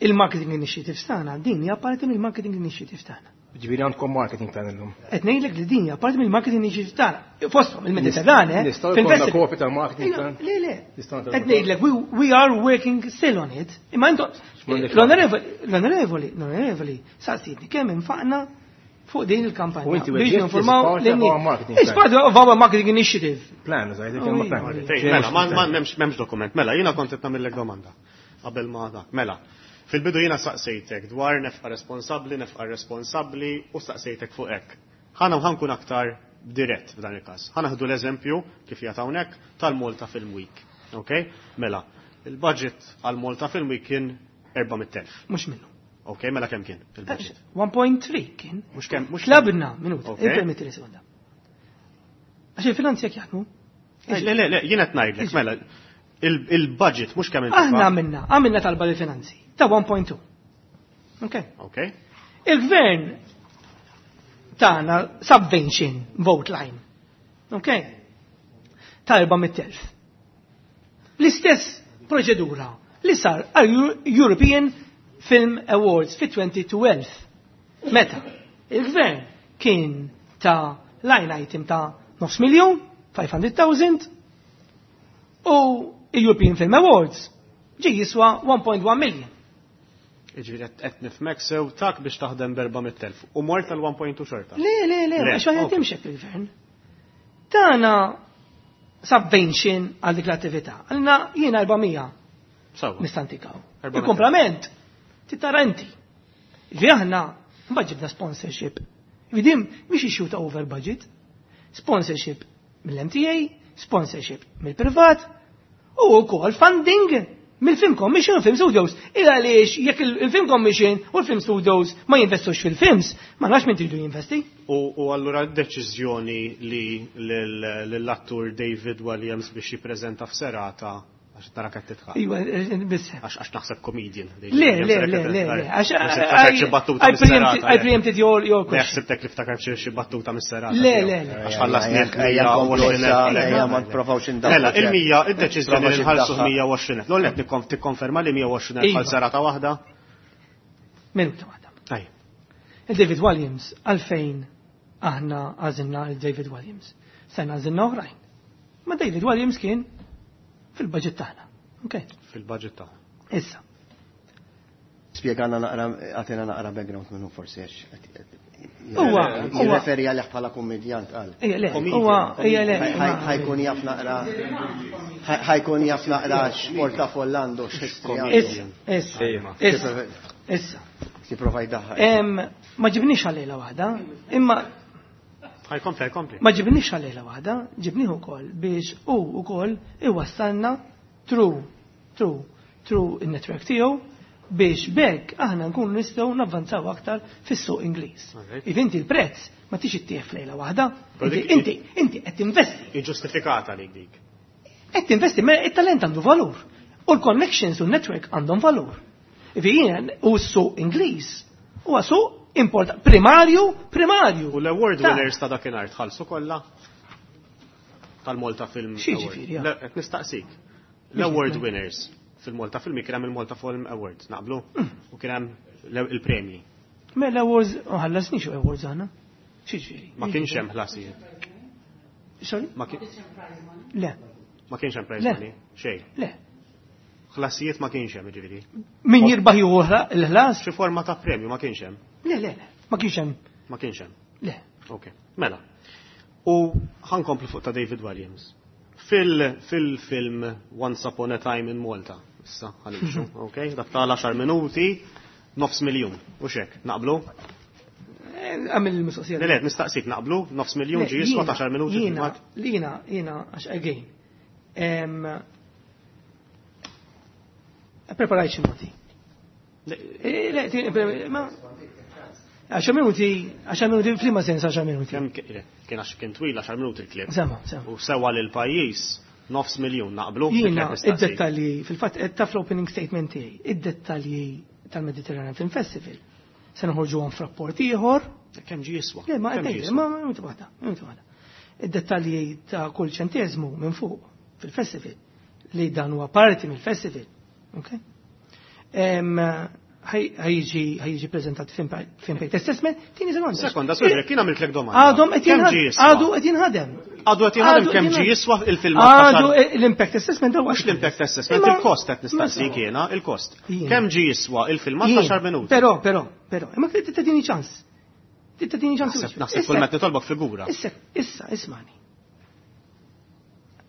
Il-marketing initiative tagħna, din hija parti mill-marketing initiative tagħna. Ġifieri għandkom marketing plan illum. Qed ngħidlek li din hija parti mill-marketing initiative tagħna. Fosthom il-Mediterran, eh? Nistgħu jkollna fil-festival. kopja tal-marketing plan? Le, le. Nistgħu nagħtu- Qed ngħidlek we, we are working still on it. Imma intom X'm'għandek l-onorevoli, l-onorevoli, l-onorevoli, saqsitni kemm infaqna fuq din il-kampanja. U inti Biex weġġiet ninformaw is part of lin-nies. our marketing It's plan. part of our marketing initiative. Plan, zaħid, Oh, kelma iva. plan. Fejn, mela, ma ma- m'hemmx m'hemmx dokument. Mela, jiena kont qed nagħmellek domanda qabel ma dak. Mela, fil-bidu jiena saqsejtek dwar nefqa responsabbli, nefqa responsabbli u saqsejtek fuq hekk. Ħana ħa nkun aktar dirett f'dan il-każ. Ħa nieħdu l-eżempju kif jgħid hawnhekk tal-Malta Film Week. Ok? Mela, il-budget għal Malta Film Week kien erba' mitt elf. Mhux minnu. Ok, mela kemm kien il-budget? one point three kien. Mhux kemm, mhux Tlabna, minuta, Ok. ippermetti li sekonda. Għax il-finanzi jekk jaħdmu. Le, le, le, jien qed ngħidlek, mela, il-, il-budget mhux kemm intifa. Aħna għamilna, għamilna talba lill-finanzi ta' one point two. Ok. Ok. Il-gvern tagħna subvention vote line. Ok. Ta' erba' mitt elf. L-istess proċedura li sar għal Eu-, European Film Awards fi twenty twelve. Meta il-gvern kien ta' line item ta' nofs miljon, five hundred thousand, u European Film Awards ġi jiswa one point one million. Iġifieri qed, qed nifhmek sew tak biex taħdem b'erba' mitt elf u mort tal one point two xorta. Le, le, le, Le, għax ma ok. jaħdimx hekk il-gvern. Tana subvention għal dik l-attività. Għalna jiena erba' mija Sewwa. nistantikaw. Erba' mitt. Il-komplement titara inti. Ġifieri aħna mbagħad ġibna sponsorship. Ġifieri mhix issue ta' over budget. Sponsorship mill-M T A, sponsorship mill-privat u wkoll funding mill-Film Commission u Film Studios. Il għaliex jekk il-, il-Film Commission u l-Film Studios ma jinvestux fil-films, ma nafx min tridu jinvesti. U, u allura d-deċiżjoni li lil-, lill-attur David Walliams biex jippreżenta f'serata, għax tara qed titħaq. Iva, biss. Għax, għax naħseb comedian, David Le, Walliams, le, għax le, qed le, titħaq. le, għax, Naħseb I, ftakar xi battuta I mis-serata, preempted, I preempted your, your Le, question. ħsibtek li ftakar xi, xi battuta mis-serata Le, tiegħu. le, le. Għax ħallasni Ejja, ejja, mija u nkomplu għoxrin issa, elf. ejja, ma nprovawx indaħħlu Mela, ċert. il-mija, id-deċiżjoni li Nprovawx nħallsu indaħħlu. mija u għoxrin elf. L-għonet nikkonf-, tikkonferma li mija u għoxrin elf Iva. għal serata waħda? Minuta waħda. Tajjeb. Il-David Walliams, għalfejn aħna għażilna il-David Walliams. Sena għażilna oħrajn. Ma David Walliams kien fil-budget tagħna. Ok. Fil-budget tagħna. Issa. Spjegana naqra, għatina naqra background minnu forsi għax qed Huwa, huwa. jirreferi għalih bħala kummedjant qal. Ejja, le, Comedian, huwa, ejja, le, Ħaj-, ma- ħajkun jaf naqra, ħaj-, ħajkun jaf naqra x'portafoll għandu, x'history għandu. Issa, issa, issa, issa. Tipprova jdaħħal. Em, ma ġibniex għal-lejla waħda, imma Ħajkompli, ħajkompli. Ma ġibniex għal-lejla waħda, ġibnieh ukoll biex hu ukoll iwassalna through, through, through in-network tiegħu biex bekk aħna nkunu nistgħu navvanzaw aktar fis-suq Ingliż. Alright. Iv inti l-prezz ma tix ittieħ f'lejla waħda, Però inti, dik- inti, inti qed tinvesti. Iġġustifikata dik dik. Qed tinvesti, ma it-talent għandu valur. U l-connections u l-network għandhom valur. Ivi jien u s-suq Ingliż huwa suq import primarju, primarju. U l-award Ta' winners ta' dakinhar tħallsu kollha tal-Malta Film Xi Award. ġifieri, ja. Le, qed nistaqsik. L-award winners fil-Malta Film kien hemm il-Malta Film Awards, naqblu? Mm. U kien hemm l-, il-premji. Mela awards, ma ħallasniex awards aħna. Xi ġifieri? Ma kienx hemm ħlasijiet. Sorry? Ma kien- Le. Ma kienx hemm prize Le. money? Xejn. Le. Ħlasijiet ma kienx hemm, ġifieri. Min jirbaħ jieħu ħla-, l-ħlas? Xi forma ta' premju ma kienx hemm? Le, le, le. Ma kienx hemm. Ma kienx hemm. Le. Ok. Mela. U ħankomplu fuq ta' David Walliams. Fil-, fil-film Once Upon a Time in Malta, issa ħanimxu, ok? Dak ta' għaxar minuti, nofs miljun. U xek, naqblu? Eh, għamil il-mistoqsija. Le, le, nistaqsik, naqblu, nofs miljun Le, ġi jiswa jiena, għaxar minuti Jiena, fil-fatt. jiena, jiena, għax again. Em, preparajt xi noti. Le, Eh, le, ti-, pre-, ma, għaxar minuti, għaxar minuti, f'liema sens għaxar minuti? Kemm ki-, le, kien għax kien twil għaxar minuti il-klib. Sema, sema. U sewa lil pajjiż nofs miljun naqblu. Jiena, Dik qed nistaqsik. id-dettalji, fil-fatt, qed taf l-opening statement tiegħi, id-dettalji tal-Mediterranean Film Festival. Se noħorġuhom f'rapport ieħor. Kemm ġie jiswa? Le, ma Kemm qed ġie ngħid, jiswa? ma, ma, minuta waħda, minuta waħda. Id-dettalji ta' kull ċenteżmu minn fuq fil-festival li dan huwa parti mill-festival. Ok? Em, ħaj-, ħajġi, ħajġi preżentat f'impact assessment, tieni sekonda. Sekonda, sorry, kien għamiltlek domanda. Għadhom qed Kemm jinħad- ġie jiswa? għadu qed jinħadem. Għadu qed jinħadem Għadu kemm qed ġie jinħadem. jiswa il-filmat ta' Għadu xar- l-impact assessment huwa Mhux l-impact assessment, Imma- il-kost qed nistaqsik Ma- jiena, il-kost. Jiena. Kemm ġie jiswa il-filmat ta' Jiena. xar minuti? Però, però, però, imma trid tagħtini ċans. Trid tagħtini ċans. Naħseb, naħseb kull meta nitolbok figura. Issa, issa, ismani.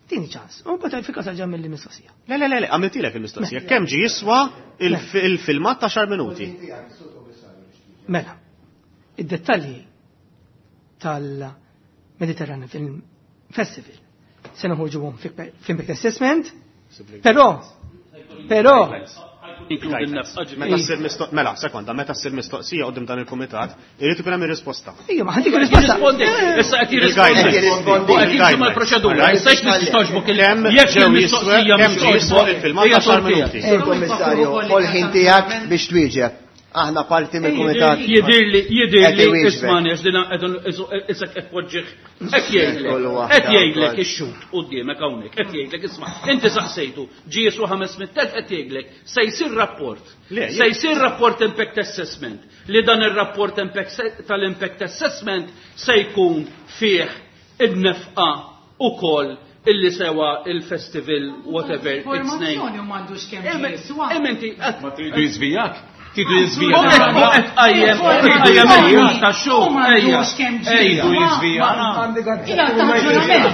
Tini ċans. U mbagħad fil każ ġa mill-mistoqsija. Le, le, le, le, għamiltilek il-mistoqsija. Kemm ġie jiswa il-fi-, il-filmat ta' xar minuti? Mela, id-dettalji tal-Mediterranean Film Festival se noħorġuhom f'impact assessment, però, però, Inkludi n-nefqa ġifieri. Meta ssir mistoq mela, sekonda, meta ssir mistoqsija quddiem dan il-kumitat, irid ikun hemm ir-risposta. Ejja, ma ħantik risposta. Jirrispondi, issa qed jirrispondi. U qed jimxi mal-proċedura. Issa x'tista' togħġbok il Kemm jekk ġew il-mistoqsija jiswew, kemm mhux ġew jiswew togħġbok, il-filmat hija għaxar tortija. minuti. Sur Kommissarju, ħol ħin tiegħek biex twieġeb. Aħna parti mill-kumitat. Jidirli, jidirli, Qed iwieġbek. ismani, għax dina issa qed poġġih, qed jgħidlek, Kollu waħda qed jgħidlek wkoll. ix-xut quddiemek hawnhekk, qed jgħidlek isma' inti saqsejtu, ġie jiswa ħames mitt elf qed jgħidlek, se jsir rapport. Le, Se jsir rapport impact assessment li dan ir-rapport impact- tal-impact assessment se jkun fih id-nefqa ukoll illi sewa il-festival whatever its name. Informazzjoni u m'għandux kemm Em- jiswa. em inti qed Ma tridu jiżvijak? Tridu U jiżvijak? qed u qed qajjem, u qed qajjem il-punt ta' U xogħol. m'għandux kemm Ejja, ġie. Hija ta' ġurament.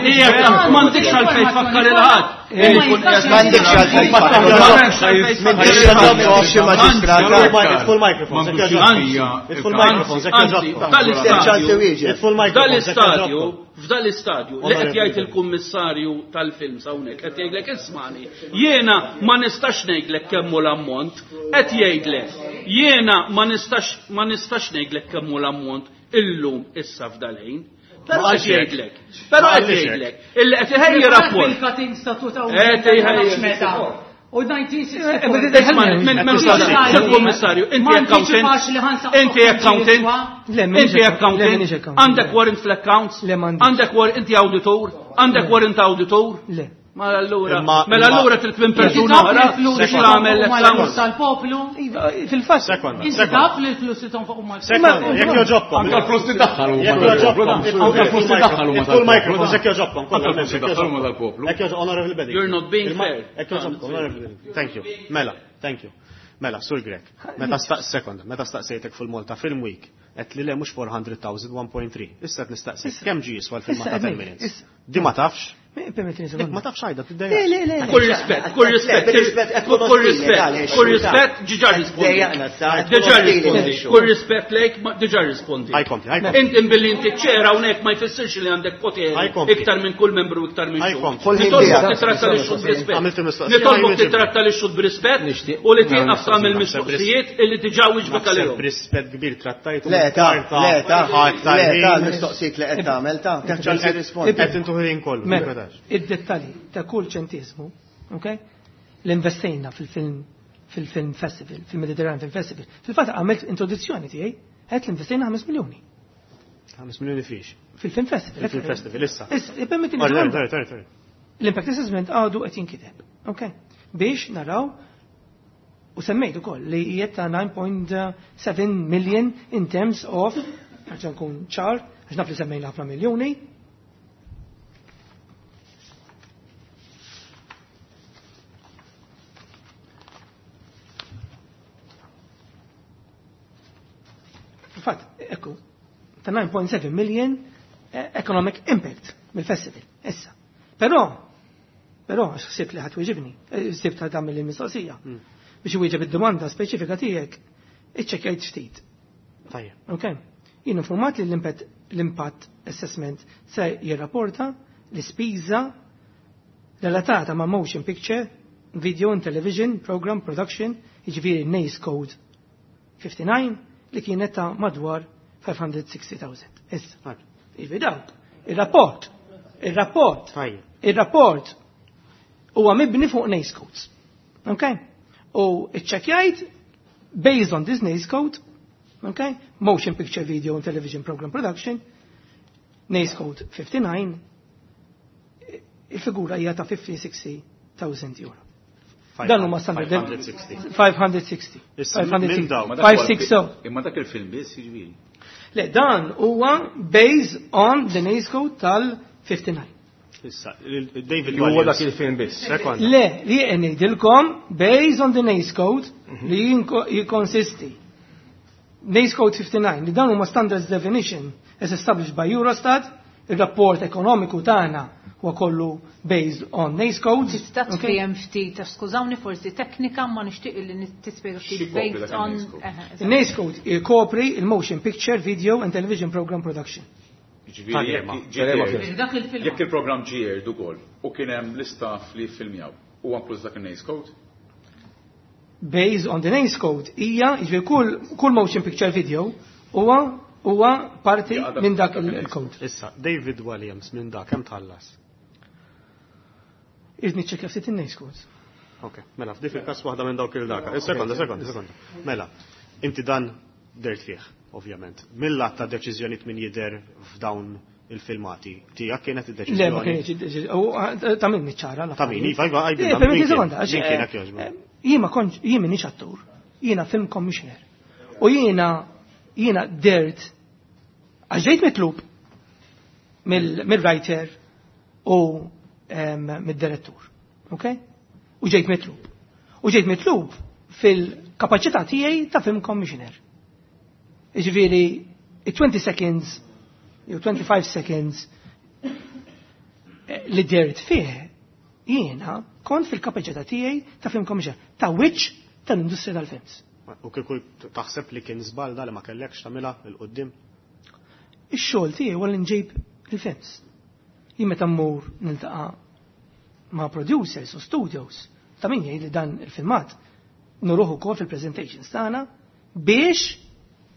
Ejja, m'għandekx għalfejn tfakkar il-ħadd. M'għandekx għalfejn tfakkar. M'għandekx M'għandekx xi maġistrat. Idful microphones, jekk jogħġobkom. Idful microphones, jekk Anzi, jogħġobkom. f'dal-istadju, Idful microphones, jekk f'dal-istadju, jogħġobkom. f'dal-istadju, li qed jgħid il-kummissarju tal-films hawnhekk, qed jgħidlek ismani, jiena ma nistax ngħidlek kemm hu l-ammont, qed jgħidlek, jiena ma nistax ma nistax ngħidlek kemm hu l-ammont illum issa f'dal-ħin. Però Ma qed qalx hekk. jgħidlek, però Ma qed qalx hekk. jgħidlek, illi qed iħejji rapport. Il-cutting statut Eh, tejħej. meta. U nineteen sixty-four. Isma' minn minn Sur Kummissarju, inti Ma accountant, anticipax li ħansaqsok inti accountant, Le, m'iniex inti account- le, accountant, m'iniex accountant. għandek warrant fl-accounts, Le, m'għandix. għandek warrant, inti auditor, għandek warrant auditor. Le. Mela allura, Imma- mela imma- allura trid minn Inti persuna taf li oħra l-flus biex li tagħmel tonfoq huma l-flus l-accounts. tal-poplu. Iva, Fil-fatt, Sekonda, Inti sekonda. taf li l-flus li tonfoq huma l-flus. Sekonda, jekk joġobkom. Anka l-flus li daħħal huma Jekk tal-poplu. joġobkom. Anka l-flus li daħħal huma Idful tal-poplu. microphones, jekk joġobkom. Anka l-flus li daħħal huma tal-poplu. Jekk joġobkom, Honorable Beding. You're not being Il-ma- fair. Jekk joġobkom, Honorable Beding. Thank you. Mela, thank you. Mela, Sur Grek, meta staq sekonda, meta staqsejtek fil-Malta Film Week, qed li le mhux four hundred thousand, one point three. Issa qed nistaqsik kemm ġie jiswa l-filmat Issa, ta' ten issa. minutes. Di ma tafx? Permettini Dik sekonda. ma tafx għajda, Le, tiddejjaq. le, le. Kull rispett, kull rispett, kull rispett, kull rispett, ġiġa rispondi. Dejjaqna sa. Diġà rispondi. Kull rispett lejk, ma diġà rispondi. Ħajkompli, ħajkompli. Inti billi inti ċera hawnhekk ma jfissirx li għandek poteri Ħajkompli. iktar minn kull membru iktar minn xhud. Ħajkompli. Kull ħin Nitolbok tiegħek. titratta li xhud b'rispett. Għamilt il-mistoqsija, Nitolbok ħajwieġeb. titratta li xhud b'rispett Nixtieq. u li tieqaf tagħmel Naħseb mistoqsijiet illi diġà wieġbek Naħseb għalihom. b'rispett kbir trattajtu. Le, ta, le, ta, le, ta, l-mistoqsijiet li qed tagħmel ta, ċans jirrispondi. Qed intu ħin kollu. Mela, id-dettalji ta' kull ċentesmu, ok? L-investejna fil-film fil-film festival, fil-Mediterranean Film Festival. Fil-fatt għamilt introduzzjoni tiegħi, qed l-investejna ħames miljuni ħames miljoni fiex. fil-film festival. Fil-film festival, issa. Issa, ippermettini Sorry, sekonda. sorry, sorry, sorry. L-impact assessment għadu qed jinkiteb, ok? Biex naraw u semmejt ukoll li jiet ta' nine point seven million in terms of, għax nkun ċar, għax naf li semmejna ħafna miljoni. Fatt, ekku, ta' nine point seven million, eh, economic impact mill-festival, issa. Però, però, għax ħsibt li ħadd wieġibni, eh, ħsibt ħadd tagħmel il-mistoqsija. Mm. Biex iwieġeb id-domanda speċifika tiegħek, iċċekkjajt ftit. Tajjeb. Ok. Jien informat li l-impatt, l-impatt assessment se jirrapporta l-ispiża relatata ma' motion picture, video and television, program production, jiġifieri NACE Code fifty-nine, li kienet ta' madwar five hundred sixty thousand. Issa. Tajjeb. Jiġifieri dawk. Il-rapport, il-rapport, Tajjeb. il-rapport huwa mibni fuq NACE codes. Ok? U iċċekkjajt based on this NACE code, ok? Motion picture, video and television program production, NACE code fifty-nine, il-figura hija ta' fifty sixty thousand euro. Dan huma standard five hundred sixty. five hundred sixty. Issa, Five hundred minn sixty. dawn. Ma dak huwa Five six oh. Imma dak il-film biss jiġifieri. Le, dan huwa based on the NACE code tal-fifty-nine. Issa, il-, il-, David Li huwa Williams. dak il-film biss. Sekonda. Le, li qed ngħidilkom based on the NACE code li jinko-, jikkonsisti NACE code fifty-nine, li dan huma standards definition as established by Eurostat, il-rapport ekonomiku tagħna huwa kollu based on NACE codes. Tista' Okay? tfiem ftit, għax skużawni forsi teknika ma nixtieq li tispjega ftit Xi kopri based dak on il-NACE code? Eħe, eżatt. Il-NACE code jkopri il-motion picture, video and television program production. Jiġifieri Tal-ema. jekk ġie Tal-ema aired- film. Dak il-film. Jekk il-programm ġie aired ukoll u kien hemm l-istaff li ffilmjaw, huwa inkluż dak il-NACE code? Based on the NACE code hija jiġifieri kull kull motion picture video huwa huwa parti minn dak il-code. Issa, David Williams minn dak kemm tħallas? Irrid niċċekkja ftit in-NACE code. Ok, mela, f'dik il-każ waħda minn dawk il-daka. Sekonda, sekonda, sekonda. Mela, inti dan dert fih, ovvjament. Mill-att ta' deċiżjonijiet min jidher f'dawn il-filmati, tiegħek kienet Le, ma id-deċiżjoni. kienx id-deċiżjoni. Ta' min niċċara Ta' min, iva, iva, Eh, għajdilna, permetti min kien? sekonda, għax, Min eh, kienek jogħġbok? eh, Jien ma kontx, jien m'iniex attur. Jiena film commissioner. U jiena jiena dert għax ġejt mitlub mill- mill-writer u em, mid-direttur. Ok? U ġejt mitlub. U ġejt mitlub fil-kapaċità tiegħi ta' film commissioner. Jiġifieri, twenty seconds jew twenty-five seconds eh, li dert fih jiena kont fil-kapaċità tiegħi ta' film commissioner, ta' wiċċ tal-industrija tal-films. U kieku taħseb li kien żball da li ma kellekx tagħmilha 'l quddiem? Ix-xogħol tiegħi huwa li nġib il-films. Jien meta mmur niltaqa' ma' producers u studios, ta' min jgħid li dan il-filmat nuruh ukoll fil-presentations tagħna biex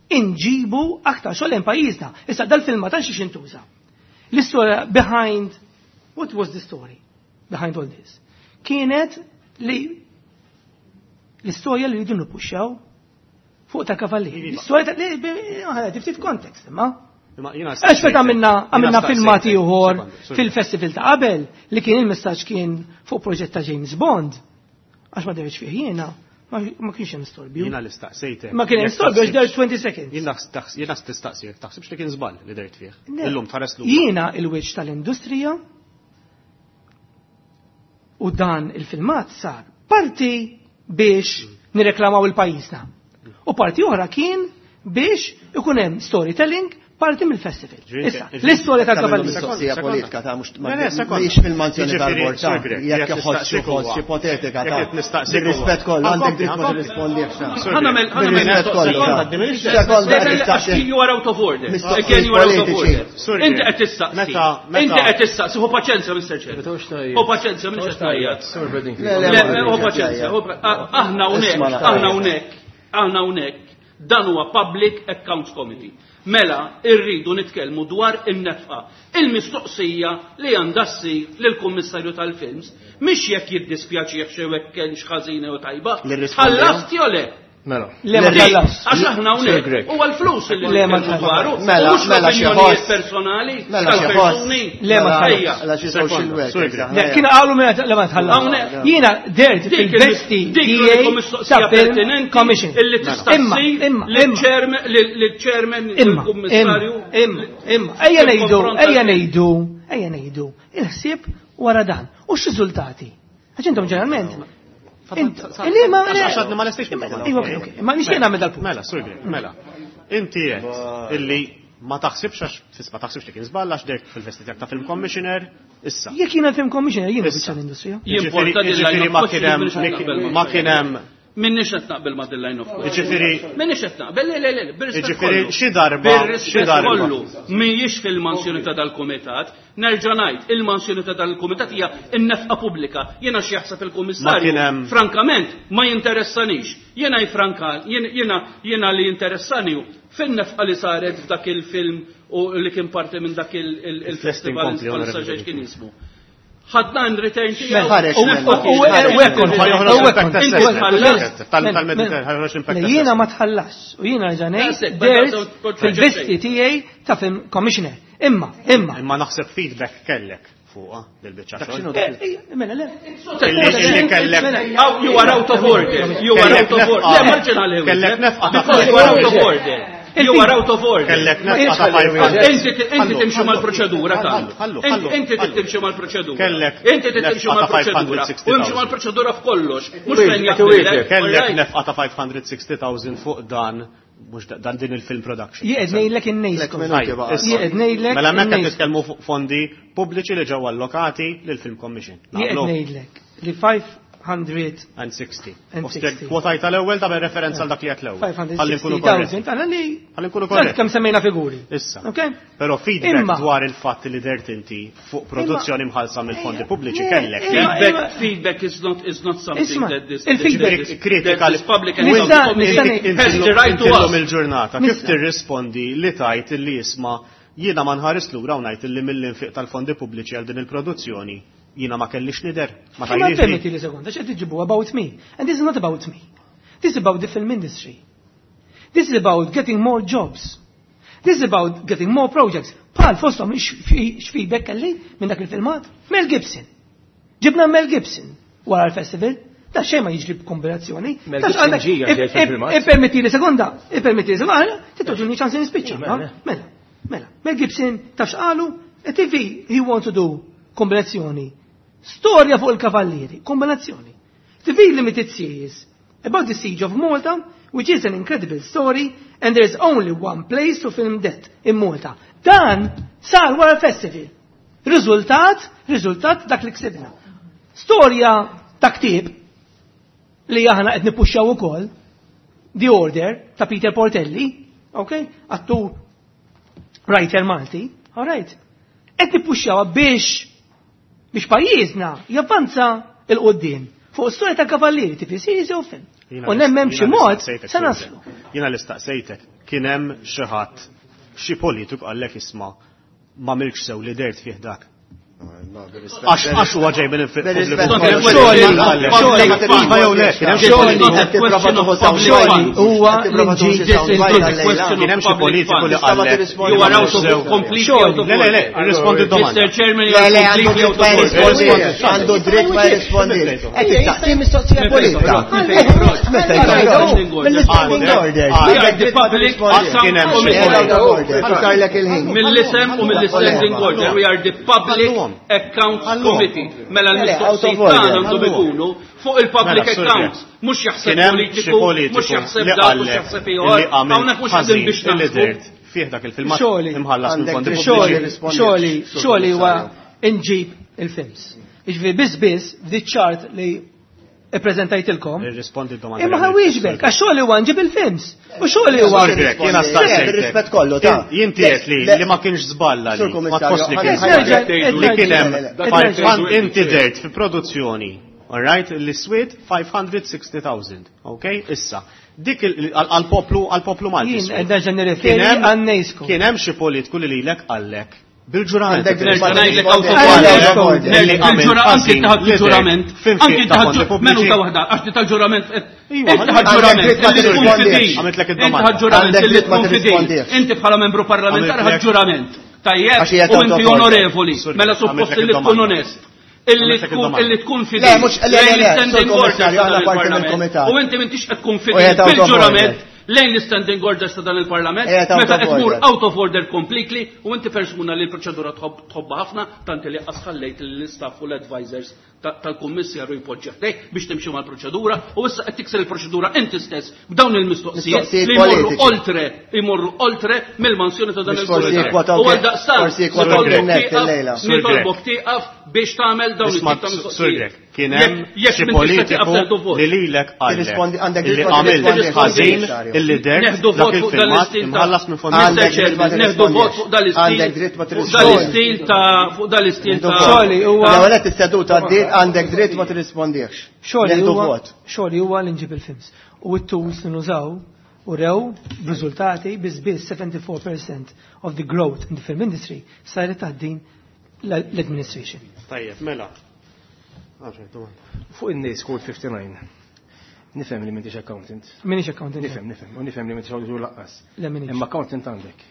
inġibu aktar xogħol lejn pajjiżna. Issa dal-filmat għal xiex intuża. L-istorja behind, what was the story behind all this? Kienet li l-istorja li rridu nippuxxaw fuq ta' kavallieri. L-istorja ta' li bi- ftit kontekst, imma. Imma jiena Għax meta għamilna għamilna jiena filmati staqsejtek. ieħor Sekonda, sorry. fil-festival ta' qabel li kien il-messaġġ kien fuq proġett ta' James Bond. Għax ma derx fih jiena, ma ma kienx hemm storbju. Jiena li staqsejtek. Ma kien hemm Jekk storbju għax der taħsibx- twenty seconds. Jiena taħs- jiena tistaqsi jekk taħsibx li kien żball li dert fih. Le. Illum tħares lura. Jiena il-wiċċ tal-industrija u dan il-filmat sar parti biex nireklamaw il-pajjiżna. U parti oħra kien biex ikun hemm storytelling parti mill-festival. Ġifieri, Issa, ġifieri- l-istorja Ta' tal-kavallieri. mistoqsija Sekonda. politika ta' mhux Le, le, sekonda. mhix fil-manzjoni Jiġifieri, tal-bord ta' Sur Grech, jekk jekk iħoss xi nistaqsik ħoss huwa. ipotetika Jekk ta' qed nistaqsik huwa. Bir-rispett kollu għandek Ħankompli, dritt ma ħankompli. tirrispondix ta' Sur Ħa nagħmel- Grech, ħa nagħmel Bir-rispett kollu sekonda. ta' Sekonda Le, le, qed tistaqsi. għax you are out of order. Mistoqsijiet Again, you are out of politiċi. order. Sur Inti Grech, qed tistaqsi. meta- meta- Inti qed tistaqsi. Hu paċenzja, Mister Chair. Hu paċenzja, Mister Chair. Sur Bedingfield. Le, le, Le, ma le, hu rridx paċenzja. jgħid. hu pa- ah, Aħna hawnhekk, Isma' naqra. aħna hawnhekk, aħna hawnhekk. Dan huwa Public Accounts Committee. Mela, irridu nitkellmu dwar in-nefqa. Il-mistoqsija li għandha ssir lill-Kummissarju tal-Films mhix jekk jiddispjaċih xi hekk kienx ħażina jew tajba. Li rrispondew? Ħallast jew le? Mela. Le ma Dik, tħallas. Għax aħna Sir hawnhekk Grech. huwa l-flus li Le, ma nitkellmu tħallas. dwaru. Mela, u mhux mela xi l-opinjonijiet ħoss. personali Mela xi ħoss. tal-persuni. Le, ma tħallas. Ejja. Mela xi social Sekonda, workers, Sur Grech. aħna Le, kien qalu mela le ma tħallas. Hawnhekk. Jiena dert Dik il- fil-vesti dik tiegħi l-uniku mistoqsija ta' film pertinenti commission. illi tista' Imma, ssir imma, imma. lill-chairman, lill-chairman, Imma, lill-kummissarju. imma, imma, ejja ngħidu, Fil-konfront ejja tal- ngħidu, ejja ngħidu, il-ħsieb wara dan. U x-riżultati? Għax intom ġeneralment. Int- Li ma Għax għadni ma lestejx mill-ewwel. Iva, ok, ok. Ma nixtieq nagħmel dal-punt. Mela, Sur Grech, mela. Inti qed illi ma taħsibx għax fis ma taħsibx li kien żball għax dert fil-vesti tiegħek ta' film commissioner, issa. Jekk jiena film commissioner, jiena Issa. biċċa l-industrija. Jimporta Jiġifieri- din line jiġifieri of ma question kien hemm minix qed naqbel ma' ma kien hemm Minix qed naqbel ma' din line of question. Jiġifieri Minix qed naqbel, le, le, le, bir-rispett Jiġifieri kollu. xi darba- Bir-rispett xi darba. kollu mhijiex fil-mansjoni ta' dal-kumitat. Nerġa' ngħid, il-mansjoni ta' dal-kumitat hija n-nefqa pubblika. Jiena x'jaħseb Ma il-kummissarju. kien hemm- Frankament, ma jinteressanix. Jiena jfranka, jien- jiena jiena li jinteressani hu fin-nefqa li saret f'dak il-film u li kien parti minn dak il- il- il-festival inkompli, bħalissa onorevoli. xejn kien jismu. Ħadna in return tiegħu. Ħareġ u minna. nefqa U kienet. u hekk kont, Ħa joħroġ u hekk impact kont. assessment. Inti Tal- Mela, tal-Mediterran, mela. ħa joħroġ impact Le, Jiena assessment. ma tħallas u jiena That's ġanej it, but dert that's what- fil-vesti tiegħi ta' film commissioner. Imma, imma. Imma naħseb feedback kellek fuqha dil-biċċa Dak xogħol. x'inhu Eh, eh, Mela, le. Illi illi kellek Mela, Oh, you are out of order. You are out of order. Le, marġinali. Kellek nefqa ta' Because you are out of order. You are out of order. Kellek nefqa ta' five hundred. Inti inti timxi mal-proċedura Ħallu, ta' ħallu, Inti ħallu, inti ħallu. timxi mal-proċedura. Kellek Inti timxi nefqa ta' mal-proċedura. U imxi mal-proċedura f'kollox. Mhux fejn Wieġeb, jaqbillek. wieġeb. Kellek Alright? nefqa ta' five hundred sixty thousand fuq dan mhux da- dan din il-film production. Jien qed ngħidlek in-NACE Lek code. minuti Tajjeb, baqa'. issa. Jien qed ngħidlek Mela hemmhekk qed in-NACE. nitkellmu fuq fondi pubbliċi li ġew allokati lil Film Commission. Jien qed Naqblu? ngħidlek li five hundred And sixty. And sixty. Kwotajt tal-ewwel ta' referenza għal dak li għedt l-ewwel. Ħalli nkunu korretti. five hundred sixty thousand, għana li Ħalli nkunu korretti. Kemm semmejna figuri. Issa. Ok? Però feedback Imma- dwar il-fatt li dert inti fuq produzzjoni mħallsa mill-fondi pubbliċi Le, kellek. imma- Feedback, feedback is not is not something Isma, that this il-feedback- that this, Kritika that this public Nista- account committee nista' has the right to Illum ask. il-ġurnata, kif Nista' tirrispondi li tajt li jisma' jiena ma nħares lura u ngħid li mill-infiq tal-fondi pubbliċi għal din il-produzzjoni jiena ma kellix nider? Ma Ma tgħidlix permetti li sekonda, x'qed tiġibu about me? And this is not about me. This is about the film industry. This is about getting more jobs. This is about getting more projects. Bħal fosthom x'feedback kelli minn dak il-filmat? Mel Gibson. Ġibna Mel Gibson wara l-festival. Da xejn ma jiġri b'kombinazzjoni. Mel Tax Gibson għandek- ġie għax fil-filmat. Ippermetti li sekonda, ippermetti li sekonda, tittoġuni ċans nispiċċa. Mela. no? Mela, mela. Mel Gibson taf x'qalu? T V he want to do kombinazzjoni. Storja fuq il-kavallieri, kombinazzjoni. T V limited series about the siege of Malta, which is an incredible story, and there is only one place to film that, in Malta. Dan sar wara festival. Riżultat, riżultat dak li ksibna. Storja ta' ktieb li aħna qed nippuxxaw ukoll, The Order ta' Peter Portelli, ok? Attur writer Malti, all right. Qed nippuxxawha biex biex pajjiżna javvanza 'l quddiem fuq storja ta' kavallieri T V series jew film. Jiena U nemmen jiena b'xi mod nistaqsejtek, se naslu. Jiena l-istaqsejtek, kien hemm xi ħadd, xi politiku qallek isma' ma milx sew li dert fih dak? Għax għax huwa ġej minn infiq pubbliku. Iva jew le, kien hemm xi Xogħli huwa li Kien hemm xi politiku li qallek. You are out of completely out of Le, le, le, irrispondi d-domanda. Mister Chairman, you are completely out of order. Għandu dritt ma jirrispondi. Qed tistaqsi mistoqsija politika. Meta mill-standing order. We are the public Kien hemm xi Sarlek il-ħin. Mill-isem u mill-standing order, we are the Public Accounts Committee. Mela l-mistoqsijiet tagħna għandhom ikunu fuq il-public Mela, sorry. accounts, mhux jaħseb Kien hemm xi politiku, mhux politiku jaħseb li dak, mhux qallek jaħseb li ieħor. għamel Hawnhekk mhux qegħdin ħażin biex illi naħsbu. dert fih dak il-filmat Xogħli. imħallas minn Għandek fondi dritt pubbliċi. Xogħli. Xogħli, xogħli huwa inġib il-films. Jiġifieri biss biss f'di ċart li ippreżentajtilkom. Irrispondi d-domanda. Imma ħa nwieġbek, għax xogħli huwa nġib il-films. U xogħli huwa Sorry, Greg, jiena staqsejtek. Bir-rispett kollu, ta' Jien tiet li Le- li ma kienx żballa Sur li ma Kummissarju, tħoss li kien ħa- żball. Li kien hemm Le, le, five- inti dert fi produzzjoni, all right, li swiet five hundred sixty thousand, ok? Issa, dik il- għal-poplu għal-poplu Malti. Jien swiet. qed nerġa' nirreferi Kien hemm- għan-NASCO. Kien hemm xi politiku li lilek qallek bil-ġurament. Għandek dritt ma Nerġa' ngħidlek tirrispondi. out of order. Għandek order. Li għamel Bil-ġura anki ħażin taħt li dert ġurament. f'infiq Anki ta' taħt fondi minuta pubbliċi. waħda, għax di tal-ġurament. Iva, Inti ħadd ġurament Għandek dritt ma illi tkun tirrispondix. fidil. Għamilt lek Inti id-domanda. ħadd ġurament Għandek illi dritt ma tkun fidil. tirrispondix. Inti bħala membru parlamentari ħadd Għamilt lek- ġurament. Tajjeb, Għax hija u inti out of order. onorevoli, Sorry, mela għamilt suppost lek li tkun id-domanda. onest. Illi Għamilt lek tkun id-domanda. illi tkun fidil. Le, mhux- le, le, Lejn le, l-standing Sur orders Kummissarju, ta' aħna dan parti il-Parlament. mill-Kumitat. U inti m'intix qed tkun U fidil hija out of bil-ġurament order. lejn l-standing orders ta' dan il-Parlament, Hija out meta of qed tmur order. out of order completely u inti persuna li l-proċedura tħobb tħobbha ħafna tant li qasħallejt l-istaff u l-advisors ta- tal-kummissarju jpoġġi ħdejk biex timxi mal-proċedura u issa qed tikser il-proċedura inti stess b'dawn il-mistoqsijiet Mistoqsijiet li jmorru politiċi. oltre jmorru oltre mill-mansjoni ta' dan Biex forsi il-kumitat. jikwotaw U għal daqstant forsi jikwotaw nitolbok net tieqaf- illejla. nitolbok tieqaf biex tagħmel dawn Isma' it-tip ta' Sur mistoqsijiet. Grech, kien hemm Jekk- jekk xi m'intix se tieqaf politiku teħdu vot. li lilek qallek Tirrispondi- għandek illi dritt ma għamilt tirrispondix. ħażin illi dert Neħdu dak vot fuq dan il-filmat l-istil ta' imħallas minn fondi Għandek Mister dritt ma Chairman, neħdu vot fuq dan l-istil. Għandek dritt ma Fuq tirrispondix. dan l-istil ta' fuq dan l-istil ta' Xogħli huwa L-ewwel qed is-seduta għaddiet, għandek dritt ma tirrispondix. Xogħli Neħdu huwa vot. xogħli huwa li nġib il-films. U t-tools li nużaw u rew b'riżultati biss biss seventy-four percent of the growth in the film industry saret taħt din l-administration. Tajjeb, mela. Għaxar, domanda. Fuq in-NAICS Code fifty-nine. Nifhem li m'intix accountant. Minix accountant. Nifhem, nifhem, u nifhem li m'intix auditor lanqas. Le, minix. Imma accountant għandek.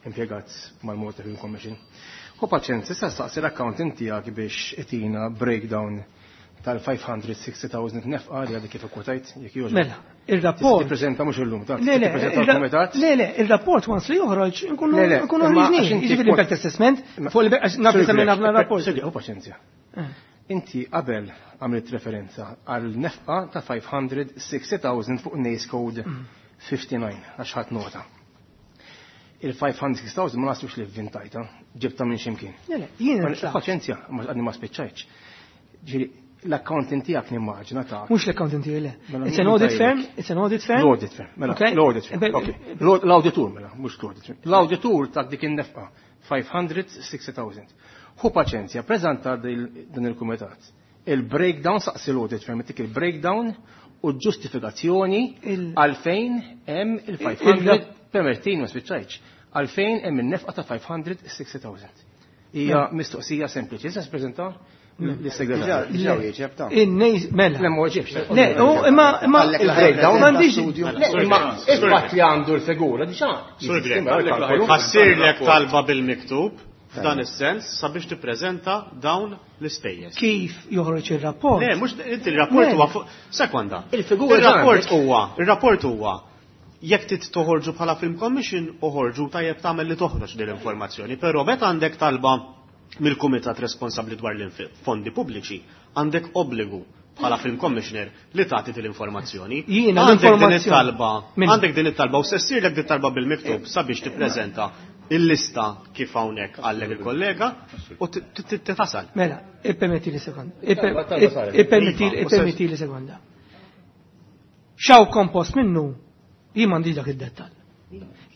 Impjegat mal-Malta Film Commission. U paċenza, issa staqsi l-accountant tiegħek biex itina breakdown tal-five hundred sixty thousand nefqa li għadek kif ikkwotajt, jekk jogħġbok. Mela, il-rapport. Tippreżenta mhux illum, ta' Le, le, tippreżenta il-ra- l-kumitat. le, le, il-rapport once li joħroġ nkunu Le, le, nkunu imma ħriġni. għax inti Jiġifieri kwot- l-impact assessment fuq il għax naf li semmejna f'dan rapport. Sir, u paċenzja. Eh. Inti qabel għamilt referenza għal nefqa ta' five hundred sixty thousand fuq NAICS Code fifty-nine, għax ħadd nota. Il-five hundred sixty thousand ma nasibx li vvintajta, ġibta minn ximkien. Le, le, jiena Ma- Paċenzja, ma għadni ma spiċċajtx. Ġifieri, L-accountant tiegħek nimmaġina ta' Mhux l-accountant tiegħi le. Mela, It's an min audit tajlek? firm, it's an audit firm. L-audit firm, mela, Okay. l-audit firm, Be- ok. L-auditur, mela, mhux l-audit firm. L-auditur ta' dik in-nefqa, five hundred sixty thousand. Ħu paċenzja, preżenta din il-kumitat. Il-breakdown, saqsi l-audit firm, dik il-breakdown u ġustifikazzjoni Il- għalfejn hemm il-five hundred, permettini ma spiċċajtx, għalfejn hemm in-nefqa ta' five hundred sixty thousand. Hija mistoqsija sempliċi. Issa preżenta lis-segretarju. Diġà wieġeb ta' In-nejs, mela. Le, ma weġibx. Le, u imma imma Għallek il-breakdown m'għandix studio. Le, imma il-fatt li għandu l-figura diġà. Sur Grech, Imma l-kalkolu. ħa ssirlek talba bil-miktub f'dan is-sens sabiex tippreżenta dawn l-ispejjeż. Kif joħroġ ir-rapport. Le, mhux inti, il-rapport Le. huwa fuq sekonda. Il-figura Il-rapport għandek. huwa, il-rapport huwa jekk tit toħorġu bħala Film Commission, uħorġu, tajjeb tagħmel li toħroġ din l-informazzjoni, però meta għandek talba mill-kumitat responsabbli dwar l-fondi pubbliċi, għandek obbligu bħala Film Commissioner li tagħti din l-informazzjoni. Jiena Għandek din l-informazzjoni- it-talba, Min? għandek din it-talba u se ssirlek din it-talba bil-miktub sabiex tippreżenta il-lista kif hawnhekk għallek il-kollega u t- t- t- tasal. Mela, ippermetti li sekonda. Talba- talba saret. Ippermetti Iva, u ippermetti li sekonda. X'hawn kompost minnu, jien m'għandix dak id-dettall.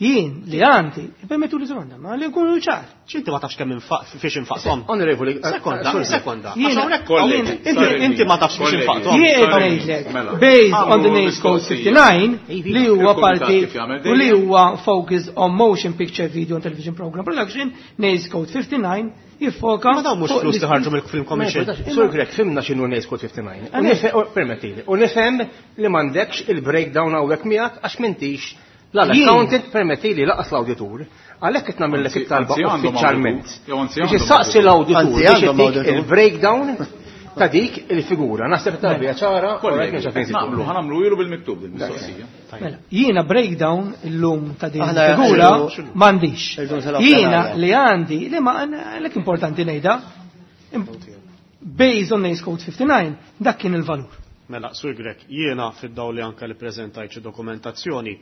Jien li għandi, ippermettu li sekonda, ma li nkunu ċar. X'inti ma tafx kemm infaq fiex infaqthom? Onorevoli, eh, Sekonda, sorry. sekonda. Jiena- Għax hawnhekk Kollegi, inti inti ma tafx fiex kollegi. infaqthom. Jien qed Sorry. ngħidlek, Mela. based on the Għamlu NACE Code mistoqsija. fifty-nine, li huwa Il-kumitat parti kif jagħmel u li dejjem. huwa focus on motion picture, video and television program production, NACE Code fifty-nine jiffoka Ma dawn mhux fuq flus li l- ħarġu mill-Film Commission. Sur Grech, fhimna x'inhu NACE Code fifty-nine. U nifhem- u permettili, u nifhem li m'għandekx il-breakdown hawnhekk miegħek għax m'intix la l-accountant, permettili, lanqas l-auditur. Għalhekk qed nagħmellek Anzi- it-talba anzi għandhom uffiċjalment. auditur. Jew anzi Biex għandhom issaqsi auditur. l-auditur Anzi biex għandhom ittik auditur. il-breakdown ta' dik il-figura. Naħseb talba hija ċara, u Kollegi, għalhekk mhux naqblu, ħa nagħmlu ilu bil-miktub din mistoqsija. Mela, jiena breakdown illum ta' din Aħna figura irridu- m'għandix. irridu nsalgħu Jiena plenarja. li għandi, li ma għalhekk importanti ngħidha, im- based on NACE Code fifty-nine, dak kien il-valur. Mela, Sur Grech, jiena fid-dawl li anka li preżentajt xi dokumentazzjoni,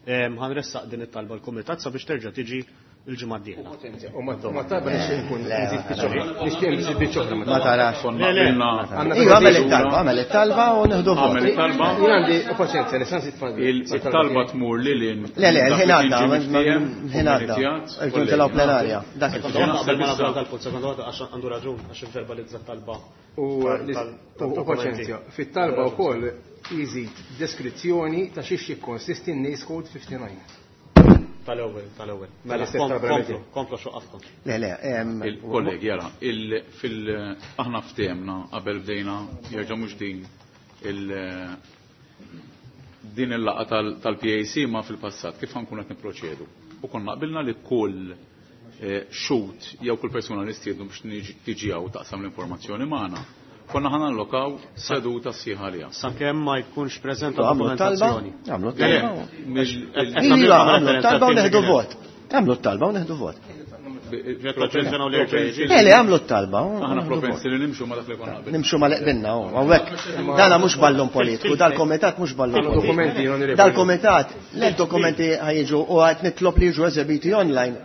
em, ħa nressaq din it-talba l-kumitat sabiex terġa' tiġi il-ġimgħa d-dieħla. U ma ma talba nixtieq nkun nżid biċċa oħra. Nixtieq nżid biċċa oħra. Ma tarax. Konna Le, le. qbilna- Għandna Iva, għamel it-talba, għamel it-talba u nieħdu vot. Għamel it-talba. Jien għandi paċenzja, nista' nżid fan- Il-talba tmur lil hinn. Le, le, il-ħin dak li għadda, kien ġie miftiehem, il-ħin għadda. kommissjat, Irridu ntelgħu plenarja. Dak Sekonda, il-ħin. waħda, qabel ma nagħmlu dal-punt, sekonda waħda, għax għandu raġun, għax verbalizza talba. U tal- l- tal- u tal-dokumenti. paċenzja, fit-talba wkoll jżid deskrizzjoni ta' xiex jikkonsisti n-NACE Code fifty-nine. Tal-ewwel, tal-ewwel. Mela, Tal-istess kom- talba komplu, li komplu xoqafkom. Le, le, em, Il-kollegi, jara, il- fil- aħna ftehemna qabel bdejna jerġa' mhux din il- din il-laqgħa tal- tal-P A C ma fil-passat kif ħa nkunu qed nipproċedu. U konna qbilna li kull eh, xhud jew kull persuna li stiednu biex niġi- tiġi hawn taqsam l-informazzjoni magħna, konna ħa nallokaw seduta sħiħa għaliha. Sakemm ma jkunx preżenta Għamlu talba, dokumentazzjoni. għamlu Le, le, talba. Mill- Qed nagħmlu Iva, għamlu referenza talba u għal neħdu film vot. Għamlu talba u neħdu vot. Propensi- Le, le, għamlu talba. U Aħna neħdu vot. propensi li nimxu ma dak li konna qbilna. Nimxu ma leqbinna, u għawek. Dana mhux ballun politiku, dal-komitat mhux ballun Għandna politiku. dokumenti, onorevoli. Dal-komitat, le, dokumenti ħa jiġu u għad nitlob li jiġu eżebiti online.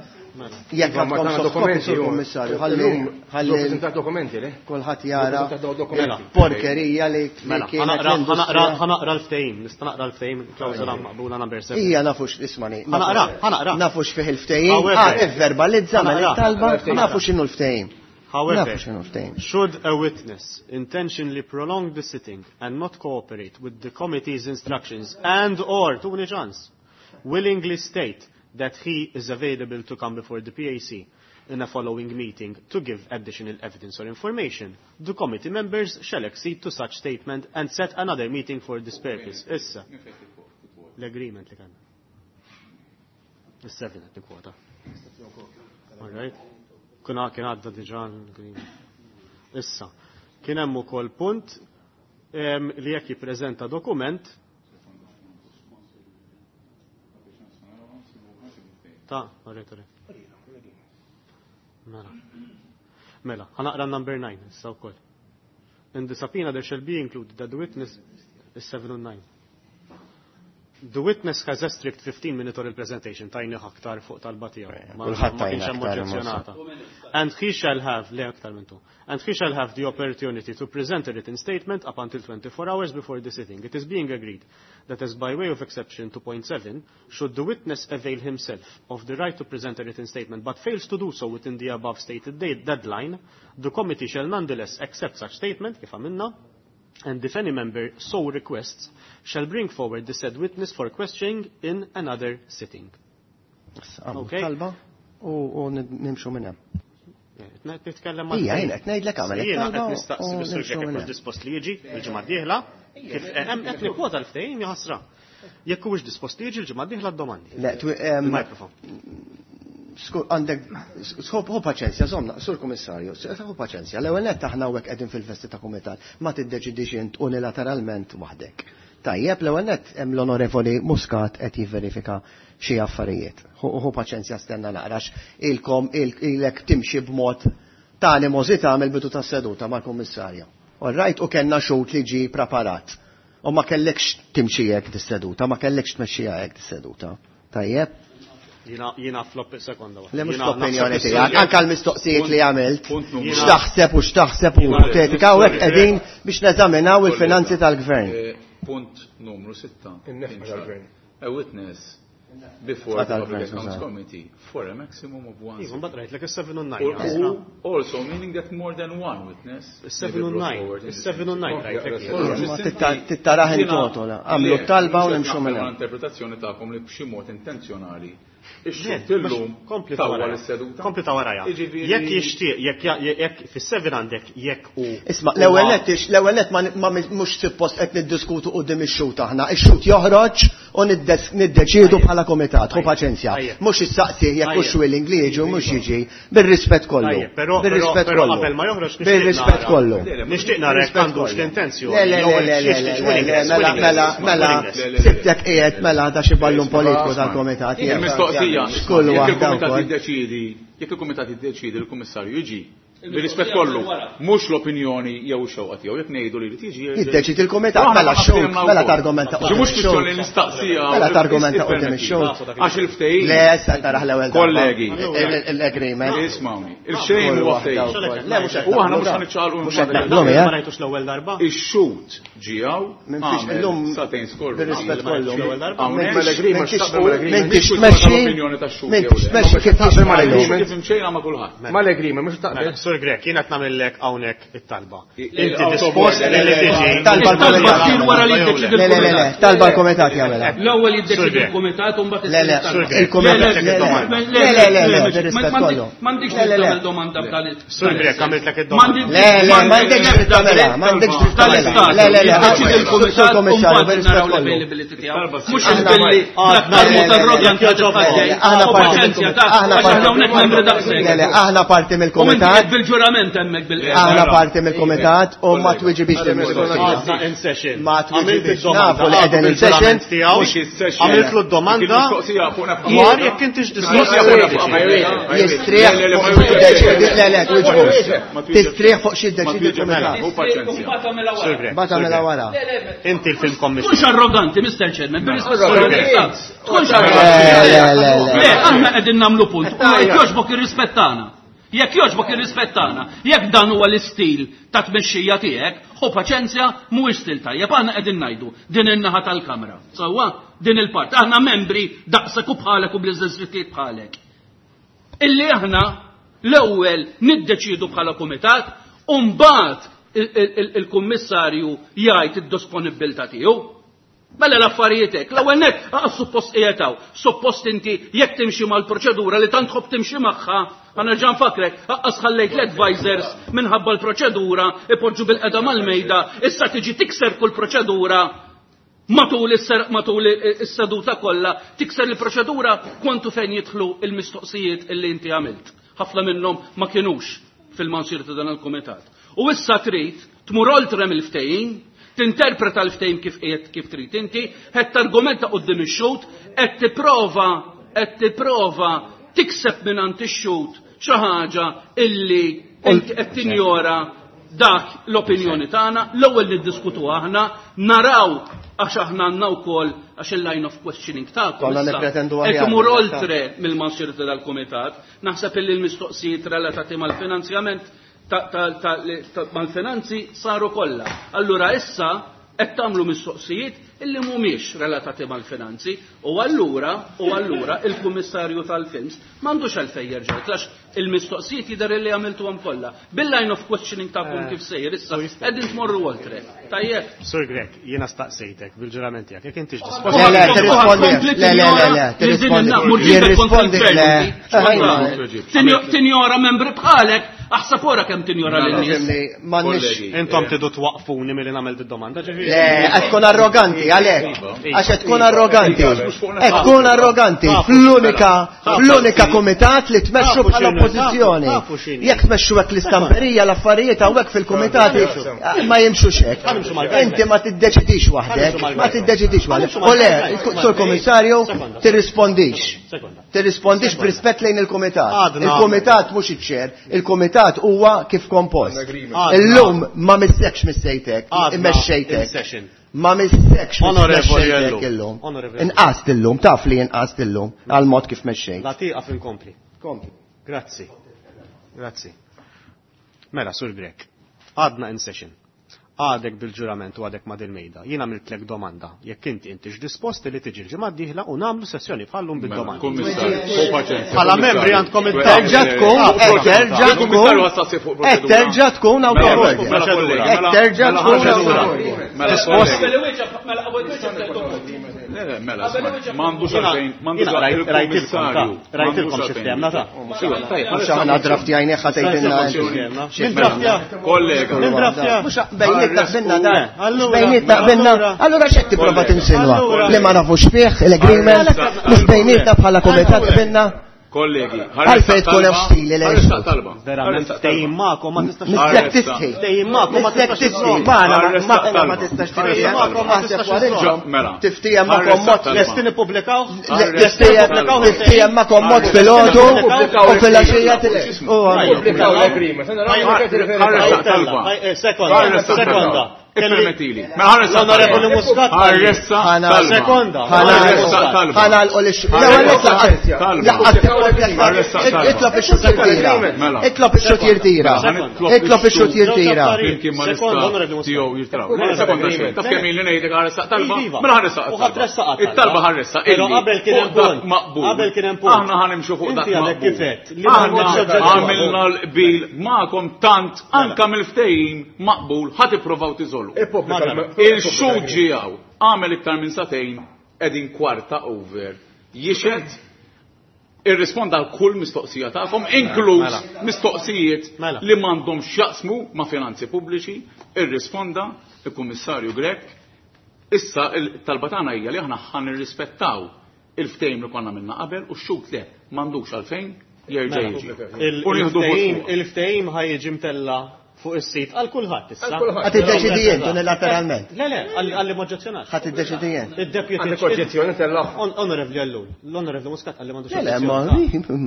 Jekk Iva, ma għandkom tagħna soft copy, dokumenti, sur u- Kommissarju, ħalli Illum ħalli preżentat dokumenti, le? kulħadd jara Preżentat dokumenti. porkerija li li Mela, kienet ħa naqra l-industrija. ħa naqra l-ftehim, nista' naqra l-ftehim, klawżola maqbula number seven. Ija nafux, ismani. Ħa naqra, ħa naqra. Nafux fih il-ftehim. However. Ah, ivverbalizza mela Ħa naqra. it-talba, nafu x'inhu l-ftehim. However, Nafu x'inhu l-ftehim. should a witness intentionally prolong the sitting and not cooperate with the committee's instructions and or, tuni ċans, willingly state that he is available to come before the P A C in a following meeting to give additional evidence or information, the committee members shall accede to such statement and set another meeting for this purpose. Issa, l-agreement li kan. Is-seven qed nikkwota. All right. Kuna kien għadda diġà l-agreement. Issa, kien hemm ukoll punt em, li jekk jippreżenta dokument ta' alright, alright. Mela. Mela, ħa naqra number nine issa wkoll. In the subpoena there shall be included that the witness is seven and nine. The witness has a strict fifteen minute oral presentation, tajni aktar fuq talba tiegħu. Ma Kulħadd ma kienx tajna hemm aktar, oġġezzjonata. And he shall have, le aktar minn tu, and he shall have the opportunity to present a written statement up until twenty-four hours before the sitting. It is being agreed that as by way of exception to point seven, should the witness avail himself of the right to present a written statement but fails to do so within the above stated date, deadline, the committee shall nonetheless accept such statement, kif għamilna, and if any member so requests, shall bring forward the said witness for questioning in another sitting. Għamlu Okay. Talba u u nimxu minn hemm. Qed nitkellem mal- Ija, jien qed ngħidlek għamel Jiena it-talba qed nistaqsi u mis-sur nimxu Grech minn jekk hemm. dispost li jiġi il-ġimgħa d-dieħla, kif hemm qed nikkwota l-ftehim jaħasra. Jekk huwiex dispost li jiġi l-ġimgħa d-dieħla d-domandi. Le, twi- em, Il-mikrofon. Skur, għandek, sħob, hu paċenzja, zomna, sur komissarju, hu paċenzja, l-ewwel nett aħna hawnhekk qegħdin fil-vesti ta' kumitat, ma tiddeċidix int unilateralment waħdek. Tajjeb, l-ewwel nett hemm l-Onorevoli Muscat qed jivverifika xi affarijiet. Hu paċenzja stenna naqrax ilkom ilek timxi b'mod ta' animosità mill-bidu tas-seduta mal-kummissarju. All right, u kellna xhud li ġie preparat. U ma kellekx timxi hekk dis-seduta, ma kellekx tmexxiha hekk dis-seduta. Tajjeb? Jiena jiena flop sekonda waħda. Le mhux Jiena l-opinjoni naħseb tiegħek, is-sur anke l-mistoqsijiet li għamilt, Punt numru. x'taħseb u x'taħseb u Jiena- ipotetika u hekk qegħdin biex neżaminaw il-finanzi tal-gvern. Eh, Punt numru sitta. In-nefqa tal-gvern. A witness before the Tal-gvern, Public Accounts skużani. Committee for a maximum of one. Iva, mbagħad rajtlek is-seven u nine. Or jaħasra. who also meaning that more than one witness may be Is-seven u brought nine. forward in the Is-seven u same nine sitting. rajtlek. Kollox, Ma is-simpli- titta- tittaraħ in Jiena- toto, la. Għamlu Le, talba u mhux qed nimxu naqbel minn hemm. mal-interpretazzjoni tagħkom li b'xi mod intenzjonali Le, ix-xhud illum kompli ta' tawwal waraja. is-seduta. Kompli ta' waraja. Jiġifieri- Jekk jixtieq, jekk ja- jekk fis-seven għandek jekk u Isma, l-ewwel nett ix- l-ewwel nett ma ma mhux suppost qed niddiskutu quddiem ix-xhud aħna. Ix-xhud joħroġ u niddes- niddeċiedu bħala komitat, ħu paċenzja. Tajjeb. Mhux issaqsih jekk hux Tajjeb. willing li jiġi u mhux jiġi. Bir-rispett kollu. Tajjeb, però- Bir-rispett però- però kollu. qabel ma joħroġ nixtieq Bir-rispett nara. kollu. Nixtieq nara jekk Bir-rispett għandux kollu. l-intenzjoni. Le, le, jew le, le, xiex le, xiex le, willingness, le, mela, willingness, mela, mela, willingness. Le, le, le. sibtek qiegħed mela da xi ballun Isma' politiku isma'. tal-komitat. Il-mistoqsija, Kull jekk waħda il-kumitat wkoll. jiddeċiedi, jekk il-kumitat jiddeċiedi il-kummissarju jiġi, bir-rispett kollu, mhux l-opinjoni jew ix-xewqa tiegħu, jekk ngħidu li jrid jiġi. jerġa' Jiddeċidi il-kumitat, Aħna mela ma x-xhud, ftehimna mela wkoll. targumenta Xi mhux quddiem kwistjoni ix-xhud. nistaqsija. Mela targumenta quddiem ix-xhud. Għax il-ftehim. Le, issa taraħ l-ewwel darba. Kollegi. Il- Il-agreement. Ismawni, il-xejn huwa Kull waħda ftehim. wkoll. Le, mhux qed U aħna naqblu mhux da. ħaniċċaqalqu Mhux qed minn naqblu Ma miegħek. rajtux l-ewwel darba? Ix-xhud ġijaw, Minn fiex illum satejn skorru. bir-rispett kollu. L-ewwel darba? Hawnhekk- Mal-agreement, M'intix x'taqbel mal-agreement. m'intix Mhix tmexxi tal-opinjoni tax-xhud m'intix jew le. tmexxi kif Taqbel mal-agreement. Kif imxejna ma' kulħadd. Mal-agreement, mhux taqbel. Mela, Sur Grech, jiena qed nagħmellek hawnhekk it-talba. I- Inti i- dispost le, li le, le, tiġi. Talba It-talba l-kumitat. ssir wara li jiddeċidi Le, le, le, le, l-kumitat. talba l-komitat jagħmilha. L-ewwel Sur jiddeċidi Grech. l-kumitat u mbagħad Le, le, issir it-talba. il-kumitat- Le, le, le, le, le, le, le, le, le, bir-rispett ma- kollu. M'għandix Le, le, le. tagħmel domanda b'dan il- Sur Grech, għamiltlek id-domanda. M'għandi- Le, le, m'għandekx dritt tagħmilha, m'għandekx dritt tagħmilha. Tal-istat. Le, le, le, Jiddeċidi Sur l-kumitat u Kommissarju, mbagħad bir-rispett naraw kollu. l-availability tiegħu. Talba Mhux Aħna- billi l-aktar Le, le, mod le, arroganti le, li titħaddej. Aħna U parti paċenzja mill-kumitat. ta' Aħna għax parti aħna hawnhekk membri daqshekk. Le, le, aħna parti U inti mill-kumitat. qed bil-ġurament hemmhekk bil Aħna parti mill-kumitat u ma twiġibix il-mistoqsija. Għadna in session. Ma Għamilt twiġibix. id-domanda, Nafu li qegħdin in għadu bil-ġurament session. tiegħu. Mhux is-session. Għamiltlu d-domanda Il-mistoqsija fuq nefqa. dwar jekk intix dispost Mistoqsija li fuq tiġi. nefqa. Jistrieħ Le, le, le, fuq ma xi jiddeċidi, le, le, twiġbux. Ma twiġibx. Tistrieħ fuq xi Ma jiddeċidi twiġibx. l-kumitat. U paċenzja. Sur Grech, Bata Sur mela Grech. wara. Inti il-film commissioner. Tkunx arroganti, Mister Chairman, bir-rispett kollu. Tkunx Le, arroganti. le, le, le. Le, aħna qegħdin nagħmlu punt. U jekk jogħġbok irrispettana. Jekk jogħġbok irrispettana. Jekk dan huwa l-istil ta' tmexxija tiegħek, ħu paċenzja mhuwiex stil tajjeb. Aħna qegħdin ngħidu din in-naħa tal-kamra. Sewwa, din il-part. Aħna membri daqsek u bħalek u bl-istess drittijiet bħalek. Illi aħna l-ewwel niddeċidu bħala kumitat u mbagħad il- il- il- il-kummissarju jgħid id-disponibilità tiegħu. Mela l-affarijiet hekk, l-ewwel nett aqas suppost qiegħed hawn, suppost inti jekk timxi mal-proċedura li tant tħobb timxi magħha, ħa nerġa' nfakrek, aqas ħallejt l-advisors minħabba l-proċedura, ipoġġu bil-qeda mal-mejda, issa tiġi tikser kull proċedura matul is-ser-, matul is-seduta kollha, tikser il-proċedura kwantu fejn jidħlu il-mistoqsijiet illi inti għamilt. Ħafna minnhom ma kinux fil-mansir ta' dan il-kumitat. U issa trid tmur oltre mill-ftehim, tinterpreta l-ftehim kif qiegħed kif trid inti, qed targumenta quddiem ix-xhud, qed tipprova qed tipprova tikseb mingħand ix-xhud xi ħaġa illi inti qed tinjora dak l-opinjoni tagħna, l-ewwel niddiskutu aħna, naraw Għax aħna għandna wkoll għax il-line of questioning tagħkom. Konna nippretendu aħjar. Qed imur oltre mill-mansjurti tal-kumitat, naħseb illi l-mistoqsijiet relatati mal-finanzjament mal-finanzi saru kollha. Allura issa qed tagħmlu mistoqsijiet illi mhumiex relatati mal-finanzi u allura u allura il-Kummissarju tal-Films m'għandux għalfejn jerġa' għax il-mistoqsijiet jidher illi għamiltuhom kollha. Bil-line of questioning tagħkom kif sejjer issa qegħdin tmorru oltre. Tajjeb. Sur Grech, jiena staqsejtek bil-ġurament tiegħek, jekk intix dispost. Le, le, tirrispondi. Le, le, le, le, tirrispondi. Jirrispondi, le. Tinjora membri bħalek, aħseb ora kemm tinjora lin-nies. M'għandniex. Intom tidu twaqfuni milli nagħmel did-domanda, ġifieri. Le, qed tkun arroganti għalhekk. Għax qed tkun arroganti. Qed tkun arroganti fl-unika fl-unika kumitat li tmexxu bħala oppożizzjoni. Jekk tmexxu hekk l-istamperija l-affarijiet hawnhekk fil-kumitati ma jimxux hekk. Inti ma tiddeċidix waħdek, ma tiddeċidix waħdek. U le, sur Kummissarju, tirrispondix. Tirrispondix b'rispett lejn il-kumitat. Il-kumitat mhux iċ-ċer, il-kumitat huwa kif kompost. Illum ma missekx missejtek, immexxejtek. Ma missekx missejtek illum. Inqast illum, taf li inqast illum għal mod kif mexxejt. La tieqaf inkompli. Kompli. Grazzi. Grazzi. Mela, Sur Grech, għadna in session. Għadek bil-ġurament u għadek ma dil-mejda. Jien għamiltlek domanda. Jekk inti intix disposti li tiġi l-ġimgħa d-dieħla u nagħmlu sessjoni bħallum bid-domanda. Bħala membri għandkom Terġa' tkun, terġa' tkun, terġa' tkun awtorevoli. Terġa' tkun awtorevoli. Dispost. Le, le, mela, m'għandux għalfejn, m'għandux għalfejn. Rajtilkom xi ftehemna ta'. Mhux aħna draftjajni ħa tgħidilna. Min draftja? Kollega. Min draftja? Mhux bejnietna qbilna dan. Bejnietna qbilna. Allura x'qed tipprova tinsinwa? Li ma nafux fih l-agreement, mhux bejnietna bħala kumitat qbilna. Kollegi, għalfejn tkun hemm stili lejn. Ħarressaq talba. Verament ftehim magħkom ma tistax. Mistek tistħi. Ftehim magħkom ma Mistek tistax. tistħi. Magħna ma ma tistax tiftiehem. Aħseb wara Mela. Tiftiehem magħkom mod. Lesti nippubblikaw? Tiftiehem tiftiehem magħkom mod filgħodu u filgħaxija Pubblikaw l-agreement. Ħarressaq talba. Sekonda, sekonda. Ippermettili. Mela ħarressaq L-Onorevoli Muscat. Ħarressaq talba. Sekonda. Ħarressaq talba. Ħana l Itlob ix-xut jirtira. Itlob ix-xut jirtira. Itlob ix-xut jirtira. Flimkien ma nista' tiegħu jirtiraw. Mela sekonda xejn. Taf kemm ili ngħidlek ħarressaq talba? Mela ħarressaq. U ħatressaq. It-talba ħarressaq. Però qabel kien hemm punt. Maqbul. Qabel kien hemm punt. Aħna ħanimxu fuq dak Inti għadek maqbul. kif għedt li ma Aħna oġġezzjoni. għamilna l-qbil magħkom tant anka mill-ftehim maqbul ħa tippruvaw tiżolu. Il-xhud ġiegħu għamel iktar minn sagħtejn qegħdin kwarta over. Jixed irrisponda għal kull mistoqsija tagħkom, inkluż mistoqsijiet Mela. li m'għandhomx x'jaqsmu ma' finanzi pubbliċi, irrisponda il-Kummissarju Grech. Issa il-talba tagħna hija li aħna ħa nirrispettaw il-ftehim li konna minna qabel u x-xhud le m'għandux għalfejn jerġa' jiġi. U nieħdu vot Il-ftehim fuq. il-ftehim ħa jiġi mtella fuq is-sit għal kulħadd issa. Ħa tiddeċidi int unilateralment. Le, le, għalli ma oġġezzjonax. Ħa tiddeċidi int. Il-deputy. Għandek oġġezzjoni tella. Onorevoli Ellul, l-Onorevoli Muscat għalli m'għandux Le, le, ma.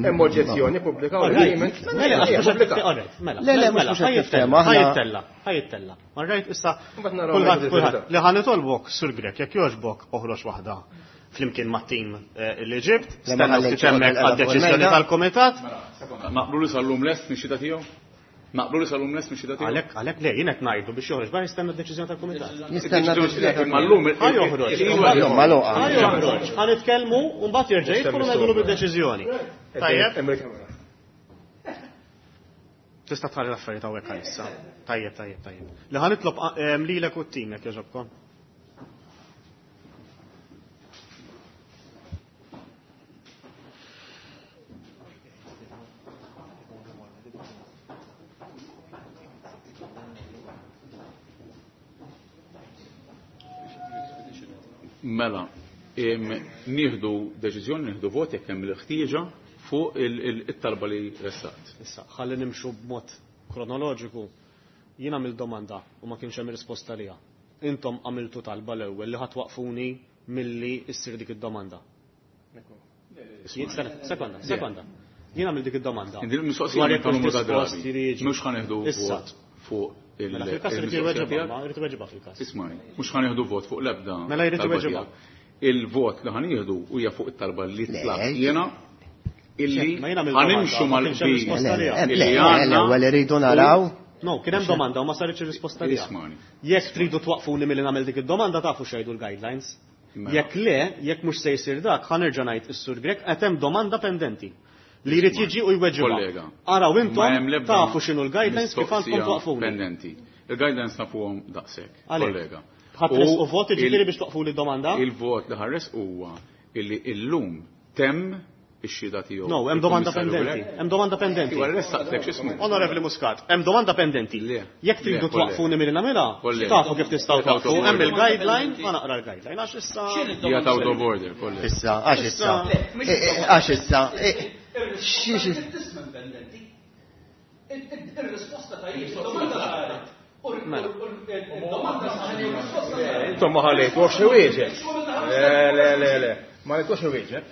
Hemm oġġezzjoni pubblikaw l-agreement. Mela, għax mhux qed Pubblika. alright, mela. Le, le, mhux mela, mhux qed ħa jittella, tiftehmu, aħna- ħa jittella, ħa jittella. Alright, issa Mbagħad naraw kulħadd jekk kulħadd il-verità. li ħa nitolbok Sur Grech jekk jogħġbok oħroġ waħda flimkien mat-tim eh, li ġibt, Le, ma stenna ħallejtx ftit hemmhekk joqgħod għad-deċiżjoni il-mejda. tal-kumitat. Naqblu li sal-lum lest mix-xita tiegħu? Naqblu li sal-lum lest mix-xita tiegħu? Għalhekk għalhekk le, jien qed ngħidu biex joħroġ barra jistenna d-deċiżjoni tal-kumitat. Jistenna Imma llum Ħa joħroġ. Illum magħluqa. Ħa joħroġ, ħa nitkellmu u mbagħad jerġa' jidħol u ngħidulu bid-deċiżjoni. Tajjeb, Hemm il-kamera. tista' tħalli l-affarijiet hawnhekk għalissa. Tajjeb, tajjeb, tajjeb. Li ħa nitlob ehm, lilek u t-tim jekk jogħġobkom. Mela, em, nieħdu deċiżjoni, nieħdu vot jekk hemm il-ħtieġa fuq il-talba li ressaqt. Issa, ħalli nimxu b'mod kronoloġiku. Jien għamilt domanda u ma kienx hemm risposta liha. Intom għamiltu talba l-ewwel li ħadd waqfuni milli issir dik id-domanda. Jien- Sekonda, sekonda. Jien għamilt dik id-domanda. Din il-mistoqsija Dwar jekk ta' numru ta' hux dispost drabi. li jiġi. Mhux ħanieħdu Issa, vot fuq il- Mela fil-każ irid il-mistoqsija iweġibha, tiegħek. ma jrid iweġibha fil-każ. Ismani, mhux ħa nieħdu vot fuq l-ebda. Mela jrid talba iweġibha. tiegħek. Il-vot li ħa nieħdu huwa fuq it-talba li Le, tlab jiena illi Ma jiena ħa nimxu mill-domanda, ma kienx hemm mal-qbil risposta Le, għaliha. le, illi le, għandna l-ewwel iridu naraw. No, kien hemm domanda u ma saritx ir-risposta għaliha. Ismani. Jekk tridu twaqfuni milli nagħmel dik id-domanda tafu x'jgħidu l-guidelines. Mela. Jekk le, jekk mhux se jsir dak, ħa nerġa' ngħid is-Sur Grech qed hemm domanda pendenti li jrid jiġi u jweġibha. Kollega. Araw Ma intom hemm l-ebda tafu x'inhu l-guidelines kif għandkom mistoqsija twaqfuni. Pendenti. Il-guidelines nafuhom daqshekk, Għalhekk. kollega. Ħa tressqu U vot il- jiġifieri biex twaqfuli d-domanda? Il-vot li ħa nressqu huwa illi illum temm ix-xhieda tiegħu. No, hemm domanda il-Kummissarju pendenti. Grech. Hemm domanda pendenti. Iwa ressaqtlek x'ismu. Onorevoli Muscat, hemm domanda pendenti. Le. Jekk tridu Le, kollega. twaqfuni milli nagħmilha, Kollega. tafu kif tistgħu Out of twaqfu. Hemm order. il-guideline, ma naqra l-guideline għax issa. Hija out of order, kollega. Issa, għax issa. Eh, eh, Għax issa. Eh, xi- xi- Ir-risposta ta' domanda saret. Il-domanda saret. Intom ma ħallejtuhx iwieġeb. Le, le, le, le. Ma ħallejtuhx iwieġeb.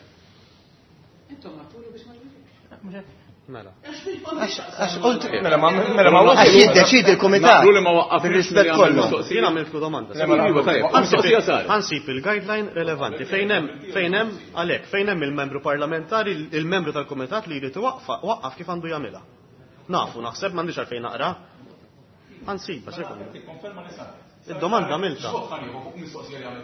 Intom għatulu biex ma jwieġibx. Mela. Għax qult Mela ma mela ma għax jiddeċidi l-kumitat. Naqblu li ma waqqafniex Bir-rispett milli għamel kollu. mistoqsija. Jien għamiltlu domanda. Le, mela, Iva, tajjeb, mistoqsija saret. Ħa nsib il-guideline relevanti. Fejn hemm fejn hemm għalhekk fejn hemm il-membru parlamentari, il-membru tal-kumitat li jrid iwaqqfa waqqaf kif għandu jagħmilha. Nafu, naħseb m'għandix għalfejn naqra. Ħa nsibha, sekonda. Id-domanda għamilta.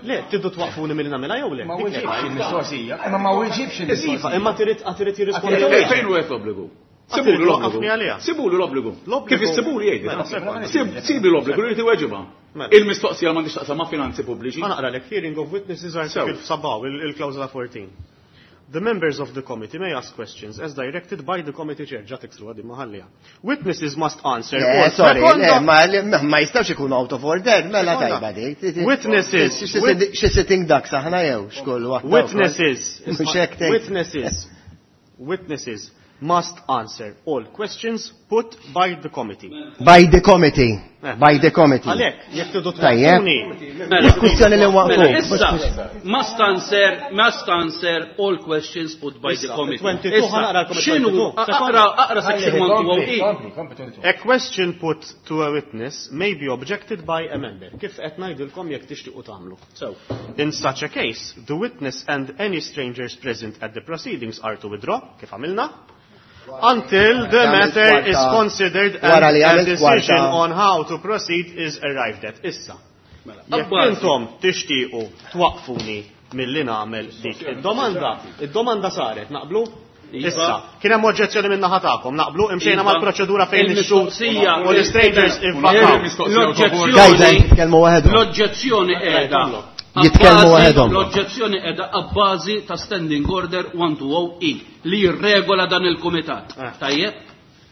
Le, tridu twaqfuni milli nagħmilha jew le? Ma Dik weġibx li il-mistoqsija. Imma ma weġibx Iva, il-mistoqsija. imma trid trid jirrispondi. Fejn fejn hu qed l-obbligu? Sibulu Għatrid l-obbligu. twaqqafni għaliha. Sibulu l-obbligu. L-obbligu- Kif issibulu jgħid. Mela, sekonda. Sibu l-obbligu li jrid iweġibha. Mela. Il-mistoqsija m'għandix taqsam ma' finanzi pubbliċi. Ħa naqra lek hearing of witnesses article seven, il-klawżola fourteen. The members of the committee may ask questions as directed by the committee chair. Ġa tiksru għaddi maħallija. Witnesses must answer Le, all sorry, le, sekonda. ma ma jistawx ikunu out of order, mela Sekonda. tajba dik. Witnesses. Xi sitting ducks aħna jew xkollu waħda. Witnesses. Mhux hekk tgħid. Witnesses. Witnesses must answer all questions put by the committee. By the committee. By the committee. Għalhekk, jekk tridu Tajjeb. twaqfuni. Mhux kwistjoni li Mela, waqfu. issa, must answer, must answer all questions put by the Issa, committee. twenty-two, Issa, ħa naqra l-committee x'inhu, twenty-two. aqra, aqra section one two oh E. Kompli, kompli, twenty-two. A question put to a witness may be objected by a member. Kif qed ngħidilkom jekk tixtiequ tagħmlu. So, In such a case, the witness and any strangers present at the proceedings are to withdraw, kif għamilna, until the Għamilt matter is kwarta. considered Wara and li a għamilt decision kwarta. on how to proceed is arrived at. Issa, jekk Abbażi. intom tixtiequ twaqfuni milli nagħmel dik id-domanda, id-domanda saret, naqblu? Iva. Issa, kien hemm oġġezzjoni minn naħa tagħkom, naqblu imxejna Iva. mal-proċedura fejn ix-xhud Il-mistoqsija- u l-strangers ivvakaw. Il-mistoqsija Guideline jitkellmu waħedhom. L-oġġezzjoni qiegħda. Jitkellmu waħedhom. L-oġġezzjoni qiegħda abbażi ta' Standing Order one two oh E li jirregola dan il-kumitat. Eh. Tajjeb?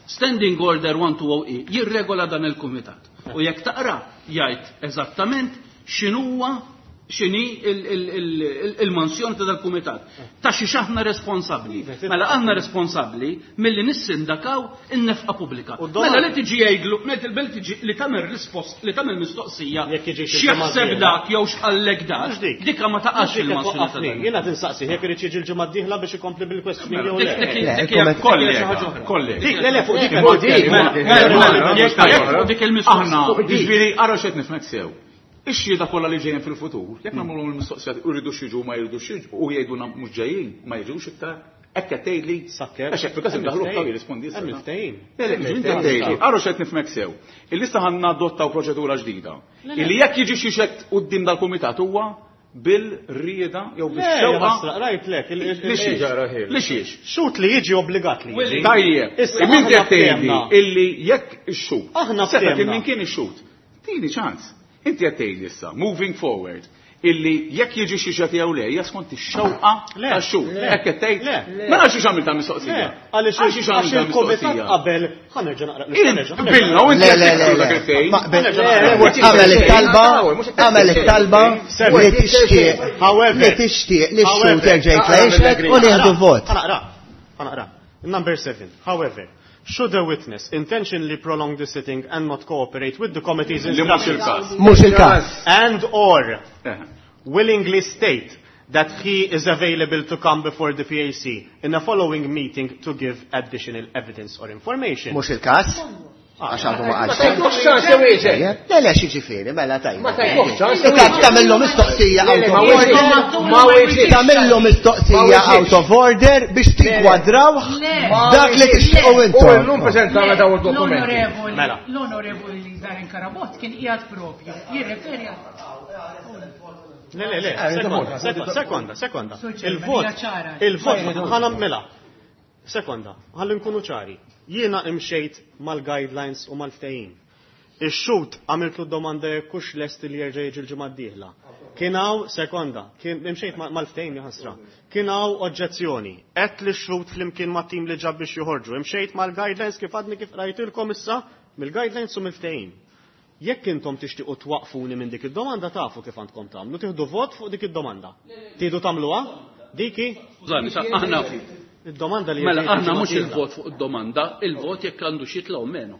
Standing Order one two oh E jirregola dan il-kumitat. U jekk taqra jgħid eżattament x'inhuwa x'inhi il- il- il- il-mansjoni ta' dal-kumitat. Ta' xi aħna responsabbli. Mela aħna responsabbli milli nissindakaw in-nefqa pubblika. U d-domanda- Mela li tiġi jgħidlu, mela li tiġi li tagħmel rispost, li tagħmel mistoqsija, Jekk jiġi xi x'jaħseb ġimgħa dak jew x'qallek dak, Mhux dik. dikka ma taqax Mhux dik qed fil-mansjoni ta' twaqqafni. dan. Jiena tinsaqsi jekk irid jiġi l-ġimgħa d-dieħla biex ikompli bil-questioning jew Dik le. dik Le, dik hija il-kumment- dik hija xi ħaġa Kollega, oħra. kollega. Dik, le, le, fuq dik Fuq dik, Mela, mela, mela, jekk jekk dik il-mistoqsija. Aħna, fuq dik. ġifieri, ara x'qed nifhmek sew. Ix-xhieda kollha li ġejjin fil-futur, jekk nagħmluhom il-mistoqsija u jridu xiġu ma jridux jiġu u jgħidulna mhux ġejjin, ma jiġux iktar, hekk qed tgħidli. Sakker. Għax hekk fil-każ indaħlu iktar jirrispondi issa. Hemm il-ftehim. Le, le, inti qed tgħidli, ara x'qed nifhmek sew. Il-lista ħa nadottaw proċedura ġdida. Illi jekk jiġi xi xed quddiem dal-kumitat huwa bil-rieda jew Le, bix-xewqa. ħasra, rajt lek. il- il- Li xiex? Ġara Li xiex? Xhud li jiġi obbligat li jiġi. Tajjeb, Issa, imma inti aħna qed tgħidli ftehemna. illi jekk ix-xhud. Aħna Seta' kien ftehemna. min kien ix-xhud. Tini ċans. Inti qed tgħidli issa, moving forward, illi jekk jiġi xi xed jew le, hija skont ix-xewqa Le. tax-xhud. Le. Hekk qed tgħid? Le. Mela għax għamilta mistoqsija. Le, għaliex Għax għax għamilta il-kumitat mistoqsija. qabel, ħa nerġa' naqra. Int bilna u inti Le, qed le, le, tiksru le. dak il-ftehim. Ma- be- Le, Għamel it-talba, għamel it-talba li tixtieq However, li tixtieq li x-xhud however, jerġa' jitla' jixhed u nieħdu vot. Ħa naqra, ħa naqra. Number seven. However, should a witness intentionally prolong the sitting and not cooperate with the committee's Li mhux instructions il-każ. Mhux il-każ. and or Eh. willingly state that he is available to come before the P A C in a following meeting to give additional evidence or information. Mhux il-każ. Għax għadu ma Ma tajtuhx ċans iwieġeb. Le, le, x'jiġifieri, mela tajba. Ma tajtuhx ċans Ika tagħmillu mistoqsija Le, le, out ma of weġibx. order. Ma weġibx. Tagħmillu mistoqsija Ma weġibx. out of order biex tinkwadraw Le. dak li tixtiequ U intom. llum preżentawna dawn id-dokumenti. L-onorevoli, Mela. l-onorevoli Darin Carabott kien qiegħed propju jirreferi Le, le, le, Eh, sekonda, sekonda, sekonda, sekonda. Sur Chairman, Il-vot, hija ċara. il-vot, ħana mela. Sekonda, ħalli nkunu ċari. Jiena imxejt mal-guidelines u mal-ftehim. Ix-xhud għamiltlu domanda jekk hux lest li jerġa' jiġi l-ġimgħa d-dieħla. Kien hawn, sekonda, kien imxejt ma- mal-ftehim jaħasra. Kien hawn oġġezzjoni. Qed li x-xhud flimkien ma' tim li ġab biex joħorġu. Imxejt mal-guidelines kif għadni kif rajtilkom issa mill-guidelines u mill-ftehim. Jekk intom tixtiequ twaqfuni minn dik id-domanda tafu kif għandkom tagħmlu, tieħdu vot fuq dik id-domanda. Tieħdu tagħmluha? Diki? Skużani, sa aħna Id-domanda li mela jerġa' aħna jiġi mhux ġimgħa il-vot fuq id-domanda, il-vot jekk għandu xi jitlgħu menu.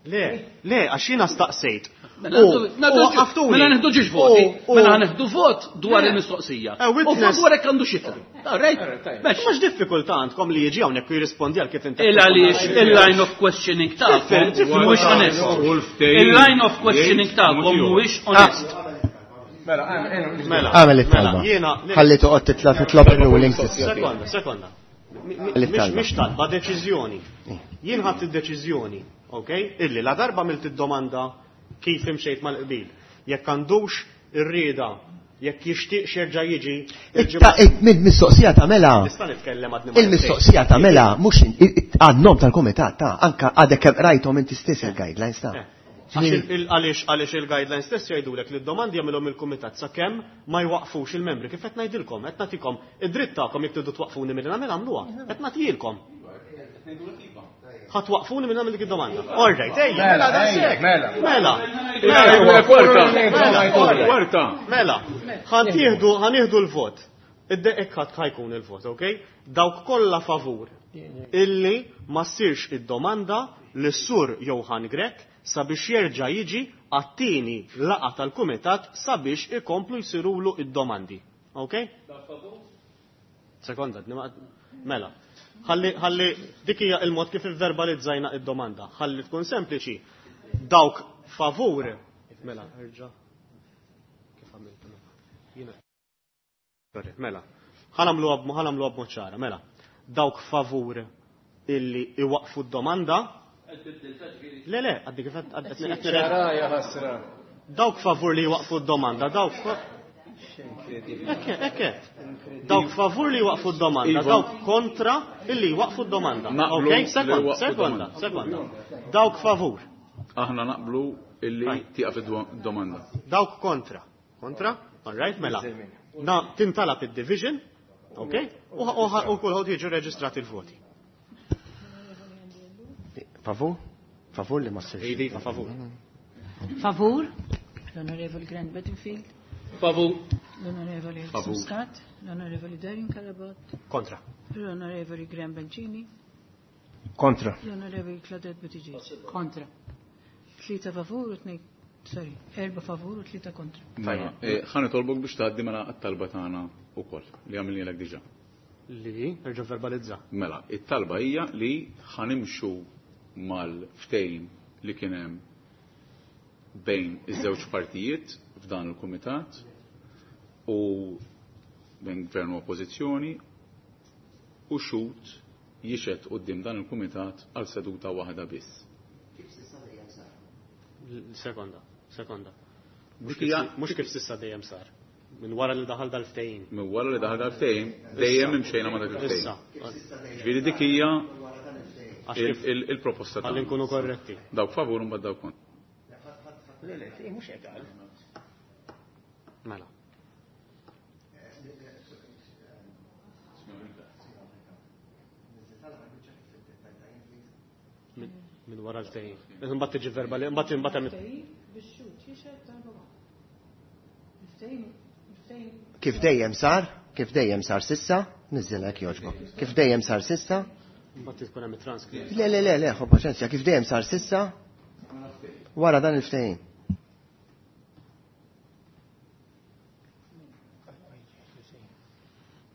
Le, le, għax jiena staqsejt. Mela U- għandu- u nagħdu- waqqaftuni. Mela neħdu ġiex voti, U- u- mela neħdu vot dwar il-mistoqsija. Eh, U witness. vot dwar jekk għandu xi jitla'. Rejt, Mhux diffikultà għandkom li jiġi hawnhekk u jirrispondi għal kif inti. Il għaliex il-line of questioning tagħkom mhuwiex onest. U l-ftehim Il-line of questioning jgħid tagħkom mod ieħor. mhuwiex onest. Mela, għamel Mela, Għamel it-talba. mela, jiena Ħalli toqgħod titla' titlob il-ruling sissa. Sekonda, sekonda. Mi- mi- Għamel Mhix it-talba. mhix talba, deċiżjoni. Jien ħadt id-deċiżjoni, ok? Illi la darba għamilt id-domanda kif imxejt mal-qbil. Jekk għandux ir-rieda, jekk jixtieq jerġa' jiġi. il-ġimgħa- Il-mistoqsija tagħmela. Nista' nitkellem għadni ma Il-mistoqsija tagħmela mhux għan-nom tal-kumitat ta' anka għadek kemm rajthom inti stess il-guidelines ta'. Eh. Għax il- il- Għaliex għaliex il-guidelines stess jgħidulek li d-domandi jagħmilhom il-kumitat sakemm ma jwaqfux il-membri. Kif qed ngħidilkom, qed nagħtikom id-dritt tagħkom jekk tridu twaqfuni milli nagħmel għamluha. Qed nagħtihilkom. Ħa twaqfuni minn nagħmel dik id-domanda. All right, ejja, mela Mela, daqshekk. mela. Mela. Mela, kwarta. Mela, Kwarta. Mela, ħan tieħdu ħan nieħdu l-vot. Id-deqek ħadd ħajkun il-vot, ok? Dawk kollha favur illi ma ssirx id-domanda li sur Johann Grech sabiex jerġa' jiġi għat-tieni laqgħa tal-kumitat sabiex ikomplu jsirulu id-domandi. Ok? Sekonda, nima- mela. Ħalli ħalli dik hija il-mod kif ivverbalizzajna id-domanda. Ħalli tkun sempliċi. Dawk favur. Mela, erġa'. Kif għamilt? Jiena. Sorry, mela. Ħanamluha b- ħanamluha b'mod ċara, mela. Dawk favur illi iwaqfu d-domanda. Le, le, għaddi kif għad- għad- għad- għad- Ċara ħasra. Dawk favur li jwaqfu d-domanda, dawk Ekke, ekke. Dawk favur li jwaqfu d-domanda, Iva. dawk kontra illi jwaqfu d-domanda. Naqblu Ok, li sekonda, jwaqfu sekonda, d-domanda. sekonda. Dawk favur, Aħna naqblu illi tieqaf id-domanda. dawk kontra. Kontra? All right, mela. Na, tintalab id-division, ok? U u- u kulħadd jiġu reġistrati il-voti. Favur? Favur li ma ssirx. Iva, favur. Favur? L-Onorevoli Grant Bedingfield, Favur. l-Onorevoli Alexis Favur. Muscat, l-Onorevoli Darin Carabott, Kontra. l-Onorevoli Graham Bencini, Kontra. l-Onorevoli Claudette Buttigieg. kontra. Tlieta favur u tnejn, sorry, erba favur u tlieta kontra. Mela, eh, ħa nitolbok biex tgħaddi mela għat-talba tagħna wkoll li għamilnielek diġà. Li, erġa' verbalizza. Mela, it-talba hija li ħanimxu mal-ftehim li kien hemm bejn iż-żewġ partijiet f'dan il-kumitat u bejn gvern u oppożizzjoni u xhud jixhed quddiem dan il-kumitat għal seduta waħda biss. Sekonda, sekonda. Mhux Dik kif hija- si- Mhux kif sissa dejjem sar. Minn wara li daħal dal-ftehim. Minn wara li daħal dal-ftehim, dejjem imxejna ma' dak il-ftehim. Issa, Ġifieri dik hija għax il- kif il- il-proposta ħalli tagħna. nkunu korretti. Dawk favur u mbagħad dawk kontra. Le, le, mhux hekk qal. Mela. Min min wara l-ftehim. Imbagħad tiġi verbali, imbagħad imbagħad hemm Bix-xhud jixhed darba waħda. Il-ftehim, il-ftehim Kif dejjem sar? Kif dejjem sar sissa? Niżilek jogħġbok. Kif dejjem sar sissa? imbagħad tkun hemm it-transkript. Le, le, le, le, ħu paċenzja, kif dejjem sar sissa? Wara dan il-ftehim.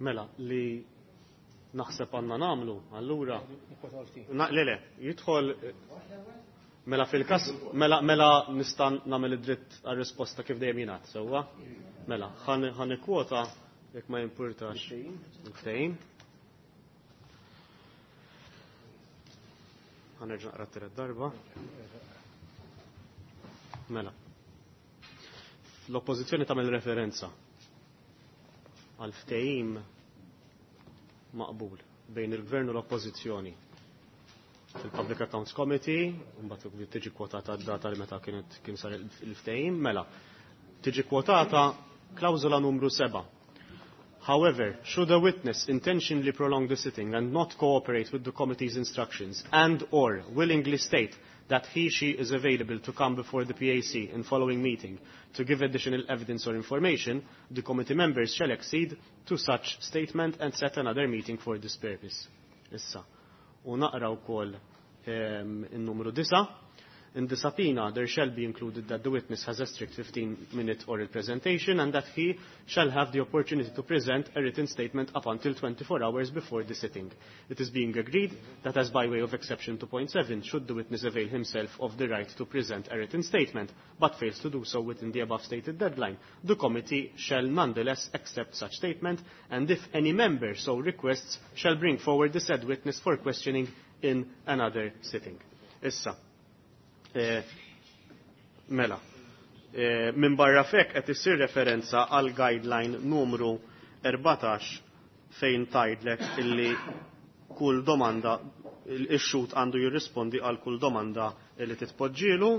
Mela, li naħseb għandna nagħmlu, allura. Na, le, le, jidħol. Mela fil-każ, mela, mela nista' nagħmel id-dritt għar-risposta kif dejjem jingħad, sewwa? Mela, ħa nikkwota jekk ma jimpurtax il-ftehim. Ħa nerġa' naqra t-tielet darba. Mela. L-oppożizzjoni tagħmel referenza għal ftehim maqbul bejn il-gvern u l-oppożizzjoni fil-Public Accounts Committee, mbagħad tiġi kwotata d-data li meta kienet kien sar il-ftehim, mela tiġi kwotata klawżola numru seba'. However, should a witness intentionally prolong the sitting and not cooperate with the committee's instructions and or willingly state that he, she is available to come before the P A C in following meeting to give additional evidence or information, the committee members shall accede to such statement and set another meeting for this purpose. Issa. U naqra wkoll in-numru disa'. In the subpoena, there shall be included that the witness has a strict fifteen-minute oral presentation and that he shall have the opportunity to present a written statement up until twenty-four hours before the sitting. It is being agreed that as by way of exception to point seven, should the witness avail himself of the right to present a written statement, but fails to do so within the above stated deadline, the committee shall nonetheless accept such statement, and if any member so requests, shall bring forward the said witness for questioning in another sitting. Issa. Eh, mela, eh, minn barra fek qed issir referenza għal guideline numru erbatax fejn tgħidlek illi kull domanda ix-xhud għandu jirrispondi għal kull domanda li titpoġġielu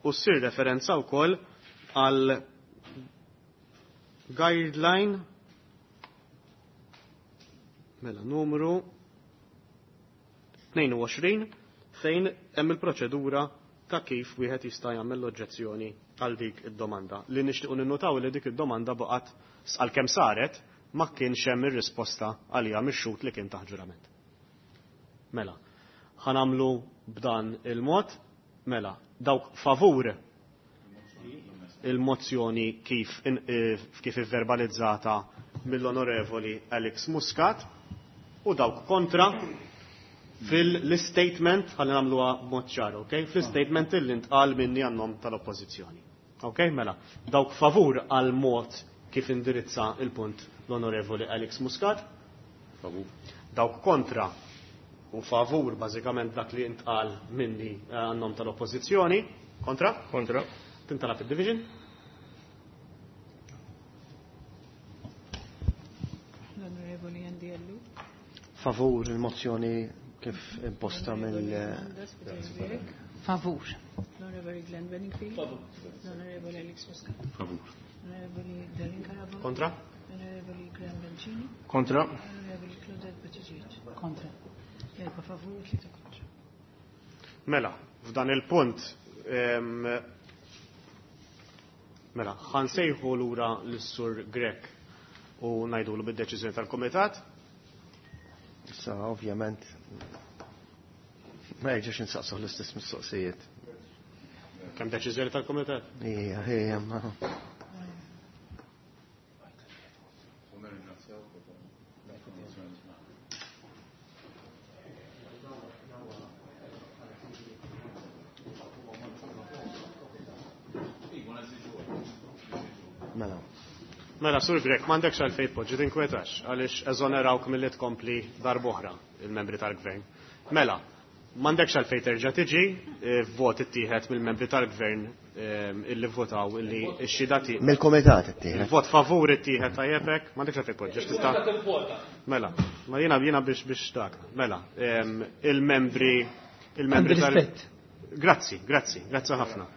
u ssir referenza wkoll għal guideline mela numru tnejn u għoxrin fejn hemm il-proċedura ta' kif wieħed jista' jagħmel l-oġġezzjoni għal dik id-domanda. Li nixtiequ ninnotaw li dik id-domanda baqgħet għalkemm saret ma kienx hemm ir-risposta għaliha mix-xhud li kien taħt ġurament. Mela, ħanamlu b'dan il-mod, mela, dawk favur il-mozzjoni kif in-, eh, kif ivverbalizzata mill-Onorevoli Alex Muscat u dawk kontra fil-statement, ħalli nagħmluha b'mod ċar, ok? Fil-statement illi ntqal minni għan-nom tal-Oppożizzjoni. Ok, mela, dawk favur għal mod kif indirizza il-punt l-Onorevoli Alex Muscat? Favur. Dawk kontra u favur bażikament dak li ntqal minni għan-nom tal-Oppożizzjoni. Kontra? Kontra. Tintalab id-division? L-Onorevoli Andy Ellul. Favur il-mozzjoni kif imposta mill Favur. L-Onorevoli Glenn Bedingfield. Favur. L-Onorevoli Alex Muscat. Favur. L-Onorevoli Darin Carabott. Kontra. L-Onorevoli Graham Bencini. Kontra. L-Onorevoli Claudette Buttigieg. Kontra. Erba favur, tlieta kontra. Mela, f'dan il-punt, em, mela, ħansejħu lura lis-Sur Grech u ngħidulu bid-deċiżjoni tal-Kumitat. Issa, ovvjament, ma jerġax insaqsuh l-istess mistoqsijiet. Kemm deċiżjoni tal-Kumitat? Ija, ija, ma. Mela. Mela, Sur Grech, m'għandekx għalfejn tpoġġi tinkwetax, għaliex eżonerawk milli tkompli darb'oħra il-membri tal-gvern. Mela, m'għandekx għalfejn terġa' tiġi, eh, vot ittieħed mill-membri tal-gvern, ehm, illi votaw illi x-xhieda ti- Mill-kumitat ittieħed. Il-vot favur ittieħed tajjeb hekk, m'għandekx għalfejn tpoġġi, għax tista' Mela, ma jiena jiena biex biex dak. Mela, ehm, il-membri il-membri Għandi tal- rispett. Grazzi, grazzi, grazzi ħafna.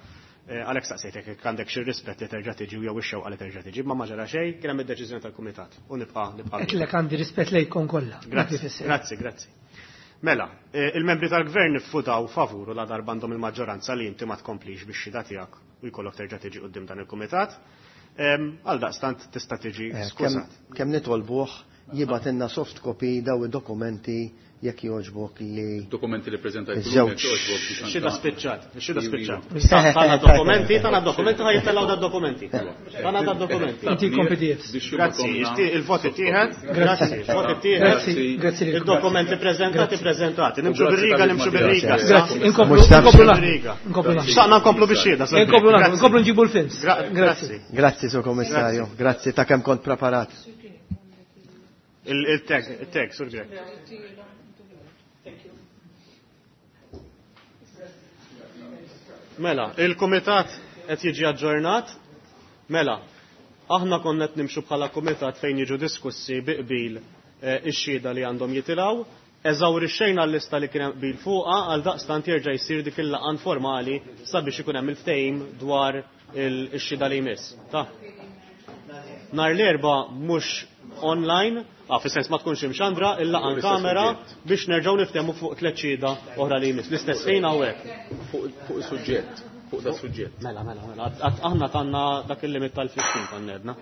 Eh, Għalhekk staqsejtek jekk għandek xi rispett li terġa' tiġi jew ix-xewqa li terġa' tiġi, ma ma ġara xejn, kien hemm id-deċiżjoni tal-kumitat u nibqa' nibqa' Qedlek għandi rispett lejkom kollha. Grazzi, Dak ifisser. grazzi, grazzi. Mela, eh, il-membri tal-gvern iffutaw favur u la darba għandhom il-maġġoranza li inti ma tkomplix bix-xhieda tiegħek u jkollok terġa' tiġi quddiem dan il-kumitat. Ehm, għal daqstant tista' tiġi Eh, skużat. Kemm, kemm nitolbuh Jibgħatilna soft copy daw id-dokumenti jekk jogħġbok li Dokumenti li preżentajt Iż-żewġ. Xida spiċċat, xida spiċċat. Tana dokumenti, tana dokumenti, ħa jittellgħu da dokumenti. Tana da dokumenti. Inti P D Fs. Grazzi, il-vot ittieħed. Grazzi, il-vot ittieħed. Grazzi, grazzi lilkom. Il-dokumenti preżentati, preżentati. Nimxu bir-riga, nimxu bir-riga. Grazzi, inkomplu inkomplu naħdmu. Inkomplu naħdmu. Xtaqna nkomplu bix-xhieda. Inkomplu naħdmu, inkomplu nġibu l-films. Grazzi. Grazzi, Sur Kommissarju. Grazzi ta' kemm kont preparat. Il-tag, il-tag, Sur Grech. Mela, il-komitat qed jiġi aġġornat. Mela, aħna konna qed nimxu bħala komitat fejn jiġu diskussi bi qbil ix-xhieda li għandhom jitilgħu. Eżawrixxejna l-lista li kien hemm qbil fuqha, għal daqstant jerġa' jsir dik il-laqgħa informali sabiex ikun hemm il-ftehim dwar ix-xhieda li jmiss. Ta' nhar l-Erbgħa mhux online, ah, fis-sens ma tkunx imxandra, il-laqgħa kamera biex nerġgħu niftehmu fuq tliet xhieda oħra li jmiss. L-istess ħin hawnhekk. Fuq is-suġġett, fuq da suġġett. Mela, mela, mela, aħna tanna dak il-limit tal-fifteen tannedna.